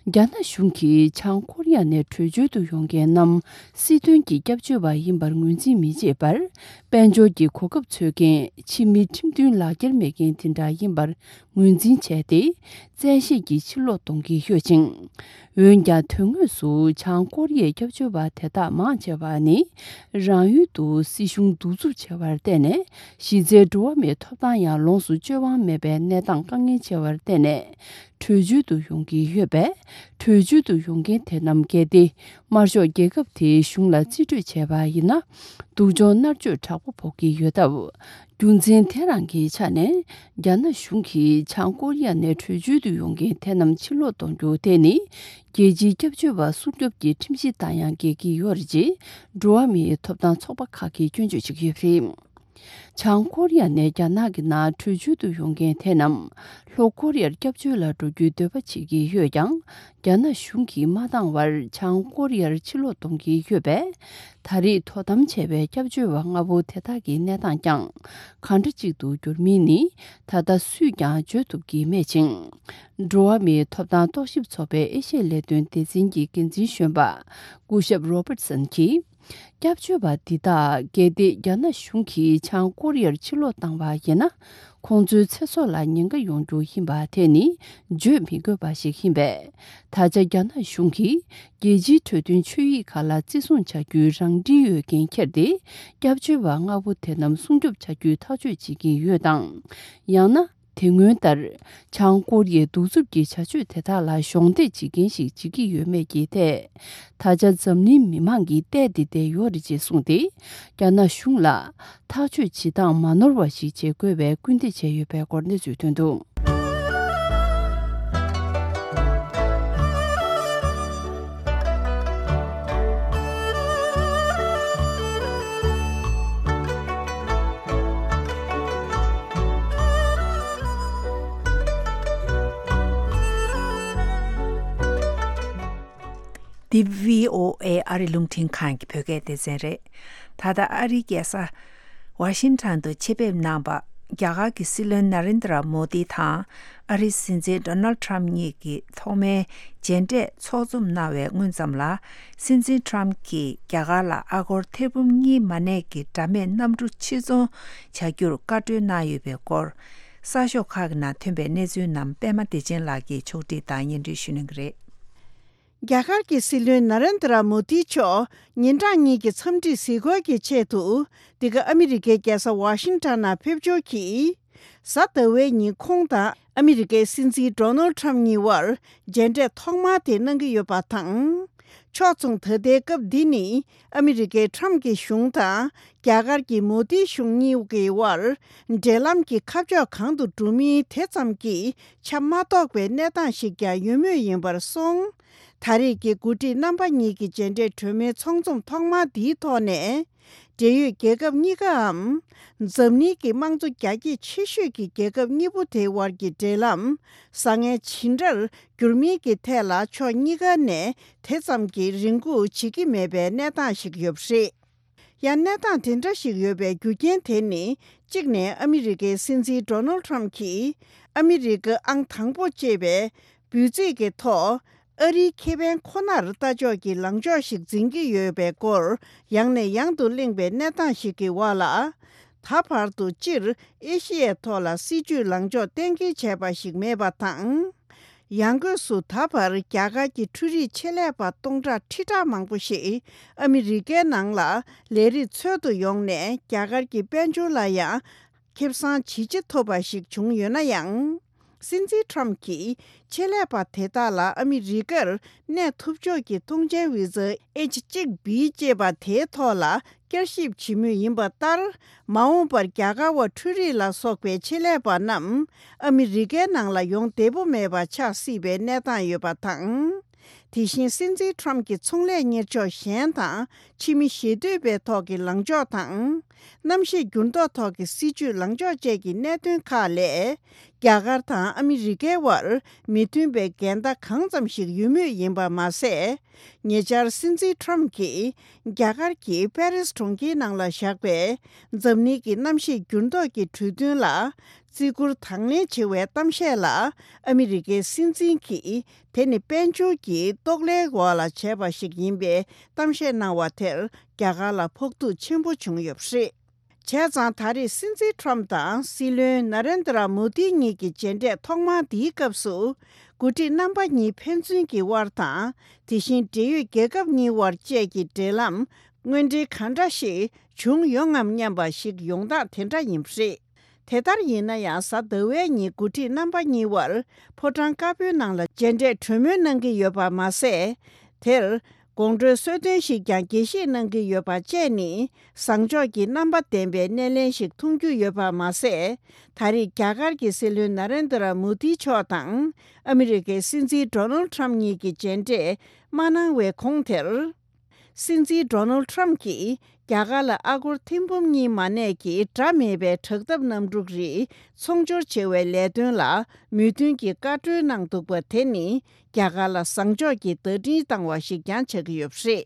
རྒྱ་ནག་གཞུང་གིས་བྱང་ཀོ་རི་ཡ་ནས་བྲོས་བྱོལ་དུ་ཡོང་མཁན་རྣམས་སྲིད་དོན་གྱི་སྐྱབས་བཅོལ་བ་ཡིན་པར་ངོས་འཛིན་མི་བྱེད་པར། དཔལ་འབྱོར་གྱི་གོ་སྐབས་འཚོལ་མཁན་ཕྱི་མི་ཁྲིམས་མཐུན་ལག་འཁྱེར་མེད་མཁན་དེ་འདྲ་ཡིན་པར་ངོས་འཛིན་བྱས་ཏེ། བཙན་ཤེད་ཀྱིས་ཕྱིར་ལོག་གཏོང་གི་ཡོད་ཅིང་། འོན་ཀྱང་། དོན་དངོས་སུ་བྱང་ཀོ་རི་ཡའི་སྐྱབས་བཅོལ་བ་དེ་དག་མང་ཆེ་བ་ནི། རང་ཡུལ་དུ་སྲིད་གཞུང་གདུག་རྩུབ་ཆེ་བར་བརྟེན་ནས། གཞི་རྩའི་འགྲོ་བ་མིའི་ཐོབ་ཐང་ཡང་ལོངས་སུ་སྤྱོད་དབང་མེད་པའི་གནས་སྟངས་དཀའ་ངལ་ཆེ་བར་བརྟེན་ནས། བྲོས་བྱོལ་དུ་ཡོང་གི་ཡོད་པས། བྲོས་བྱོལ་དུ་ཡོང་མཁན་དེ་རྣམས་གལ་ཏེ། དམར་ཤོག་རྒྱལ་ཁབ་དེའི་གཞུང་ལ་རྩིས་སྤྲོད་བྱས་པ་ཡིན་ན། སྡུག་སྦྱོང་མནར་གཅོད་དྲག་པོ་ཕོག་གི་ཡོད་སྟབས། རྒྱུ་མཚན་དེ་རང་གི་ཆ་ནས། རྒྱ་ནག་གཞུང་གིས་བྱང་ཀོ་རི་ཡ་ནས་བྲོས་བྱོལ་དུ་ཡོང་མཁན་དེ་རྣམས་ཕྱིར་ལོག་གཏོང་རྒྱུ་དེ་ནི། རྒྱལ་སྤྱིའི་སྐྱབས་བཅོལ་བ་སྲུང་སྐྱོབ་ཀྱི་ཁྲིམས་གཞི་ལྟར་ཡང་འགལ་གྱི་ཡོད་རེད་ཅེས། འགྲོ་བ་མིའི་ཐོབ་ཐང་ཚོགས་པ་ཁག་གིས་སྐྱོན་བརྗོད་བྱེད་ཀྱི་ཡོད་པ་རེད། བྱང་ཀོ་རི་ཡ་ནས་རྒྱ་ནག་གི་ནང་བྲོས་བྱོལ་དུ་ཡོང་མཁན་དེ་རྣམས། ལྷོ་ཀོ་རི་ཡར་སྐྱབས་བཅོལ་ལ་འགྲོ་རྒྱུའི་འདོད་པ་བྱེད་ཀྱི་ཡོད་ཀྱང་། རྒྱ་ནག་གཞུང་གིས་མ་འདང་བར་བྱང་ཀོ་རི་ཡར་ཕྱིར་ལོག་གཏོང་གི་ཡོད་པས། ད་རེས་དོ་དམ་བྱས་པའི་སྐྱབས་བཅོལ་བ་ལྔ་བོ་དེ་དག་གི་གནས་སྟངས་ཀྱང་། གང་འདྲ་ཅིག་ཏུ་འགྱུར་མིན་ནི། ད་ལྟ་སུས་ཀྱང་བརྗོད་ཐུབ་ཀྱི་མེད་ཅིང་། འགྲོ་བ་མིའི་ཐོབ་ཐང་རྟོག་ཞིབ་ཚོགས་པའི་ཨེ་ཤི་ཡའི་ལས་དོན་སྡེ་ཚན་གྱི་འགན་འཛིན་གཞོན་པ། སྐུ་ཞབས་རོ་པར་སན་གྱིས། སྐྱབས་བཅོལ་བ་འདི་དག་གལ་ཏེ་རྒྱ་ནག་གཞུང་གིས་བྱང་ཀོ་རི་ཡར་ཕྱིར་ལོག་བཏང་བ་ཡིན་ན། ཁོང་ཚོའི་ཚེ་སྲོག་ལ་ཉེན་ཁ་ཡོང་རྒྱུ་ཡིན་པ་དེ་ནི་བརྗོད་མི་དགོས་པ་ཞིག་ཡིན་པས། ད་ཆ་རྒྱ་ནག་གཞུང་གིས་རྒྱལ་སྤྱིའི་གྲོས་མཐུན་ཆོད་ཡིག་ཁག་ལ་བརྩི་སྲུང་བྱ་རྒྱུའི་རང་འགྲེལ་ཡོད་མཁན་ཁྱེར་ཏེ། སྐྱབས་བཅོལ་བ་ལྔ་བོ་དེ་རྣམས་སྲུང་སྐྱོབ་བྱ་རྒྱུའི་ཐག་གཅོད་བྱེད་ཀྱི་ཡོད་དང་། ཡང་ན། དེ་སྔོན་ལྟར། བྱང་ཀོ་རི་ཡའི་གདུག་རྩུབ་ཀྱི་བྱ་སྤྱོད་དེ་དག་ལ་གཞོགས་འདེགས་བྱེད་མཁན་ཞིག་བྱེད་ཀྱི་ཡོད་མེད་ཀྱི་ཐད། ད་ཆ་འཛམ་གླིང་མི་མང་གིས་བལྟས་ཏེ་བསྡད་ཡོད་རེད་ཅེས་གསུངས་ཏེ། རྒྱ་ནག་གཞུང་ལ་ཐག་གཅོད་བྱེད་སྟངས་མ་ནོར་བ་ཞིག་བྱེད་དགོས་པའི་སྐུལ་འདེད་བྱས་ཡོད་པའི་སྐོར་གནས་ཚུལ་ཐོན་འདུག། འདི་བྷི་ཨོ་ཨེ་ཨ་རི་རླུང་འཕྲིན་ཁང་གི་བོད་སྐད་སྡེ་ཚན་རེད། ད་ལྟ་ཨ་རིའི་རྒྱལ་ས་ཝ་ཤིང་ཊོན་དུ་ཆེད་ཕེབས་གནང་པ། རྒྱ་གར་གྱི་སྲིད་བློན་ན་རེན་དྲ་མོ་དི་དང་ཨ་རིའི་སྲིད་འཛིན་ཌོ་ནལ་ཊམ་གཉིས་ཀྱི་ཐོག་མའི་མཇལ་འཕྲད་ཚོགས་འཛོམས་གནང་བའི་སྔོན་ཙམ་ལ། སྲིད་འཛིན་ཊམ་གྱིས་རྒྱ་གར་ལ་ཨ་སྒོར་ཐེར་འབུམ་གཉིས་མ་གནས་ཀྱི་དྲ་མེད་གནམ་གྲུ་ཕྱིར་ཚོང་བྱ་རྒྱུར་བཀའ་འཁྲོལ་གནང་ཡོད་པའི་སྐོར། གསར་ཤོག་ཁག་གི་ནང་ཐོན་པའི་གནས་ཚུལ་རྣམས་པད་མ་བདེ་ཆེན་ལགས་ཀྱིས་ཕྱོགས་སྒྲིག་དང་སྙན་སྒྲོན་ཞུ་གནང་གི་རེད། རྒྱ་གར་གྱི་སྲིད་བློན་ན་རེན་དྲ་མོ་དི་མཆོག་ཉིན་གྲངས་གཉིས་ཀྱི་འཚམས་འདྲིའི་གཟིགས་སྐོར་གྱི་ཆེད་དུ། འདི་ག་ཨ་མི་རི་ཀའི་རྒྱལ་ས་ཝ་ཤིང་ཊོན་ནང་ཕེབས་འབྱོར་གྱིས། གཟའ་ཟླ་བའི་ཉིན་ཁོང་དང་ཨ་མི་རི་ཀའི་སྲིད་འཛིན་ཌོ་ནལ་ཊམ་གཉིས་དབར་མཇལ་འཕྲད་ཐོག་མ་དེ་གནང་གི་ཡོད་པ་དང་། ཕྱོགས་མཚུངས་ད་ལྟའི་སྐབས་འདི་ནི་ཨ་མི་རི་ཀའི་ཊམ་གྱི་གཞུང་དང་རྒྱ་གར་གྱི་མོ་དི་གཞུང་གཉིས་ཀྱི་དབར་འབྲེལ་ལམ་གྱི་ཁ་ཕྱོགས་གང་དུ་འགྲོ་མིན་དེ་ཙམ་གྱིས་ཆ་མ་རྟོགས་པའི་གནས་སྟངས་ཤིག་ཀྱང་ཡོད་མུས་ཡིན་པར་སོང་། ད་རེས་ཀྱི་འགོ་ཁྲིད་རྣམ་པ་གཉིས་ཀྱི་མཇལ་འཕྲད་གྲོས་མོལ་ཚོགས་འཛོམས་ཐོག་མ་འདིའི་ཐོག་ནས། འབྲེལ་ཡོད་རྒྱལ་ཁབ་གཉིས་ཀའམ། འཛམ་གླིང་གི་དམངས་གཙོ་རྒྱ་སྐྱེད་ཆེ་ཤོས་ཀྱི་རྒྱལ་ཁབ་གཉིས་པོ་དེའི་དབར་གྱི་འབྲེལ་ལམ་བཟང་ངན་ཇི་འདྲར་འགྱུར་མིན་གྱི་ཐད་ལ་ཕྱོགས་གཉིས་ཀ་ནས་དེ་ཙམ་གྱི་རེ་སྒུག་བྱེད་ཀྱི་མེད་པའི་གནས་སྟངས་ཤིག་ཡོད་པ་རེད། ཡང་གནས་སྟངས་དེ་འདྲ་ཞིག་ཡོད་པའི་རྒྱུ་རྐྱེན་དེ་ནི། གཅིག་ནས་ཨ་མི་རི་ཀའི་སྲིད་འཛིན་ཌོ་ནལ་ཊམ་གྱིས་ཨ་མི་རི་ཀ་ཨང་དང་པོ་ཅེས་པའི་འབོད་ཚིག་གི་ཐོག་ཨ་རིའི་ཁེ་ཕན་ཁོ་ནར་ལྟ་ཕྱོགས་ཀྱི་ལངས་ཕྱོགས་ཤིག་འཛིན་གྱི་ཡོད་པའི་སྐོར་ཡང་ནས་ཡང་དུ་གླེང་བའི་གནས་སྟངས་ཤིག་གི་འོག་ལ། ད་བར་དུ་སྤྱིར་ཨེ་ཤི་ཡའི་ཐོག་ལ་སྲིད་ཇུས་ལངས་ཕྱོགས་གཏན་འཁེལ་བྱས་པ་ཞིག་མེད་པ་དང་། ཡང་སྒོས་སུ་ད་བར་རྒྱ་གར་གྱི་འཕྲུལ་རིག་ཆེད་ལས་པ་སྟོང་ཕྲག་ཁྲི་ཕྲག་མང་པོ་ཞིག་ཨ་མི་རི་ཀའི་ནང་ལ་ལས་རིགས་འཚོལ་དུ་ཡོང་ནས་རྒྱ་གར་གྱི་དཔལ་འབྱོར་ལ་ཡང་ཁེ་བཟང་ཇི་ཆེ་ཐོབ་པ་ཞིག་བྱུང་ཡོད་ན་ཡང་། སྲིད་འཛིན་ཊམ་གྱིས་ཆེད་ལས་པ་དེ་དག་ལ་ཨ་མི་རི་ཀར་གནས་ཐུབ་ཕྱོགས་ཀྱི་ཐོངས་མཆན་བི་ཛ་ཨེཆ་གཅིག་བི་ཅེས་པ་དེའི་ཐོག་ལ། བསྐྱར་ཞིབ་བྱེད་མུས་ཡིན་པ་ལྟར། མ་འོངས་པར་རྒྱ་གར་བ་འཕྲུལ་རིག་ལ་སོགས་པའི་ཆེད་ལས་པ་རྣམས་ཨ་མི་རི་ཀའི་ནང་ལ་ཡོང་བདེ་པོ་མེད་པ་ཆགས་སྲིད་པའི་གནས་སྟངས་ཡོད་པ་དང་། དེ་བཞིན་སྲིད་འཛིན་ཊམ་གྱི་ཚོང་ལས་གཉེར་ཕྱོགས་གཞན་དང་ཕྱི་མི་ཞེ་འདོད་པའི་ཐོག་གི་ལངས་ཕྱོགས་དང་ གནམ་གཤིས་འགྱུར་ལྡོག་ཐོག་གི་སྲིད་ཇུས་ལངས་ཕྱོགས་བཅས་ཀྱི་གནད་དོན་ཁག་ལས། རྒྱ་གར་དང་ཨ་མི་རི་ཀའི་དབར་མི་མཐུན་པའི་འགལ་ཟླ་གང་ཙམ་ཞིག་ཡོད་མུས་ཡིན་པ་མ་ཟད། ཉེ་ཆར་སྲིད་འཛིན་ཁྲོམ་གྱིས་རྒྱ་གར་གྱི་པེ་རིས་གྲོང་ཁྱེར་ནང་ལ་བཞག་པའི་འཛམ་གླིང་གི་གནམ་གཤིས་འགྱུར་ལྡོག་གི་གྲོས་མཐུན་ལ་བརྩི་བཀུར་དང་ལེན་བྱེད་པའི་གཏམ་བཤད་ལ་ཨ་མི་རི་ཀའི་སྲིད་འཛིན་གྱིས། དེ་ནི་དཔལ་འབྱོར་གྱི་གཏོགས་ལེན་འོག་ལ་བྱས་པ་ཞིག་ཡིན་པའི་གཏམ་བཤད་གནང་བ་དེར་རྒྱ་གར་ལ་ཕོག་ཐུག་ཆེན་པོ་བྱུང་ཡོད་པ་རེད། བྱས་ཙང་ད་རེས་སྲིད་འཛིན་ཁྲོམ་དང་སྲིད་བློན་ན་རེན་དྲ་མོ་དི་གཉིས་ཀྱི་མཇལ་འཕྲད་ཐོག་མ་འདིའི་སྐབས་སུ། འགོ་ཁྲིད་རྣམ་པ་གཉིས་ཕན་ཚུན་གྱི་དབར་དང་། དེ་བཞིན་འབྲེལ་ཡོད་རྒྱལ་ཁབ་གཉིས་དབར་བཅས་ཀྱི་འབྲེལ་ལམ་དངོས་འབྲེལ་ག་འདྲ་ཞིག་བྱུང་ཡོང་ངམ་སྙམ་པ་ཞིག་ཡོང་སྟངས་དེ་འདྲ་ཡིན་པ་རེད། དེ་ལྟར་ཡིན་ན་ཡང་། གཟའ་ཟླ་བའི་ཉིན་འགོ་ཁྲིད་རྣམ་པ་གཉིས་དབར་ཕོ་བྲང་དཀར་པོའི་ནང་ལ་མཇལ་འཕྲད་གྲོས་མོལ་གནང་གི་ཡོད་པ་མ་ཟད། དེར་དགོང་དྲོའི་གསོལ་སྟོན་ཞིག་ཀྱང་དགྱེས་བཞེས་གནང་གི་ཡོད་པ་བཅས་ནི་བཟང་ཕྱོགས་ཀྱི་རྣམ་པ་ལྡན་པའི་སྣེ་ལེན་ཞིག་མཐོང་རྒྱུ་ཡོད་པ་མ་ཟད། ད་རེས་རྒྱ་གར་གྱི་སྲིད་བློན་ན་རེན་དྲ་མོ་དི་མཆོག་དང་ཨ་མི་རི་ཀའི་སྲིད་འཛིན་ཌོ་ནལ་ཁྲམ་གཉིས་ཀྱི་མཇལ་འཕྲད་མ་གནང་བའི་གོང་དེར། སྲིད་འཛིན་ཌོ་ནལ་ཁྲམ་གྱིས་རྒྱ་གར་ལ་ཨ་སྒོར་ཐེར་འབུམ་གཉིས་མ་གནས་ཀྱི་འདྲ་མེད་པའི་དྲག་འཐབ་གནམ་གྲུ་རིགས་ཚོང་སྦྱོར་བྱེད་པའི་ལས་དོན་ལ་མོས་མཐུན་གྱི་བཀའ་འཁྲོལ་གནང་འདུག་པ་དེ་ནི་རྒྱ་གར་ལ་བཟང་ཕྱོགས་ཀྱི་བརྡ་འཕྲིན་བཏང་བ་ཞིག་ཀྱང་ཆགས་ཀྱི་ཡོད་པ་རེད།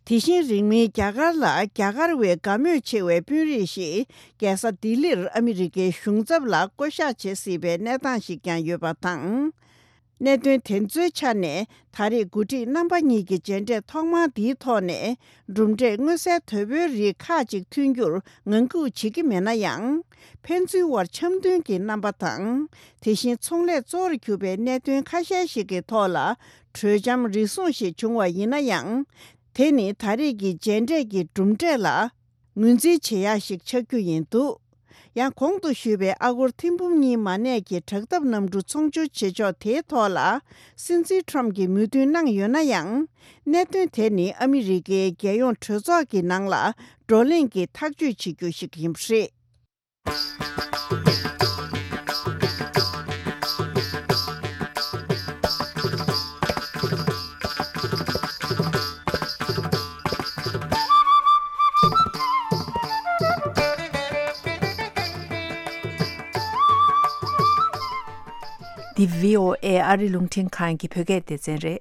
དེ་བཞིན་རིང་མིན་རྒྱ་གར་ལ་རྒྱ་གར་བས་དགའ་མོས་ཆེ་བའི་དཔོན་རིགས་ཤིག་རྒྱལ་ས་ལྡི་ལིར་ཨ་མི་རི་ཀའི་གཞུང་ཚབ་ལ་བསྐོ་གཞག་བྱེད་སྲིད་པའི་གནས་སྟངས་ཤིག་ཀྱང་ཡོད་པ་དང་། གནད་དོན་དེ་ཚོའི་ཆ་ནས་ད་རེས་འགོ་ཁྲིད་རྣམ་པ་གཉིས་ཀྱི་མཇལ་འཕྲད་ཐོག་མ་འདིའི་ཐོག་ནས་གྲུབ་འབྲས་མངོན་གསལ་དོད་པོའི་རིགས་ཁག་ཅིག་ཐོན་རྒྱུར་ངང་སྒུག་བྱེད་ཀྱི་མེད་ན་ཡང་། ཕན་ཚུན་དབར་འཆམ་མཐུན་གྱི་རྣམ་པ་དང་། དེ་བཞིན་ཚོང་ལས་གཙོ་བོར་གྱུར་པའི་གནད་དོན་ཁ་ཤས་ཤིག་གི་ཐོག་ལ་གྲོས་འཆམ་རེ་ཟུང་ཞིག་བྱུང་བ་ཡིན་ན་ཡང་། དེ་ནི་ད་རེས་ཀྱི་མཇལ་འཕྲད་ཀྱི་གྲུབ་འབྲས་ལ་ངོས་འཛིན་བྱེད་ཡག་ཞིག་ཆགས་རྒྱུ་ཡིན་འདུག་ཡང་གོང་དུ་ཞུས་པའི་ཨ་སྒོར་ཐེར་འབུམ་གཉིས་མ་གནས་ཀྱི་དྲག་འཐབ་གནམ་གྲུ་ཚོང་སྦྱོར་བྱེད་ཕྱོགས་དེའི་ཐོག་ལ་སྲིད་འཛིན་ཁྲོམ་གྱིས་མོས་མཐུན་གནང་ཡོད་ན་ཡང་། གནད་དོན་དེ་ནི་ཨ་མི་རི་ཀའི་རྒྱལ་ཡོངས་གྲོས་ཚོགས་ཀྱི་ནང་ལ་བགྲོ་གླེང་གིས་ཐག་གཅོད་བྱེད་རྒྱུ་ཞིག་ཡིན་པ་རེད། འདི་བྷི་ཨོ་ཨེ་ཨ་རི་རླུང་འཕྲིན་ཁང་གི་བོད་སྐད་སྡེ་ཚན་རེད།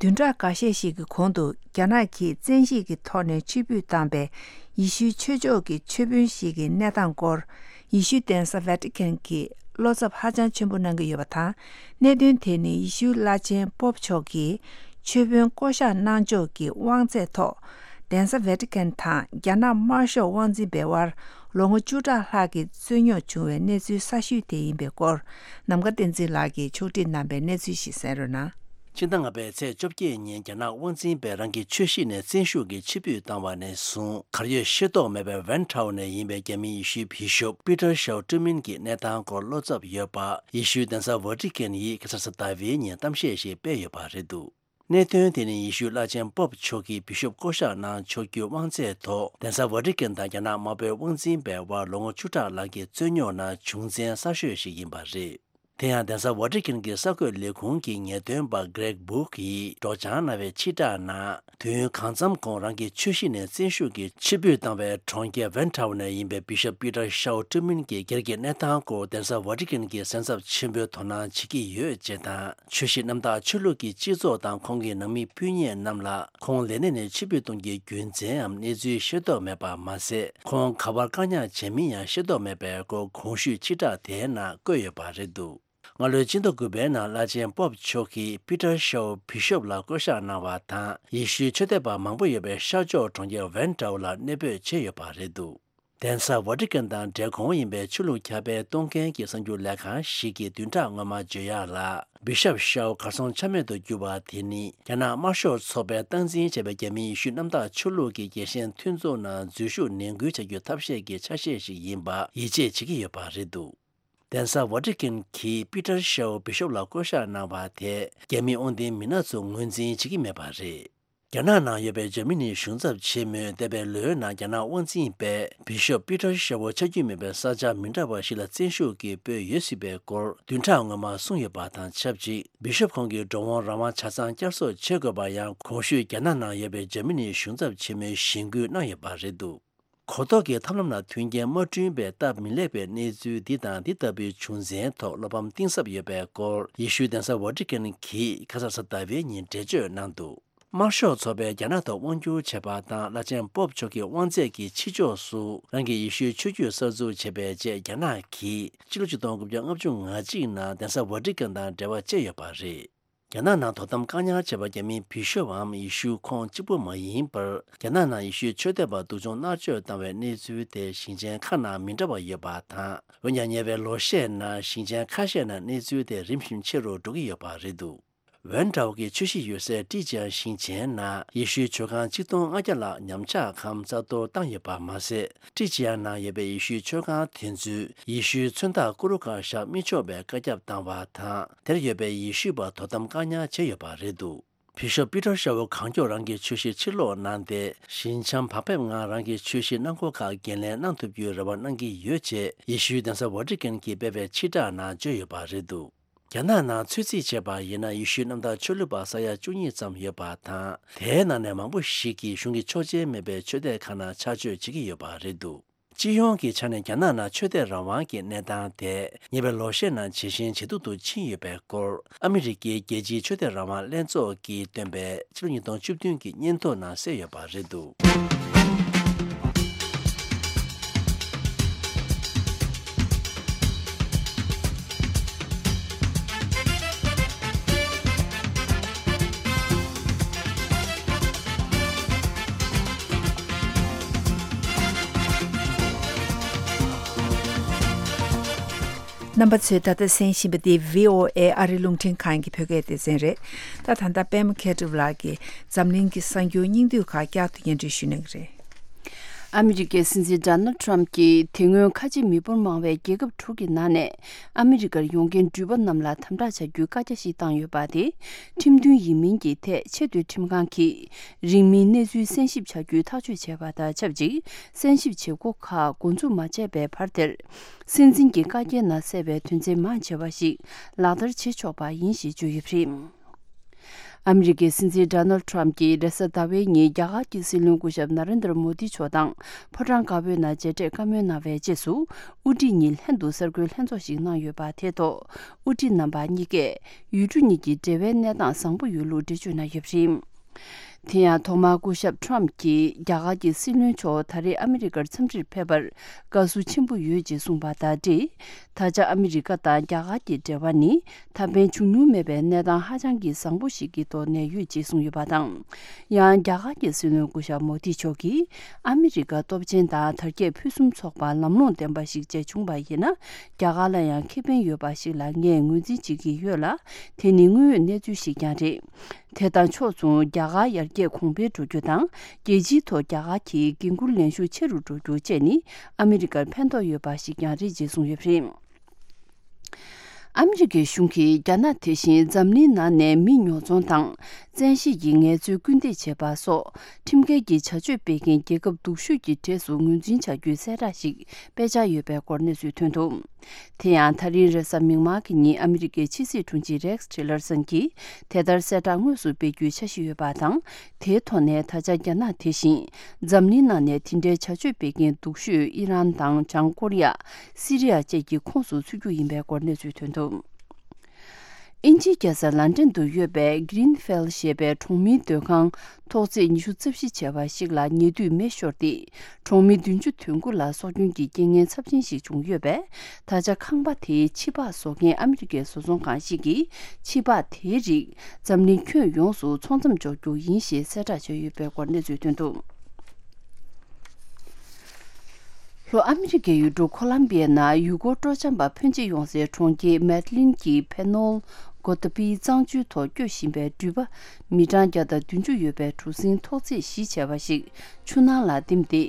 བདུན་ཕྲག་འགའ་ཤས་ཤིག་གི་གོང་དུ་རྒྱ་ནག་གིས་བཙན་ཤེད་ཀྱི་ཐོག་ནས་ཕྱིར་འབུད་བཏང་པའི་ཡེ་ཤུའི་ཆོས་ཕྱོགས་ཀྱི་ཆོས་དཔོན་ཞིག་གི་གནས་སྟངས་སྐོར། ཡེ་ཤུའི་གདན་ས་ཝེ་ཏི་ཀན་གྱི་བློ་འཚབ་ཧ་ཅང་ཆེན་པོ་གནང་གི་ཡོད་པ་དང་། གནད་དོན་དེ་ནི་ཡེ་ཤུའི་བླ་ཆེན་པོབ་མཆོག་གིས་ཆོས་དཔོན་བསྐོ་གཞག་གནང་ཕྱོགས་ཀྱི་དབང་ཚད་ཐོག་གདན་ས་ཝེ་ཏི་ཀན་དང་རྒྱ་ནག་དམར་ཤོག་དབང་འཛིན་པའི་དབར་ལོ་ངོ་བཅུ་ཕྲག་ལྷག་གི་རྩོད་རྙོག་བྱུང་བའི་གནས་ཚུལ་གསར་ཤོས་དེ་ཡིན་པའི་སྐོར། ནམ་མཁའ་བསྟན་འཛིན་ལགས་ཀྱིས་ཕྱོགས་སྒྲིག་གནང་པའི་གནས་ཚུལ་ཞིག་གསན་རོགས་གནང་། ཕྱི་ཟླ་ལྔ་པའི་ཚེས་བཅོ་བརྒྱད་ཉིན་རྒྱ་ནག་དབང་འཛིན་པས་རང་གི་ཆོས་གཞིས་ནས་བཙན་ཤུགས་ཀྱིས་ཕྱིར་འབུད་བཏང་བ་ནས་བཟུང་གར་ཡོད་ཤེས་རྟོགས་མེད་པའི་ཝན་ཁྲའོ་ནས་ཡིན་པའི་རྒྱ་མིའི་ཡེ་ཤུའི་བི་ཤོབ་པི་ཏར་ཤའོ་ཀྲི་མིན་གྱི་གནས་སྟངས་སྐོར་བློ་འཚབ་ཡོད་པ་ཡེ་ཤུའི་གདན་ས་ཝ་ཏི་ཀན་ཡིས་ཁ་སང་གཟའ་ཟླ་བའི་ཉིན་གཏམ་བཤད་ཞིག་སྤེལ་ཡོད་པ་རེད་འདུག་གནད་དོན་དེ་ནི་ཡེ་ཤུའི་བླ་ཆེན་པོབ་མཆོག་གིས་བི་ཤོབ་བསྐོ་གཞག་གནང་ཆོག་རྒྱུའི་དབང་ཚད་ཐོག་གདན་ས་ཝ་ཏི་ཀན་དང་རྒྱ་ནག་དམར་པོའི་དབང་འཛིན་པའི་དབར་ལོ་ངོ་བཅུ་ཕྲག་ལང་གི་རྩོད་རྙོག་ནང་བྱུང་མཚན་གསར་ཤོས་ཤིག་ཡིན་པ་རེད། དེ་ཡང་གདན་ས་ཝ་ཏི་ཀན་གྱི་གསར་འགོད་ལས་ཁུངས་ཀྱི་ངེས་སྟོན་པ་གྷི་རེག་སྦུག་གིས་སྒྲོག་སྦྱང་གནང་བའི་ཕྱིར་བསྒྲགས་ནང་། དུས་ཡུན་གང་འཚམ་གོང་རང་གི་ཆོས་གཞིས་ནས་བཙན་ཤུགས་ཀྱིས་ཕྱིར་འབུད་བཏང་བའི་གྲོང་ཁྱེར་ཝན་ཁྲའོ་ནས་ཡིན་པའི་བི་ཤོབ་པི་ཏར་ཤའོ་ཀྲི་མིན་གྱི་སྒེར་གྱི་གནས་སྟངས་སྐོར་གདན་ས་ཝ་ཏི་ཀན་གྱི་གཟན་ཚབ་ཆེན་པོས་དོ་སྣང་བྱེད་ཀྱི་ཡོད་ཅེས་དང་། ཆོས་གཞིས་གནམ་བདག་ཆོས་ལུགས་ཀྱི་སྤྱི་ཚོགས་དང་ཁོང་གི་ནང་མི་སྤུན་ཉེ་རྣམས་ལ་ཁོང་ལས་གནས་ནས་ཕྱིར་འབུད་གཏོང་རྒྱུའི་རྒྱུ་མཚན་འམ་གནས་ཚུལ་ཤེས་རྟོགས་མེད་པ་མ་ཟད། ཁོང་ག་པར་བཀག་ཉར་བྱས་མིན་ཡང་ཤེས་རྟོགས་མེད་པའི་སྐོར་གོང་ཞུས་ཕྱིར་བསྒྲགས་དེའི་ནང་བཀོད་ཡོད་པ་རེད་འདུག་སྔ་ལོའི་སྤྱི་ཟླ་དགུ་པའི་ནང་བླ་ཆེན་པོབ་མཆོག་གིས་པི་ཏར་ཤའོ་བི་ཤོབ་ལ་བསྐོ་གཞག་གནང་བ་དང་། ཡེ་ཤུའི་ཆོས་དད་པ་མང་པོ་ཡོད་པའི་ཤར་ཕྱོགས་གྲོང་ཁྱེར་ཝན་ཀྲའོ་ལ་གནས་སྤོས་བྱས་ཡོད་པ་རེད་འདུག་གདན་ས་ཝ་ཏི་ཀན་དང་འབྲེལ་གོང་ཡིན་པའི་ཆོས་ལུགས་ཁྱབ་སྤེལ་གཏོང་མཁན་གྱི་གསར་འགྱུར་ལས་ཁང་ཞིག་གིས་བདུན་ཕྲག་སྔོན་མ་བརྗོད་ཡག་ལ། བི་ཤོབ་ཤའོ་གར་སོང་ཆ་མེད་དུ་གྱུར་བ་དེ་ནི་རྒྱ་ནག་དམར་ཤོག་ཚོགས་པས་སྟངས་འཛིན་བྱས་པའི་རྒྱ་མིའི་ཡེ་ཤུ་གནམ་བདག་ཆོས་ལུགས་ཀྱི་རྒྱལ་ཞེན་མཐུན་ཚོགས་ནང་འཛུལ་ཞུགས་ནན་སྐུལ་བྱ་རྒྱུའི་ཐབས་ཤེས་ཀྱི་ཆ་ཤས་ཤིག་ཡིན་པ་ཡིད་ཆེས་བྱེད་ཀྱི་ཡོད་པ་རེད་འདུག་གདན་ས་ཝ་ཏི་ཀན་གྱིས་པི་ཏར་ཤའོ་བི་ཤོབ་ལ་བསྐོ་གཞག་གནང་བ་དེས་རྒྱ་མིའི་དབང་ལྡན་མི་སྣ་ཚོ་ངོས་འཛིན་བྱེད་ཀྱི་མེད་པ་རེད། རྒྱ་ནག་ནང་ཡོད་པའི་འཇར་མ་ནིའི་གཞུང་ཚབ་ཆེན་མོས་འདས་པའི་ལོའི་ནང་རྒྱ་ནག་དབང་འཛིན་པས་བི་ཤོབ་པི་ཏར་ཤའོ་ཆགས་རྒྱུ་མེད་པའི་ས་ཆ་མི་འདྲ་བ་ཞིག་ལ་བཙན་ཤུགས་ཀྱིས་སྤོས་ཡོད་སྲིད་པའི་སྐོར་བདུན་ཕྲག་སྔོན་མ་གསུངས་ཡོད་པ་དང་ཆབས་ཅིག་བི་ཤོབ་ཁོང་གི་འགྲོ་འོང་རང་དབང་ཆ་ཚང་བསྐྱར་གསོ་བྱེད་དགོས་པ་ཡང་གོང་ཞུས་རྒྱ་ནག་ནང་ཡོད་པའི་འཇར་མ་ནིའི་གཞུང་ཚབ་ཆེན་མོས་གཞེན་སྐུལ་གནང་ཡོད་པ་རེད་འདུག་གོ་རྟོགས་ཀྱི་ཐབས་ལམ་ལ་མཐུན་རྐྱེན་མ་བསྐྲུན་པའི་སྟབས་མི་ལེགས་པའི་གནས་ཚུལ་འདི་དང་འདི་ལྟ་བུའི་བྱུང་རྐྱེན་ཐོག་བློ་ཕམ་གཏིང་ཟབ་ཡོད་པའི་སྐོར། ཡེ་ཤུའི་གདན་ས་ཝ་ཊི་ཀན་གྱིས་ཁ་སང་གཟའ་ཟླ་བའི་ཉིན་འགྲེལ་བརྗོད་གནང་འདུག། དམར་ཤོག་ཚོགས་པས་རྒྱ་ནག་ཐོག་དབང་བསྒྱུར་བྱས་པ་དང་། བླ་ཆེན་པོབ་མཆོག་གི་དབང་ཚད་ཀྱི་ཕྱི་ཕྱོགས་སུ་རང་གི་ཡེ་ཤུའི་ཆོས་བརྒྱུད་གསར་འཛུགས་བྱས་པའི་རྗེས། རྒྱ་ནག་གིས་ཕྱི་ལོ་ཆིག་སྟོང་དགུ་བརྒྱ་ལྔ་བཅུ་ང་གཅིག་ནང་གདན་ས་ཝ་ཊི་ཀན་དང་འབྲེལ་བ་བཅད་ཡོད་པ་རེད། རྒྱ་ནག་ནང་དོ་དམ་བཀག་ཉར་བྱས་པ་རྒྱ་མིའི་བི་ཤོབ་བམ་ཡེ་ཤུ་ཁོང་གཅིག་པུ་མ་ཡིན་པར། རྒྱ་ནག་ནང་ཡེ་ཤུའི་ཆོས་དད་པ་སྡུག་སྦྱོང་མནར་གཅོད་བཏང་བའི་གནས་ཚུལ་དེ་ཞིང་ཆེན་ཁག་ནང་མི་འདྲ་བ་ཡོད་པ་དང་། འོན་ཀྱང་ཉེ་བའི་ལོ་ཤས་ནང་ཞིང་ཆེན་ཁ་ཤས་ནང་གནས་ཚུལ་དེ་རིམ་བཞིན་ཆེ་རུ་འགྲོ་གི་ཡོད་པ་རེད་འདུག། ཝན་ཀྲའོ་གི་ཆོས་གཞིས་ཡོད་སའི་ཀྲི་ཅི་ཡང་ཞིང་ཆེན་ནང་ཡེ་ཤུའི་མཆོད་ཁང་གཅིག་སྟོང་ལྔ་བརྒྱ་ལྷག་ཉམས་ཆག་གམ་རྩ་གཏོར་བཏང་ཡོད་པ་མ་ཟད། ཀྲི་ཅི་ཡང་ནང་ཡོད་པའི་ཡེ་ཤུའི་མཆོད་ཁང་དེ་ཚོས་ཡེ་ཤུའི་མཚོན་རྟགས་ཀུ་རུ་ཁ་བཞག་མི་ཆོག་པའི་བཀའ་ཁྱབ་བཏང་བ་དང་། དེར་ཡོད་པའི་ཡེ་ཤུ་པ་དོ་དམ་བཀག་ཉར་བྱས་ཡོད་པ་རེད་འདུག། བི་ཤོབ་པི་ཏར་ཤ་བོ་གང་མགྱོགས་རང་གི་ཆོས་གཞིས་ཕྱིར་ལོག་གནང་སྟེ། ཞི་འཇམ་བག་ཕེབས་ངང་རང་གི་ཆོས་གཞིས་གནང་སྒོ་ཁག་འགན་ལེན་གནང་ཐུབ་རྒྱུའི་རེ་བ་གནང་གི་ཡོད་ཅེས་ཡེ་ཤུའི་གདན་ས་ཝ་ཊི་ཀན་གྱིས་སྤེལ་བའི་ཕྱིར་བསྒྲགས་ནང་བརྗོད་ཡོད་པ་རེད་འདུག། རྒྱ་ནག་ནང་ཚོད་རྩིས་བྱས་པ་ཡིན་ན། ཡེ་ཤུའི་གནམ་བདག་ཆོས་ལུགས་པ་ས་ཡ་བཅུ་གཉིས་ཙམ་ཡོད་པ་དང་། དེའི་ནང་ནས་མང་པོ་ཞིག་གིས་གཞུང་གི་ཆོག་མཆན་མེད་པའི་ཆོས་དད་ཁག་ནང་ཆགས་སྤྱོད་བྱེད་ཀྱི་ཡོད་པ་རེད་འདུག། སྤྱི་ཡོངས་ཀྱི་ཆ་ནས་རྒྱ་ནག་ནང་ཆོས་དད་རང་དབང་གི་གནས་སྟངས་དེ་ཉེ་བའི་ལོ་ཤས་ནང་ཇེ་ཞན་ཇེ་སྡུག་ཏུ་ཕྱིན་ཡོད་པའི་སྐོར། ཨ་མི་རི་ཀའི་རྒྱལ་སྤྱིའི་ཆོས་དད་རང་དབང་ལྷན་ཚོགས་ཀྱིས་བཏོན་པའི་ཕྱི་ལོ་ཉིས་སྟོང་བཅུ་བདུན་གྱི་སྙན་ཐོ་ནང་གསལ་ཡོད་པ་རེད་འདུག། རྣམ་པ་ཚོས་ད་ལྟ་གསན་བཞིན་པ་འདི་བྷི་ཨོ་ཨེ་ཨ་རི་རླུང་འཕྲིན་ཁང་གི་བོད་སྐད་སྡེ་ཚན་རེད། ད་ད་ལྟ་པད་མ་མཁས་གྲུབ་ལགས་ཀྱིས་འཛམ་གླིང་གི་གསར་འགྱུར་སྙིང་བསྡུས་ཁག་བསྐྱར་དུ་སྙན་སྒྲོན་ཞུ་གནང་གི་རེད། ཨ་མི་རི་ཀའི་སྲིད་འཛིན་ཌོ་ནལ་ཌི་ཊརམ་ཕ་གྱིས་དེ་སྔོན་ཁ་ཆེ་མི་འབོར་མང་བའི་རྒྱལ་ཁབ་དྲུག་གི་ནང་ནས་ཨ་མི་རི་ཀར་ཡོང་མཁན་འགྲུལ་པ་རྣམས་ལ་དམ་དྲག་བྱ་རྒྱུའི་བཀའ་རྒྱ་ཞིག་བཏང་ཡོད་པ་དེ་ཁྲིམས་མཐུན་ཡིན་མིན་གྱི་ཐད་ཆེས་མཐོའི་ཁྲིམས་ཁང་གིས་རིང་མིན་གནས་ཚུལ་གསན་ཞིབ་བྱ་རྒྱུའི་ཐག་གཅོད་བྱས་པ་དང་ཆབས་ཅིག་གསན་ཞིབ་བྱེད་སྒོ་ཁག་འགོ་འཛུགས་མ་བྱས་པའི་བར་དེར། སྲིད་འཛིན་གྱི་བཀའ་རྒྱའི་ནང་གསལ་བའི་དོན་ཚན་མང་ཆེ་བ་ཞིག་ལག་བསྟར་བྱེད་ཆོག་པ་ཡིན་ཞེས་བརྗོད་ཡོད་པ་རེད། ཨ་མི་རི་ཀའི་སྲིད་འཛིན་ཌོ་ནལ་ཌི་ཊརམ་ཕ་གྱིས་རེས་གཟའ་ཟླ་བའི་ཉིན་རྒྱ་གར་གྱི་སྲིད་བློན་སྐུ་ཞབས་ན་རེན་དྲ་མོ་དི་མཆོག་དང་ཕོ་བྲང་དཀར་པོའི་ནང་མཇལ་འཕྲད་བཀའ་མོལ་གནང་བའི་རྗེས་སུ། དབུ་ཁྲིད་གཉིས་ལྷན་དུ་གསར་འགོད་ལྷན་ཚོགས་ཤིག་གནང་ཡོད་པ་དེའི་ཐོག་དབུ་ཁྲིད་རྣམ་པ་གཉིས་ཀས་ཡུལ་གྲུ་གཉིས་ཀྱི་འབྲེལ་བའི་གནས་སྟངས་བཟང་པོ་ཡོད་ལུགས་འགྲེལ་བརྗོད་གནང་ཡོད་པ་རེད། དེ་ཡང་ཐོག་མར་སྐུ་ཞབས་ཊརམ་ཕ་གྱིས་རྒྱ་གར་གྱི་སྲིད་བློན་མཆོག་ད་རེས་ཨ་མི་རི་ཀར་འཚམས་འདྲིར་ཕེབས་པར་དགའ་བསུ་ཆེན་པོ་ཡོད་ཅེས་གསུངས་པ་དང་འབྲེལ། ད་ཆ་ཨ་མི་རི་ཀ་དང་རྒྱ་གར་གྱི་འབྲེལ་བ་ནི་ད་ཕན་བྱུང་མྱོང་མེད་པའི་གནས་སྟངས་ཧ་ཅང་གི་བཟང་པོ་ཞིག་གི་ཐོག་གནས་ཡོད་ཅེས་གསུངས་ཡོད་པ་དང་། ཡང་རྒྱ་གར་གྱི་སྲིད་བློན་སྐུ་ཞབས་མོ་དི་མཆོག་གིས་ཨ་མི་རི་ཀ་སྟོབས་ཆེན་དང་དར་རྒྱས་ཕུན་སུམ་ཚོགས་པ་ལམ་ལྷོང་ལྡན་པ་ཞིག་བྱས་བྱུང་བ་ཡིན་ན། རྒྱ་གར་ལ་ཡང་ཁེ་ཕན་ཡོད་པ་ཞིག་ལ་ངས་ངོས་འཛིན་བྱེད་ཀྱི་ཡོད་ལ། དེ་ནི་དངོས་ཡོད་གནས་ཚུལ་ཞིག་ཀྱང་རེད། དེ་དང་ཕྱོགས་མཚུངས་རྒྱ་གར་ཡར་རྒྱས་གོང་འཕེལ་འགྲོ་རྒྱུ་དང་། རྒྱལ་སྤྱིའི་ཐོག་རྒྱ་གར་གྱི་འགན་འཁུར་ལེན་ཤུགས་ཆེ་རུ་འགྲོ་རྒྱུ་བཅས་ནི་ཨ་མི་རི་ཀར་ཕན་ཐོགས་ཡོད་པ་ཞིག་ཀྱང་རེད་ཅེས་གསུངས་ཡོད་པ་རེད། ཨ་མི་རི་ཀའི་གཞུང་གིས་རྒྱ་ནག་དེ་བཞིན་འཛམ་གླིང་ནང་ནས་མི་ཉོ་ཚོང་དང་། བཙན་ཤེད་ཀྱིས་ངལ་རྩོལ་སྐུལ་འདེད་བྱེད་པ་སོགས་ཁྲིམས་འགལ་གྱི་བྱ་སྤྱོད་སྤེལ་མཁན་རྒྱལ་ཁབ་སྡུག་ཤོས་ཀྱི་གྲས་སུ་ངོས་འཛིན་བྱ་རྒྱུའི་གསལ་བསྒྲགས་ཤིག་སྤེལ་འཆར་ཡོད་པའི་སྐོར་གནས་ཚུལ་ཐོན་འདུག། དེ་ཡང་ད་རིང་རེས་གཟའ་མིག་དམར་གྱི་ཉིན་ཨ་མི་རི་ཀའི་ཕྱི་སྲིད་དྲུང་ཆེ་རེགས་ཊི་ལར་སན་གྱིས་དེ་ལྟར་གསལ་བསྒྲགས་དངོས་སུ་སྤེལ་རྒྱུའི་འཆར་གཞི་ཡོད་པ་དང་། དེའི་ཐོག་ནས་ད་ཆ་རྒྱ་ནག་དེ་བཞིན་འཛམ་གླིང་ནང་ནས་དེ་འདྲའི་བྱ་སྤྱོད་སྤེལ་མཁན་སྡུག་ཤོས་ཨི་རན་དང་བྱང་ཀོ་རི་ཡ། སི་རི་ཡ་བཅས་ཀྱི་ཁོངས་སུ་ཚུད་རྒྱུ་ཡིན་པའི་སྐོར་གནས་ཚུལ་ཐོན་འདུག། དབྱིན་ཇིའི་རྒྱལ་ས་ལན་ཀྲན་དུ་ཡོད་པའི་Grenfell་ཞེས་པའི་གྲོང་མིའི་སྡོད་ཁང་ཐོག་བརྩེགས་ཉི་ཤུ་རྩ་བཞི་བྱས་པ་ཞིག་ལ་ཉེ་དུས་མེ་ཤོར་ཏེ། གྲོང་མི་བདུན་ཅུ་དོན་དགུ་ལ་སྲོག་སྐྱོན་གྱི་རྐྱེན་ངན་ཚབས་ཆེན་ཞིག་བྱུང་ཡོད་པས། ད་ཆ་ཁང་པ་དེའི་ཕྱི་པགས་བཟོ་མཁན་ཨ་མི་རི་ཀའི་བཟོ་ཚོང་ཁང་ཞིག་གིས་ཕྱི་པགས་དེའི་རིགས་འཛམ་གླིང་ཁྱོན་ཡོངས་སུ་ཚོང་མཚམས་འཇོག་རྒྱུ་ཡིན་ཞེས་གསལ་བསྒྲགས་བྱས་ཡོད་པའི་སྐོར་གནས་ཚུལ་ཐོན་འདུག། ལྷོ་ཨ་མི་རི་ཀའི་ཡུལ་གྲུ་ཁོ་ལམ་བི་ཡའི་ནང་ཡུལ་སྐོར་སྤྲོ་འཆམ་པ་ཕོན་ཆེ་ཡོང་སའི་གྲོང་ཁྱེར་མེད་ལིན་གྱི་ཕེ་ནོལ་གོ་ཏ་པིའི་གཙང་ཆུའི་ཐོག་སྐྱོད་བཞིན་པའི་འགྲུལ་པ་མི་གྲངས་བརྒྱ་དང་བདུན་ཅུ་ཡོད་པའི་གྲུ་གཟིངས་ཐོག་བརྩེགས་བཞི་བྱས་པ་ཞིག་ཆུ་ནང་ལ་ལྡིམ་སྟེ།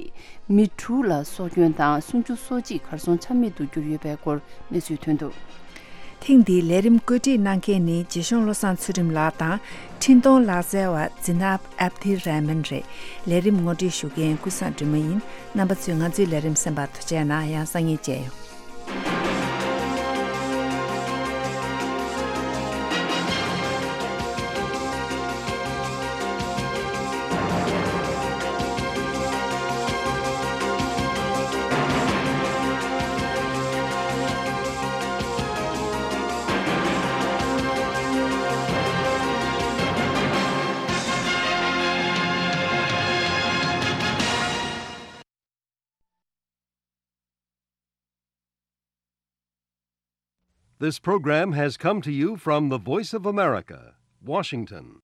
མི་དྲུག་ལ་སྲོག་སྐྱོན་དང་སུམ་ཅུ་སོ་གཅིག་གར་སོང་ཆ་མེད་དུ་གྱུར་ཡོད་པའི་སྐོར་གནས་ཚུལ་ཐོན་འདུག། ཐེངས་འདིའི་ལས་རིམ་བཀོད་སྒྲིག་གནང་མཁན་ནི་རྗེ་གཞུང་བློ་བཟང་ཚུལ་ཁྲིམས་ལགས་དང་། འཕྲིན་གཏོང་ལག་རྩལ་བ་ཛི་ནབ་ཨབ་དི་རེ་མན་རེད། ལས་རིམ་ངོ་སྤྲོད་ཞུ་མཁན་ཀུན་བཟང་སྒྲོལ་མ་ཡིན། རྣམ་པ་ཚོས་ང་ཚོའི་ལས་རིམ་གསན་པར་ཐུགས་རྗེ་གནང་། ཡང་སང་ཉིན་མཇལ་ཡོང་། This program has come to you from the Voice of America, Washington.